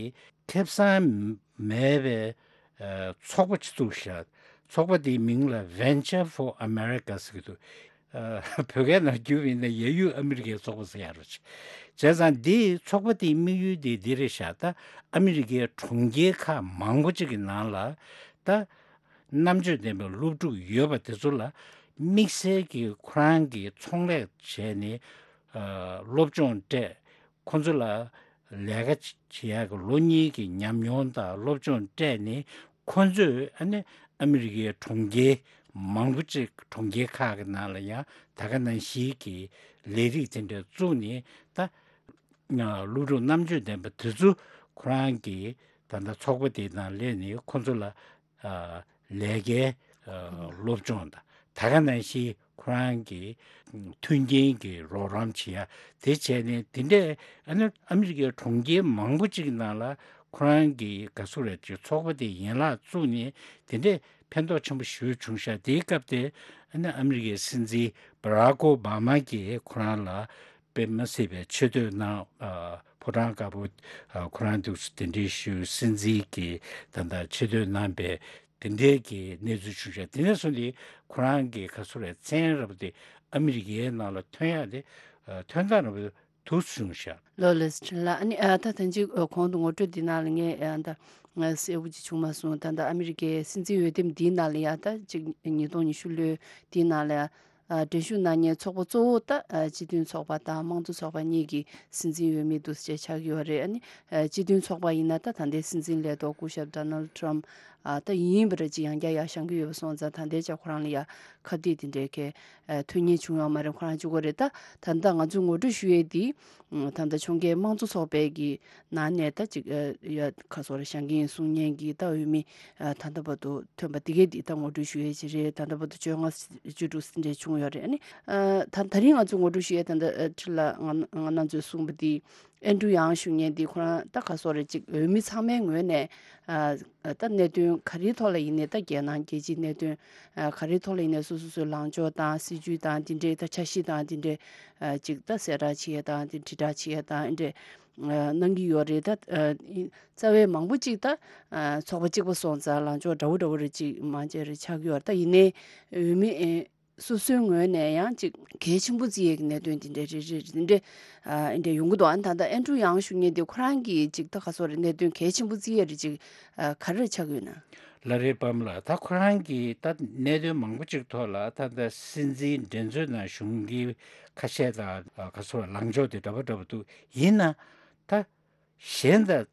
ཁེ་བཟང་མེད་པའི་ཨ་ཚོགས་པ་ཅིག་བཙུགས་ཤག་ཚོགས་པ་དེའི་མིང་ལ་Venture for America ཟེར་གྱི་འདུག་ཨ་བོད་སྐད་ནང་བསྒྱུར་བ་ཡིན་ན་ཡ་ཡུལ་ཨ་མི་རི་ཀའི་ཚོགས་པ་ཟེར་ཡ་རེད། བྱས་ཙང་འདིའི་ཚོགས་པ་དེའི་དམིགས་ཡུལ་དེ་འདི་རེད་ཤག་ད་ཨ་མི་རི་ཀའི་གྲོང་ཁྱེར་ཁག་མང་པོ་ཅིག་གི་ནང་ལ་ད་རྣམ་དཔྱོད་ལྡན་པའི་སློབ་ཕྲུག་ཡོད་པ་དེ་ཚོ་ལ་དམིགས་བསལ་གྱི་ཁོ་རང་གིས་ཚོང་ལས་བྱས་ནས་ཨ་སློབ་སྦྱོང་སྤྲད། ཁོ་ཚོ་ལ་ལས་ཀ་བྱེད་ཡག་གི་ལོ་གཉིས་ཀྱི་ཉམས་མྱོང་དང་སློབ་སྦྱོང་སྤྲད་ནས་ཁོ་ཚོས་ཨ་ནི་ཨ་མི་རི་ཀའི་གྲོང་ཁྱེར་མང་པོ་ཅིག་གྲོང་ཁྱེར་ཁག་གི་ནང་ལ་ཡང་ད་ག་ནང་བཞིན་གྱི་ལས་རིགས་དེ་འདྲ་བཙུགས་ནས་ད་སློབ་ཕྲུག་རྣམ་དཔྱོད་ལྡན་པ་དེ་ཚོ་ཁོ་རང་གི་ད་ལྟ་ཚོགས་པ་དེ་ནང་སླེབས་ནས་ཁོ་ཚོ་ལ་ཨ་ལས་ཀའི་ཨ་སློབ་སྦྱོང་དང་ད་ག་ནང་བཞིན་ཁོ་རང་གི་མཐུན་རྐྱེན་གྱི་རོགས་རམ་བྱེད་ཡ་དེ་བྱས་ནས་དེ་འདྲས་ཨ་ནི་ཨ་མི་རི་ཀའི་གྲོང་ཁྱེར་མང་པོ་ཅིག་ནང་ལ་ཁོ་རང་གི་ག་ཚོད་རེད་ཅིག་ཚོགས་པ་དེ་ཡན་ལག་བཙུགས་ནས་དེ་འདྲས་ཕན་ཐོགས་ཆེན་པོ་ཞེ་པོ་བྱུང་ཤག་དེའི་སྐབས་དེ་ཨ་ནི་ཨ་མི་རི་ཀའི་སྲིད་འཛིན་བྷ་རག་ཨོ་བྷ་མ་གིས་ཁོ་རང་ལ་དཔེ་མི་སྲིད་པའི་ཆེ་བསྟོད་གནང་། ཨ་ཕོ་བྲང་དཀར་པོ་ཨ་ཁོ་རང་འདུག་སེ་གདན་འདྲེན་ཞུས། སྲིད་འཛིན་གྱིས་ད་ལྟ་ཆེ་བསྟོད་གནང་པའི་དེ་འདྲའི་གི་གནས་ཚུལ་བྱུང་ཤག་དེ་ནས་བཟུང་སྟེ་ཁོ་རང་གི་ག་ཚོད་རེད་མཚན་རབ་དེ་ཨ་མི་རི་ཀའི་ནང་ལ་ཐོན་ཡག་དེ་ཨ་ཐོན་སྟངས་རབ་དེ་ཐུགས་སུ་བྱུང་ཤག་ལོ་ལེགས་ཕྲན་ལགས། ཨ་ནི་ཨ་ད་ཐེངས་གཅིག་ཨ་གོང་དུ་ངོ་སྤྲོད་འདི་ནང་ལ་ངས་ཨ་ད་ང་གསལ་པོ་ཅིག་བྱུང་མ་སོང་། ད་ད་ཨ་མི་རི་ཀའི་སྲིད་འཛིན་འོས་འདེམས་འདིའི་ནང་ལ་ཡ་ད་ཅིག་ཉིས་སྟོང་ཉི་ཤུ་ལོའི་འདིའི་ནང་ལ་ཡ་ཨ་འགྲན་ཞུགས་གནང་མཁན་ཚོགས་པ་གཙོ་བོ་ད་ཨ་སྤྱི་མཐུན་ཚོགས་པ་དང་དམངས་གཙོ་ཚོགས་པ་གཉིས་ཀྱི་སྲིད་འཛིན་འོས་མི་འདུག་སེ་ཆགས་ཀྱི་ཡོད་རེད། ཨ་ནི་ཨ་སྤྱི་མཐུན་ཚོགས་པ་ཡིན་ན་ད་ད་ལྟའི་སྲིད་འཛིན་ལས་ཐོག་སྐུ་ཞབས་ཌོ་ནལ་ཌི་ཊརམ་ཕི་ཨ་ད་ཡིན་པ་རེད། ཅིག་ཡང་བསྐྱར་ཡར་བཞེངས་ཀྱི་ཡོད་པ་སོང་ཙང་ད་ལྟའི་ཆ་ཁོ་རང་ལ་ཡ་ཁ་གཏད་དེ་འདྲའི་གི་ཨ་ཐོན་མཁན་བྱུང་ཡོད་མ་རེད། ཁོ་རང་གཅིག་པོ་རེད། ད་ད་ལྟ་ང་ཚོས་ངོ་སྤྲོད་ཞུ་ཡས་འདི་ད་ལྟ་ཕྱོགས་འགལ་དམངས་གཙོ་ཚོགས་པའི་གི་ནང་ནས་ད་ཅིག་ཨ་ཡ་ཁ་སོར་བཞེངས་ཀྱི་ཡིན་གསུང་མཁན་གྱི་ད་འོས་མི་ཨ་ད་ལྟ་བར་དུ་ཐོན་པ་འདི་གས་འདི་ད་ངོ་སྤྲོད་ཞུ་ཡས་ཅིག་རེད། ད་ལྟ་བར་དུ་བཅོ་ལྔ་བཅུ་དྲུག་འདྲ་བྱུང་ཡོད་རེད། ཨ་ནི་ཨ་ད་ད་རིང་ང་ཚོས་ངོ་སྤྲོད་ཞུ་ཡས་ད་ལྟ་ཨ་ཁྲི་ལ་ང་ང་རང་ཚོས་གསུངས་པ་འདི་ཨན་ཌྲུ་ཡང་ཞུ་མཁན་འདི་ཁོ་རང་ད་ཁ་སོར་རེ་ཅིག་འོས་མི་ཚང་མའི་ངོས་ནས་ཨ་ད་གནད་དོན་ག་རེའི་ཐོག་ལ་ཡིན་ནའི་ད་རྒྱལ་ནང་རྒྱལ་སྤྱིའི་གནད་དོན་ཨ་ག་རེའི་ཐོག་ལ་ཡིན་ནའི་སོ་སོ་སོའི་ལངས་ཕྱོགས་དང་སྲིད་ཇུས་དང་འདི་འདྲའི་ད་འཆར་གཞི་དང་འདི་འདྲའི་ཨ་ཅིག་ད་གསལ་བསྒྲགས་བྱེད་ཡས་དང་འདི་དྲིལ་བསྒྲགས་བྱེད་ཡས་དང་འདི་འདྲའི་ཨ་གནང་གི་ཡོད་རེད། ད་ཨ་རྩ་བའི་མང་པོ་ཅིག་ད་ཨ་ཚོགས་པ་གཅིག་པ་སོང་ཙང་ལངས་ཕྱོགས་འདྲ་བོ་འདྲ་བོ་རེ་ཅིག་མང་ཆེ་རེ་ཆགས་ཀྱི་ཡོད་རེད། ད་ཡིན་ནའི་འོས་མི་ཨེ་སོ་སོའི་ངོས་ནས་ཡང་ཅིག་གལ་ཆེན་པོ་བརྩི་ཡས་ཀྱི་གནད་དོན་དེ་འདྲ་རེ་རེ་རེ་འདྲ་ཨ་འདྲ་ཡོང་གི་འདུག་ཨ་ནི་ད་ལྟ་ཨན་ཌྲུ་ཡང་ཞུ་མཁན་དེ་ཁོ་རང་གིས་ཅིག་ད་ག་སོ་རེ་གནད་དོན་གལ་ཆེན་པོ་བརྩི་ཡས་རེ་ཅིག་ཨ་ག་རེ་ཆགས་ཡོད་ན། ལ་རེ་པམ་ལ་ད་ཁོ་རང་གིས་ད་གནད་དོན་མང་པོ་ཅིག་ཐོག་ལ་ད་ལྟ་སྲིད་འཛིན་འགྲན་རྩོད་ནང་ཞུགས་མཁན་ཁ་ཤས་དང་ཨ་ག་སོ་རེ་ལངས་ཕྱོགས་དེ་འདྲ་པོ་འདྲ་པོ་འདུག་ཡིན་ན་ད་གཞན་དང་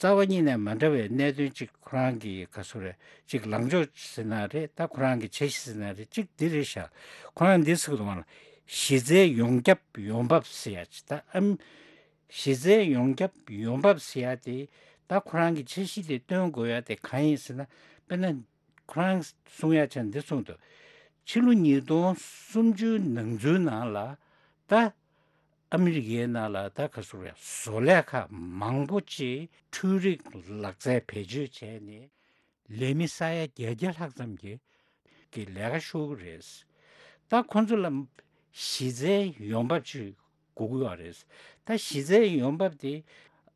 རྩ་བ་ཉིད་ནས་མ་འདྲ་བའི་གནད་དོན་གཅིག་ཁོ་རང་གི་ག་ཚོད་རེད་གཅིག་ལངས་ཕྱོགས་ཟེར་ན་རེད། ད་ཁོ་རང་གི་འཆར་གཞི་ཟེར་ན་རེད། གཅིག་འདི་རེད་ཤག་ཁོ་རང་འདི་ཟེར་གི་འདུག་བ་ལ་གཞི་རྩའི་ཡོངས་ཁྱབ་ཡོང་འབབ་ཟེར་ཡ་ཅིག་ད་ཨམ་གཞི་རྩའི་ཡོངས་ཁྱབ་ཡོང་འབབ་ཟེར་ཡ་དེ་ད་ཁོ་རང་གི་འཆར་གཞི་དེ་སྟོན་དགོས་ཡ་དེ་གང་ཡིན་ཟེར་ན། དཔེར་ན་ཁོ་རང་གསུང་ཡ་ཆ་འདི་གསུངས་འདུག་ཕྱི་ལོ་ཉིས་སྟོང་སུམ་ཅུ་ནང་ཚུན་ནང་ལ་ད་ཨ་མི་རི་ཀའི་ནང་ལ་ད་ག་ཚོད་རེད། བཟོ་ལས་ཁག་མང་པོ་ཅིག་འཕྲུལ་རིག་ལག་རྩལ་བེད་སྤྱོད་བྱས་ནས་ལས་མི་ས་ཡ་བརྒྱད་བརྒྱ་ལྷག་ཙམ་གྱི་གི་ལས་ཀ་ཤོར་གི་རེད། ད་ཁོང་ཚོ་ལ་གཞི་རྩའི་ཡོང་འབབ་ཅིག་དགོས་ཀྱི་ཡོད་རེད། ད་གཞི་རྩའི་ཡོང་འབབ་དེ་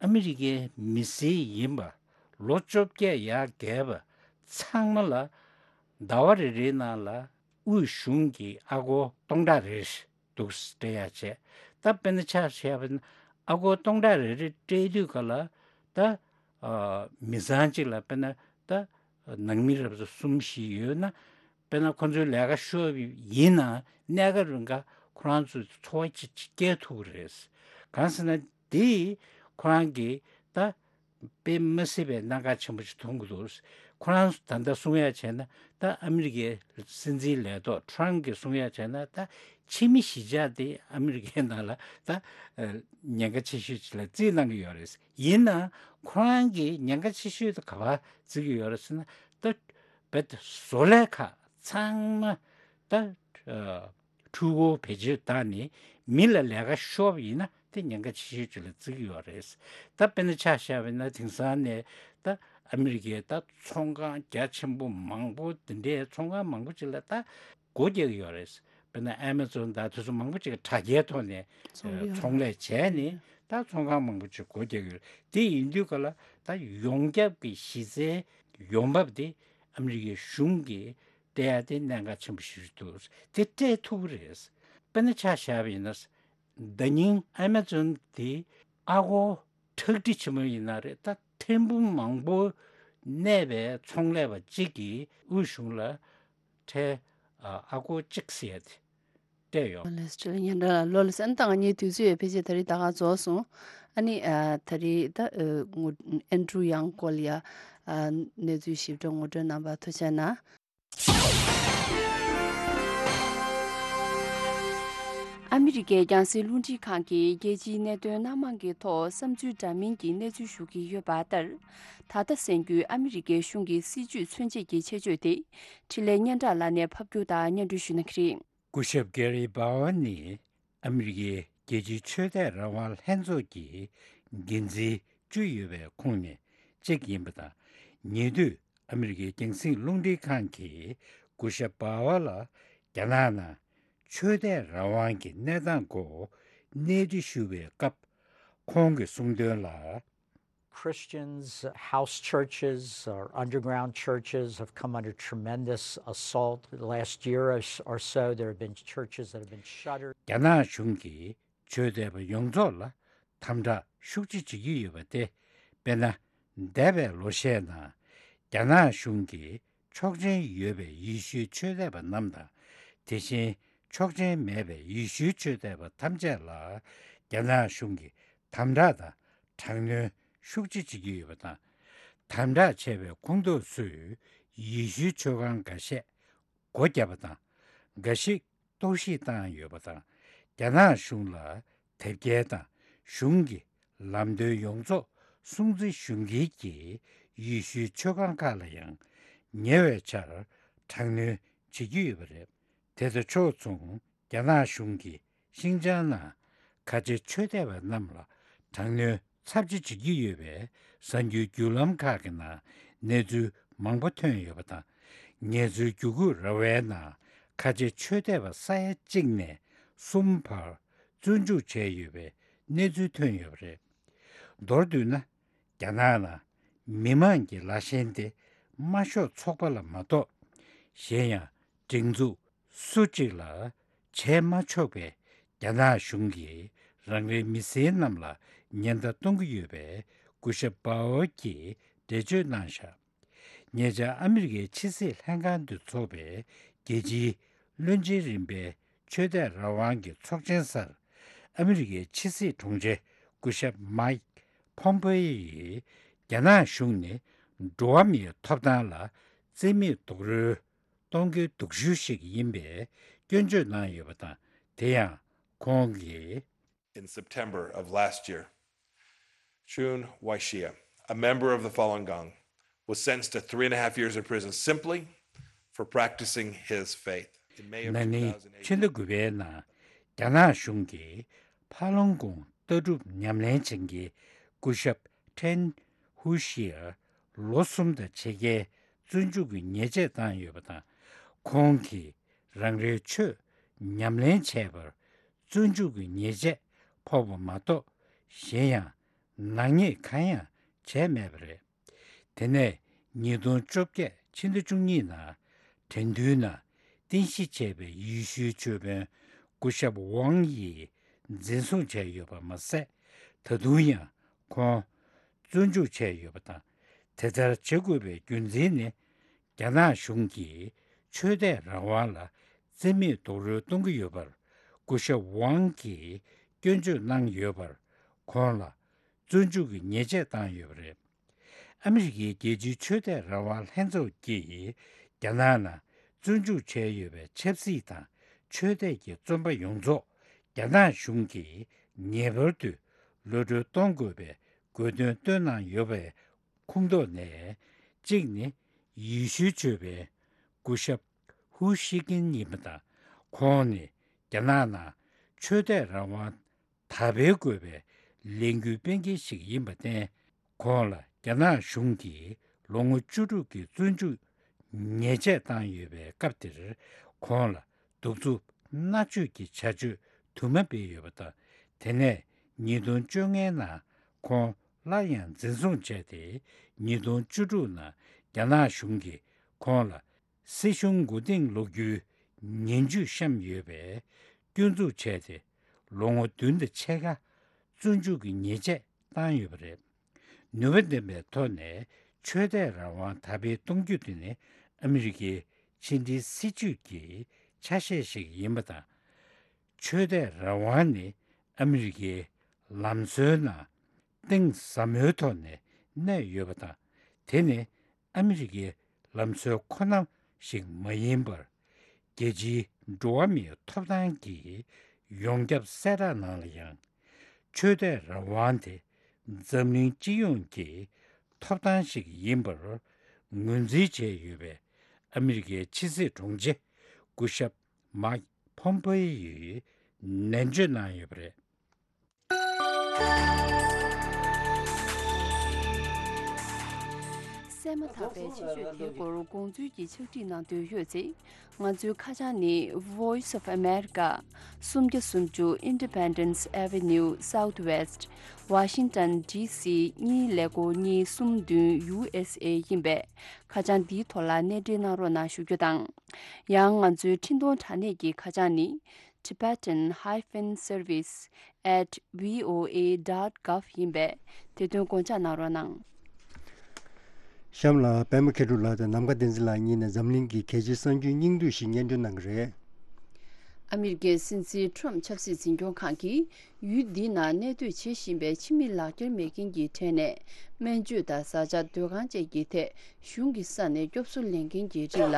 ཨ་མི་རི་ཀའི་མི་སེར་ཡིན་པ་ལོ་བཅོ་བརྒྱད་ཡར་བརྒལ་བ་ཚང་མ་ལ་ཟླ་བ་རེ་རེའི་ནང་ལ་དབུས་གཞུང་གི་ཨ་སྒོར་སྟོང་ཕྲག་རེ་འདུག་སྤྲད་ཡ་བྱས། ད་དཔེར་ན་ཆ་བཞག་པ་ན་ཨ་སྒོར་སྟོང་ཕྲག་རེ་རེ་སྤྲད་དུས་ག་ལ་ད་ཨ་མི་ཚང་གཅིག་ལ་དཔེར་ན་ད་ནང་མི་རབས་གསུམ་བཞི་ཡོད་ན། དཔེར་ན་ཁོང་ཚོའི་ལས་ཀ་ཤོར་ཡིན་ན་གནས་སྐབས་རིང་ག་ཁོ་རང་ཚོའི་འཚོ་བ་ཅིག་ཅིག་སྐྱེལ་ཐུབ་ཀྱི་རེད། གང་ཟེར་ན་དེ་ཁོ་རང་གིས་ད་དཔེ་མ་སྲིད་པའི་གནད་འགག་ཆེན་པོ་ཞིག་མཐོང་གི་འདུག་ཁོ་རང་ད་ལྟ་གསུང་ཡ་བྱས་ན་ད་ཨ་མི་རི་ཀའི་སྲིད་འཛིན་ལས་ཐོག་ཊརམ་གྱིས་གསུང་ཡ་བྱས་ན་ད་ཕྱི་མི་གཞིས་ཆགས་དེ་ཨ་མི་རི་ཀའི་ནང་ལ་ད་ཉེན་ཁ་ཆེ་ཤོས་ཅིག་ལ་བརྩིས་གནང་གི་ཡོད་རེད། ཡིན་ནའང་ཁོ་རང་གིས་ཉེན་ཁ་ཆེ་ཤོས་དེ་ག་པར་བརྩི་གི་ཡོད་རེད་ཟེར་ན་ད་རྦད་དེ་བཟོ་ལས་ཁག་ ཚང་མ་ད་ཨ་འཕྲུལ་འཁོར་བེད་སྤྱོད་བཏང་ནས་མི་ལ་ལས་ཀ་ཤོར་བ་ཡིན་ན་དེ་ཉེན་ཁ་ཆེ་ཤོས་ཅིག་ལ་བརྩི་གི་ཡོད་རེད། ད་དཔེར་ན་ཆ་བཞག་པ་ཡིན་ན་དེང་སང་ནས་ད་ཨ་མི་རི་ཀའི་ད་ཚོང་ཁང་རྒྱ་ཆེན་པོ་མང་པོ་དེ་འདྲའི་ཚོང་ཁང་མང་པོ་ཅིག་ལ་ད་སྒོ་རྒྱག་གི་ཡོད་རེད། དཔེར་ན་ཨེ་མ་ཛོན་དང་དེ་ཚོ་མང་པོ་ཅིག་གིས་དྲ་རྒྱའི་ཐོག་ནས་ཚོང་ལས་ཚོང་ལས་བྱས་ནས་ད་ཚོང་ཁང་མང་པོ་ཅིག་སྒོ་རྒྱག་གི་ཡོད་རེད། དེ་ཡིན་དུས་ག་ལ་ད་ཡོངས་ཁྱབ་ཀྱི་གཞི་རྩའི་ཡོང་འབབ་དེ་ཨ་མི་རི་ཀའི་གཞུང་གིས་སྤྲད་ཡ་དེ་གནད་འགག་ཆེན་པོ་ཞིག་འདུག་དེ་སྤྲད་ཐུབ་ཀྱི་རེད། དཔེར་ན་ཆ་བཞག་པ་ཡིན་ན། ཟླ་ཉིན་ཨེ་མ་ཛོན་དེ་ཨ་སྒོར་ཁྲག་ཁྲིག་ཆེན་མོ་ཡིན་ན་རེད། ད་ཐེར་འབུམ་མང་པོ་གནས་པའི་ཚོང་ལས་པ་གཅིག་གིས་དབུས་གཞུང་ལ་ཁྲལ་ཨ་སྒོར་གཅིག་ཟེར་ཡ་དེ་སྤྲད་ཡོད། ལོ་ལེགས་སྤྲོད་ལ་སྙན་གྲགས་ལ་ལོ་ལེགས་སྤྲོད། ཨ་ནི་ད་ང་གཉིས་དུས་ཚོད་ཡོད་ཕལ་ཆེར་ད་རེས་ད་ག་རྫོགས་སོང་། ཨ་ནི་ཨ་ད་རེས་ད་ཨ་ངོ་ཨན་ཌྲུ་ཡང་སྐོར་ལ་ཡ་ཨ་གནས་ཚུལ་ཞིབ་ཕྲ་ངོ་སྤྲོད་གནང་བར་ཐུགས་རྗེ་གནང་། ཨ་མི་རི་ཀའི་རྒྱང་སྲིང་རླུང་འཕྲིན་ཁང་གིས་རྒྱལ་སྤྱིའི་གནད་དོན་སྣ་མང་གི་ཐོག་བསམ་ཚུལ་འདྲ་མིན་གྱི་གནས་ཚུལ་ཞུ་གི་ཡོད་པ་ལྟར། ད་ལྟ་གསན་རྒྱུའི་ཨ་མི་རི་ཀའི་གཞུང་གི་སྲིད་ཇུས་མཚོན་བྱེད་ཀྱི་ཆེད་བརྗོད་དེ། འཕྲིན་ལས་སྙན་གྲགས་ལགས་ནས་ཕབ་སྒྱུར་དང་སྙན་སྒྲོན་ཞུ་གནང་གི་རེད། སྐུ་ཞབས་ཀེ་རི་པཱ་ཝལ་ནི་ཨ་མི་རི་ཀའི་རྒྱལ་སྤྱིའི་ཆོས་དད་རང་དབང་ལྷན་ཚོགས་ཀྱི་འགན་འཛིན་བཅུ་ཡོད་པའི་ཁོངས་ནས་གཅིག་ཡིན་པ་དང་། ཉེ་དུས་ཨ་མི་རི་ཀའི་རྒྱང་སྲིང་རླུང་འཕྲིན་ཁང་གིས་སྐུ་ཞབས་པཱ་ཝལ་ལ་རྒྱ་ནག་ནང་ཆོས་དད་རང་དབང་གི་གནས་སྟངས་སྐོར་གནས་འདྲི་ཞུ་བའི་སྐབས། ཁོང་གིས་གསུངས་དོན་ལ། Christians, house churches or underground churches have come under tremendous assault. The last year or s- or so, there have been churches that have been shuttered. རྒྱ་ནག་གཞུང་གིས་ཆོས་དད་པ་ཡོངས་རྫོགས་ལ་དམ་དྲག་ཤུགས་ཆེ་བྱེད་ཀྱི་ཡོད་པ་སྟེ། དཔེར་ན། འདས་པའི་ལོ་ཤས་ནང་རྒྱ་ནག་གཞུང་གིས་ཆོག་མཆན་ཡོད་པའི་ཡེ་ཤུའི་ཆོས་དད་པ་རྣམས་དང་། དེ་བཞིན་ཆོག་མཆན་མེད་པའི་ཡེ་ཤུའི་ཆོས་དད་པ་ཐམས་ཅད་ལ་རྒྱ་ནག་གཞུང་གིས་དམ་དྲག་དང་དྲག་གནོན་ཤུགས་ཆེ་བྱེད་ཀྱི་ཡོད་པ་དང་། དམ་དྲག་བྱས་པའི་ཁོངས་གཏོགས་ཚོས་ཡེ་ཤུའི་ཆོས་ཁང་འགའ་ཤས་སྒོ་བརྒྱབ་པ་དང་། འགའ་ཞིག་གཏོར་བཤིག་བཏང་ཡོད་པ་དང་། རྒྱ་ནག་གཞུང་ལ་དེབ་སྐྱེལ་དང་གཞུང་གི་ལམ་སྟོན་ཡོངས་རྫོགས་སྲུང་བརྩི་ཞུ་མཁན་གྱི་ཡེ་ཤུའི་ཆོས་ཁང་ཁག་ལ་ཡང་ཉེ་བའི་ཆར་དྲག་གནོན་བྱེད་ཀྱི་ཡོད་པ་རེད། དེ་དང་ཕྱོགས་མཚུངས། རྒྱ་ནག་གཞུང་གིས་ཤིན་ཅང་ནང་ཁ་ཆེ་ཆོས་དད་པ་རྣམས་ལ་དྲག་གནོན་ཚབས་ཆེ་བྱེད་ཀྱི་ཡོད་པའི་གསར་འགྱུར་བརྒྱུད་ལམ་ཁག་གི་ནང་གནས་ཚུལ་མང་པོ་ཐོན་ཡོད་པ་དང་། ངལ་རྩོལ་བརྒྱུད་སྐུལ་ར་བའི་ནང་ཁ་ཆེ་ཆོས་དད་པ་ས་ཡ་གཅིག་ནས་གསུམ་བར་བཙོན་འཇུག་བྱས་ཡོད་པའི་གནས་ཚུལ་ཐོན་ཡོད་པ་རེད། མདོར་བསྡུས་ན། རྒྱ་ནག་ནང་མི་མང་གི་ལ་ཞེན་དེ་དམར་ཤོག་ཚོགས་པ་ལ་མ་གཏོགས་གཞན་ཡང་སྒྲིག་འཛུགས་སུ་གཅིག་ལ་བྱས་མ་ཆོག་པའི་རྒྱ་ནག་གཞུང་གིས་རང་རེའི་མི་སེར་རྣམས་ལ་ཉེན་བརྡ་གཏོང་གི་ཡོད་པའི་སྐུ་ཞབས་པཱ་ཝལ་གྱིས་འགྲེལ་བརྗོད་གནང་བཞག་ཉེ་ཆར་ཨ་མི་རི་ཀའི་ཕྱི་སྲིད་ལྷན་ཁང་དུ་འཚོགས་པའི་རྒྱལ་སྤྱིའི་བློན་ཆེན་རིམ་པའི་ཆོས་དད་རང་དབང་གི་ཚོགས་ཆེན་སར། ཨ་མི་རི་ཀའི་ཕྱི་སྲིད་དྲུང་ཆེ་སྐུ་ཞབས་མའིག་ཕོམ་པེ་ཡིས་རྒྱ་ནག་གཞུང་ནི་འགྲོ་བ་མིའི་ཐོབ་ཐང་ལ་རྩིས་མེད་རྡོག་རོལ་གཏོང་མཁན་སྡུག་ཤོས་ཤིག་ཡིན་པའི་སྐྱོན་བརྗོད་གནང་ཡོད་པ་དང་། དེ་ཡང་ཁོང་གིས། In September of last year, Chun Waishia, a member of the Falun Gong, was sentenced to three and a half years in prison simply for practicing his faith. In May of ན་ནིང་ཕྱི་ཟླ་དགུ་པའི་ནང་རྒྱ་ནག་གཞུང་གིས་ཕ་ལུང་གུང་ལྟ་གྲུབ་ཉམས་ལེན་བྱེད་མཁན་སྐུ་ཞབས་ཁྲེན་ཧུ་ཤིར་ལོ་གསུམ་དང་ཕྱེད་ཀའི་བཙོན་འཇུག་གི་ཉེས་ཆད་བཏང་ཡོད་པ་དང་། ཁོང་གིས་རང་རེའི་ཆོས་ཉམས་ལེན་བྱས་པར་བཙོན་འཇུག་གི་ཉེས་ཆད་ཕོག་པ་མ་གཏོགས་གཞན་ཡང་ནག་ཉེས་གང་ཡང་བྱས་མེད་པ་རེད། དེ་ནས་ཉིས་སྟོང་བཅོ་བརྒྱད་ཕྱི་ཟླ་བཅུ་གཉིས་ནང་དྲན་འདུལ་ནང་རྟེན་གཞི་བྱས་པའི་ཡེ་ཤུའི་ཆོས་དཔོན་སྐུ་ཞབས་ཝང་ཡིས་འཛིན་བཟུང་བྱས་ཡོད་པ་མ་ཟད། ད་དུང་ཡང་ཁོང་བཙོན་འཇུག་བྱས་ཡོད་པ་དང་། དེ་ལྟར་བྱེད་དགོས་པའི་རྒྱུ་མཚན་ནི། རྒྱ་ནག་གཞུང་གིས་ཆོས་དད་རང་དབང་ལ་རྩིས་མེད་རྡོག་རོལ་གཏོང་གི་ཡོད་པར་སྐུ་ཞབས་ཝང་གིས་སྐྱོན་བརྗོད་གནང་ཡོད་པར། ཁོང་ལ་བཙོན་འཇུག་གི་ཉེས་ཆད་བཏང་ཡོད་པ་རེད། ཨ་མི་རི་ཀའི་རྒྱལ་སྤྱིའི་ཆོས་དད་རང་དབང་ལྷན་ཚོགས་ཀྱིས་རྒྱ་ནག་ནང་བཙོན་འཇུག་བྱས་ཡོད་པའི་ཆབ་སྲིད་དང་ཆོས་དད་ཀྱི་བཙོན་པ་ཡོངས་རྫོགས་རྒྱ་ནག་གཞུང་གིས་ངེས་པར་དུ་གློད་གྲོལ་གཏོང་དགོས་པའི་དགོས་འདུན་བཏོན་གནང་ཡོད་པའི་ཁོངས་གཏོགས་ནས་གཅིག་ནི་ཡེ་ཤུའི་ཆོས་དཔོན་སྐུ་ཞབས་ ཧུའུ་ཤི་ཀིན་ཡིན་པ་དང་། ཁོང་ནི་རྒྱ་ནག་ནང་ཆོས་དད་རང་དབང་དར་སྤེལ་དགོས་པའི་ལས་འགུལ་སྤེལ་མཁན་ཞིག་ཡིན་པར་བརྟེན། ཁོང་ལ་རྒྱ་ནག་གཞུང་གིས་ལོ་ངོ་བཅུ་དྲུག་གི་བཙོན་འཇུག་ཉེས་ཆད་བཏང་ཡོད་པའི་སྐབས་དེར། ཁོང་ལ་གདུག་རྩུབ་མནར་གཅོད་ཀྱི་བྱ་སྤྱོད་དུ་མ་སྤེལ་ཡོད་པ་དང་། དེ་ནས་ཉིས་སྟོང་བཅོ་ལྔའི་ནང་ཁོང་སླར་ཡང་འཛིན་བཟུང་བྱས་ཏེ། ཉིས་སྟོང་བཅུ་དྲུག་ནང་རྒྱ་ནག་གཞུང་གིས་ཁོང་ལ་སྲིད་གཞུང་མགོ་རྟིང་སློག་རྒྱུའི་ངན་ཇུས་བཤམས་ཡོད་པའི་སྐྱོན་འཛུགས་བྱས་ཏེ། ལོ་ངོ་བདུན་དང་ཕྱེད་ཀ་བཙོན་འཇུག་གི་ཉེས་ཆད་བཏང་ཡོད་པ་རེད། ནུས་པ་ལྡན་པའི་ཐོག་ནས་ཆོས་དད་རང་དབང་དར་སྤེལ་གཏོང་རྒྱུ་དེ་ནི་ཨ་མི་རི་ཀའི་ཕྱི་འབྲེལ་སྲིད་ཇུས་ཀྱི་ཆ་ཤས་ཤིག་ཡིན་པ་དང་། ཆོས་དད་རང་དབང་ནི་ཨ་མི་རི་ཀའི་ལམ་སྲོལ་ནང་གཏིང་ཟབ་མོའི་ཐོག་ནས་གནས་ཡོད་པ་དང་། དེ་ནི་ཨ་མི་རི་ཀའི་ལམ་སྲོལ་ཁོ་ན་ཞིག་མ་ཡིན་པར། རྒྱལ་སྤྱིའི་འགྲོ་བ་མིའི་ཐོབ་ཐང་གི་ཡོངས་ཁྱབ་གསལ་བསྒྲགས་ནང་ལ་ཡང་། ཆོས་དད་རང་དབང་དེ་འཛམ་གླིང་སྤྱི་ཡོངས་ཀྱི་ཐོབ་ཐང་ཞིག་ཡིན་པར་ངོས་འཛིན་བྱས་ཡོད་པའི་ཨ་མི་རི་ཀའི་ཕྱི་སྲིད་དྲུང་ཆེ་སྐུ་ཞབས་མཱིག་ཕོམ་པེ་ཡོས་ནན་བརྗོད་གནང་ཡོད་པ་རེད། གསན་མ་ཐག་པའི་ཆེད་བརྗོད་དེའི་སྐོར་དགོངས་ཚུལ་གྱི་ཕྱག་བྲིས་གནང་འདོད་ཡོད་ཚེ། ང་ཚོའི་ཁ་བྱང་ནི། Voice of America། སུམ་བརྒྱ་སུམ་ཅུ་Independence Avenue Southwest། Washington D C གཉིས་ཀླད་ཀོར་གཉིས་གསུམ་བདུན། U S A ཡིན་པས། ཁ་བྱང་འདིའི་ཐོག་ལ་གནས་འབྲེལ་གནང་རོགས་གནང་ཞུ་རྒྱུ་དང་། ཡང་ང་ཚོའི་འཕྲིན་གཏོང་དྲ་གནས་ཀྱི་ཁ་བྱང་ནི། Tibetan hyphen service at V O A dot gov ཡིན་པས། དེ་དོན་དགོངས་འཇགས་གནང་རོགས་གནང་། གཤམ་ལ་པད་མ་མཁས་གྲུབ་ལགས་དང་ནམ་མཁའ་བསྟན་འཛིན་ལགས་གཉིས་ནས་འཛམ་གླིང་གི་གལ་ཆེའི་གསར་འགྱུར་སྙིང་བསྡུས་ཤིག་སྙན་སྒྲོན་གནང་གི་རེད། ཨ་མི་རི་ཀའི་སྲིད་འཛིན་ཁྲོམ་ཆབ་སྲིད་འཛིན་སྐྱོང་ཁང་གིས། ཡུལ་འདི་ནང་གནས་སྡོད་བྱེད་བཞིན་པའི་ཕྱི་མི་ལག་འཁྱེར་མེད་མཁན་གྱི་གྲས་ནས། སྨན་བཅོས་དང་བཟའ་བཅའ། སྡོད་ཁང་བཅས་ཀྱི་ཐད་གཞུང་གི་ས་ནས་སྐྱོབ་གསོ་ལེན་མཁན་གྱི་རིགས་ལ།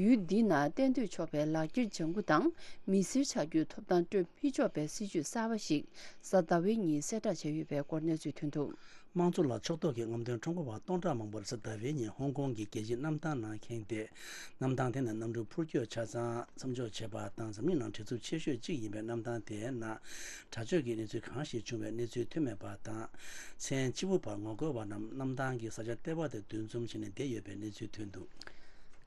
ཡུལ་འདི་ནང་གཏན་སྡོད་ཆོག་པའི་ལག་འཁྱེར་ལྗང་ཁུ་དང་། མི་སེར་ཆགས་རྒྱུའི་ཐོབ་ཐང་སྤྲོད་མི་ཆོག་པའི་སྲིད་ཇུས་གསར་པ་ཞིག་གཟའ་ཟླ་བའི་ཉིན་གསལ་བསྒྲགས་བྱས་ཡོད་པའི་སྐོར་གནས་ཚུལ་ཐོན་འདུག། དམངས་གཙོ་ལ་ཕྱོགས་གཏོགས་ཀྱི་རྔམ་སྟོན་ཁྲོམ་སྐོར་བ་སྟོང་ཕྲག་མང་པོར་གཟའ་ཟླ་བའི་ཉིན་ཧོང་ཀོང་གི་རྒྱལ་སྤྱིའི་གནམ་ཐང་ནང་ཁེངས་ཏེ། གནམ་ཐང་དེ་ནས་གནམ་གྲུ་འཕུར་སྐྱོད་ཆ་ཚང་མཚམས་འཇོག་བྱས་པ་དང་། འཛམ་གླིང་ནང་བྲེལ་འཚུབ་ཆེ་ཤོས་གཅིག་ཡིན་པའི་གནམ་ཐང་དེའི་ནང་དྲག་སྤྱོད་ཀྱི་གནས་ཚུལ་གང་ཞིག་བྱུང་བའི་གནས་ཚུལ་ཐོན་མེད་པ་དང་། མཚན་སྤྱི་བོ་བར་ངོ་རྒོལ་བ་རྣམས་གནམ་ཐང་གི་ས་ཆ་ལྟེ་བ་དེ་འདུ་འཛོམས་བྱས་ནས་བསྡད་ཡོད་པའི་གནས་ཚུལ་ཐོན་འདུག།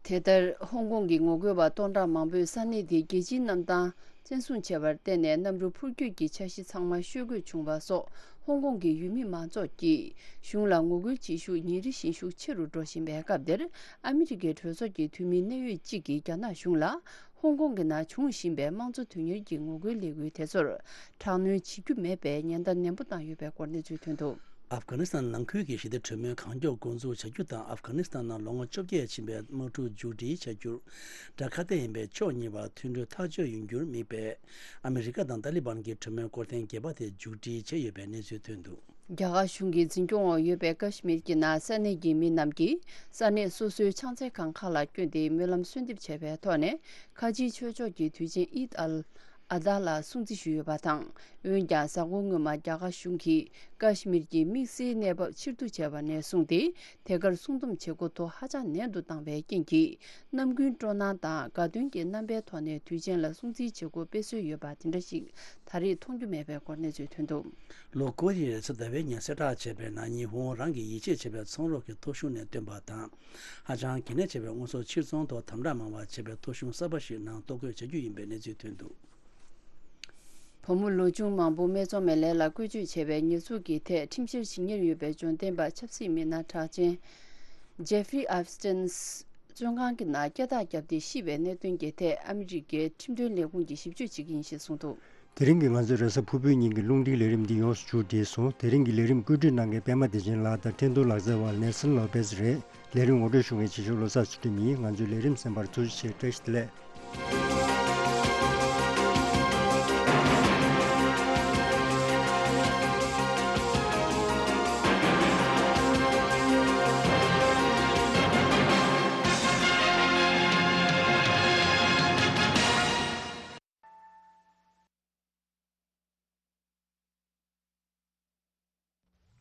དེ་ལྟར། ཧོང་ཀོང་གི་ངོ་རྒོལ་བ་སྟོང་ཕྲག་མང་པོས་ས་གནས་དེའི་རྒྱལ་སྤྱིའི་གནམ་ཐང་བཙན་བཟུང་བྱས་པར་བརྟེན་ནས། གནམ་གྲུ་འཕུར་སྐྱོད་ཀྱི་འཆར་གཞི་ཚང་མ་ཤོར་དགོས་བྱུང་བ་སོགས། ཧོང་ཀོང་གི་ཡུལ་མི་མང་ཚོགས་ཀྱིས་གཞུང་ལ་ངོ་རྒོལ་བྱེད་ཤུགས་ཉིན་རེ་བཞིན་ཤུགས་ཆེ་རུ་འགྲོ་བཞིན་པའི་སྐབས་འདིར། ཨ་མི་རི་ཀའི་གྲོས་ཚོགས་ཀྱི་འཐུས་མི་གནད་ཡོད་གཅིག་གིས་རྒྱ་ནག་གཞུང་ལ། ཧོང་ཀོང་གི་ནང་བྱུང་བཞིན་པའི་དམངས་གཙོ་དོན་གཉེར་གྱི་ངོ་རྒོལ་ལས་འགུལ་དེ་ཚོར་དྲག་གནོན་བྱེད་རྒྱུ་མེད་པའི་ཉེན་བརྡ་ནན་པོ་བཏང་ཡོད་པའི་སྐོར་གནས་ཚུལ་ཐོན་འདུག། ཨབ་གྷ་ནི་སི་ཐན་ནང་ཁུལ་གྱི་ཞི་བདེ་གྲོས་མོལ་གང་མགྱོགས་འགོ་འཛུགས་བྱ་རྒྱུ་དང་། ཨབ་གྷ་ནི་སི་ཐན་ནང་ལོ་ངོ་བཅོ་བརྒྱད་ཕྱིན་པའི་དམག་འཁྲུག་མཇུག་སྒྲིལ་བྱ་རྒྱུར་དགྲ་ཁ་གཏད་ཡིན་པའི་ཕྱོགས་གཉིས་བར་མཐུན་གྲོས་ཐག་གཅོད་ཡོང་རྒྱུར་དམིགས་པའི་ཨ་མི་རི་ཀ་དང་ཏཱ་ལི་བན་གྱི་གྲོས་མོལ་སྐོར་ཐེངས་བརྒྱད་པ་དེ་མཇུག་སྒྲིལ་བྱས་ཡོད་པའི་གནས་ཚུལ་ཐོན་འདུག། རྒྱ་གར་གཞུང་གི་འཛིན་སྐྱོང་འོག་ཡོད་པའི་ཀ་ཤི་མིར་གྱི་ནང་ས་གནས་ཀྱི་མི་རྣམས་ཀྱིས་ས་གནས་སོ་སོའི་ཕྱག་འཚལ་ཁང་ཁག་ལ་བསྐྱོད་དེ་སྨོན་ལམ་གསོལ་འདེབས་བྱས་པའི་ཐོག་ནས། ཁ་ཆེའི་ཆོས་ཕྱོགས་ཀྱི་དུས་ཆེན་ཨིད་ཨལ་ཨ་དྷ་ལ་སྲུང་བརྩི་ཞུས་ཡོད་པ་དང་། འོན་ཀྱང་། གཟའ་འཁོར་སྔོན་མ་རྒྱ་གར་གཞུང་གིས་ཀ་ཤི་མིར་གྱི་དམིགས་བསལ་གནས་བབ་ཕྱིར་བསྡུ་བྱས་པ་ནས་བཟུང་སྟེ། དེ་གར་སྲུང་སྡོམ་བྱེད་སྒོ་ཐོ་ཧ་ཅང་ནན་དུ་བཏང་བའི་རྐྱེན་གྱིས། ནམ་རྒྱུན་སྤྲོ་སྣང་དང་དགའ་སྟོན་གྱི་རྣམ་པའི་ཐོག་ནས་དུས་ཆེན་ལ་སྲུང་བརྩིའི་བྱེད་སྒོ་སྤེལ་སྲོལ་ཡོད་པ་དེ་འདྲ་ཞིག་ད་རེས་མཐོང་རྒྱུ་མེད་པའི་སྐོར་གནས་ཚུལ་ཐོན་འདུག། ལོ་འཁོར་ཡིས་གཟའ་ཟླ་བའི་ཉིན་གསལ་བསྒྲགས་བྱས་པའི་ནང་། ཉི་ཧོང་རང་གིས་ཡིད་ཆེས་བྱེད་པའི་ཚོང་རོགས་ཀྱི་ཐོ་གཞུང་ནས་བཏོན་པ་དང་། ཧ་ཅང་གལ་གནད་ཆེ་བའི་དངོས་ཟོག་ཕྱིར་ཚོང་ཐོག་དམ་དྲག་མང་བ་བྱས་པའི་ཐོ་གཞུང་གསར་པ་ཞིག་ནང་གཏོར་རྒོལ་བྱ་རྒྱུ་ཡིན་པའི་གནས་ཚུལ་ཐོན་འདུག། བུ་མོ་ལོ་ཆུང་མང་པོ་སྨད་འཚོང་མའི་ལས་ལ་བཀོལ་སྤྱོད་བྱས་པའི་ཉེས་འཛུགས་ཀྱི་ཐད་ཁྲིམས་བཤེར་བྱེད་ཉེར་ཡོད་པའི་འབྱོར་ལྡན་པ་ཆབ་སྲིད་མི་སྣ་གྲགས་ཅན་ཇེ་ཧྥི་རི་ཨེབ་སི་ཏིན་བཙོན་ཁང་གི་ནང་སྐྱ་ཐག་བརྒྱབ་སྟེ་ཤི་བའི་གནད་དོན་གྱི་ཐད་ཨ་མི་རི་ཀའི་ཁྲིམས་དོན་ལས་ཁུངས་ཀྱིས་ཞིབ་དཔྱོད་བྱེད་ཀྱི་ཡིན་ཞེས་གསུངས་འདུག། དེ་རིང་གི་ང་ཚོའི་རེས་གཟའ་ཕུར་བུའི་ཉིན་གྱི་རླུང་འཕྲིན་ལས་རིམ་འདི་ཡོངས་སུ་མཇུག་བསྒྲིལ་སོང་། དེ་རིང་གི་ལས་རིམ་བཀོད་སྒྲིག་གནང་མཁན་པད་མ་བདེ་ཆེན་ལགས་དང་འཕྲིན་གཏོང་ལག་རྩལ་བ་ནེལ་སན་ལོ་པེས་རེད། ལས་རིམ་ངོ་སྤྲོད་ཞུ་མཁན་ཆེ་ཤོས་བློ་བཟང་ཚུལ་ཁྲིམས་ཡིན། ང་ཚོའི་ལས་རིམ་གསན་པར་ཐུགས་རྗེ་ཆེ། བཀྲ་ཤིས་བདེ་ལེགས།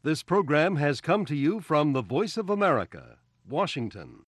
This program has come to you from the Voice of America, Washington.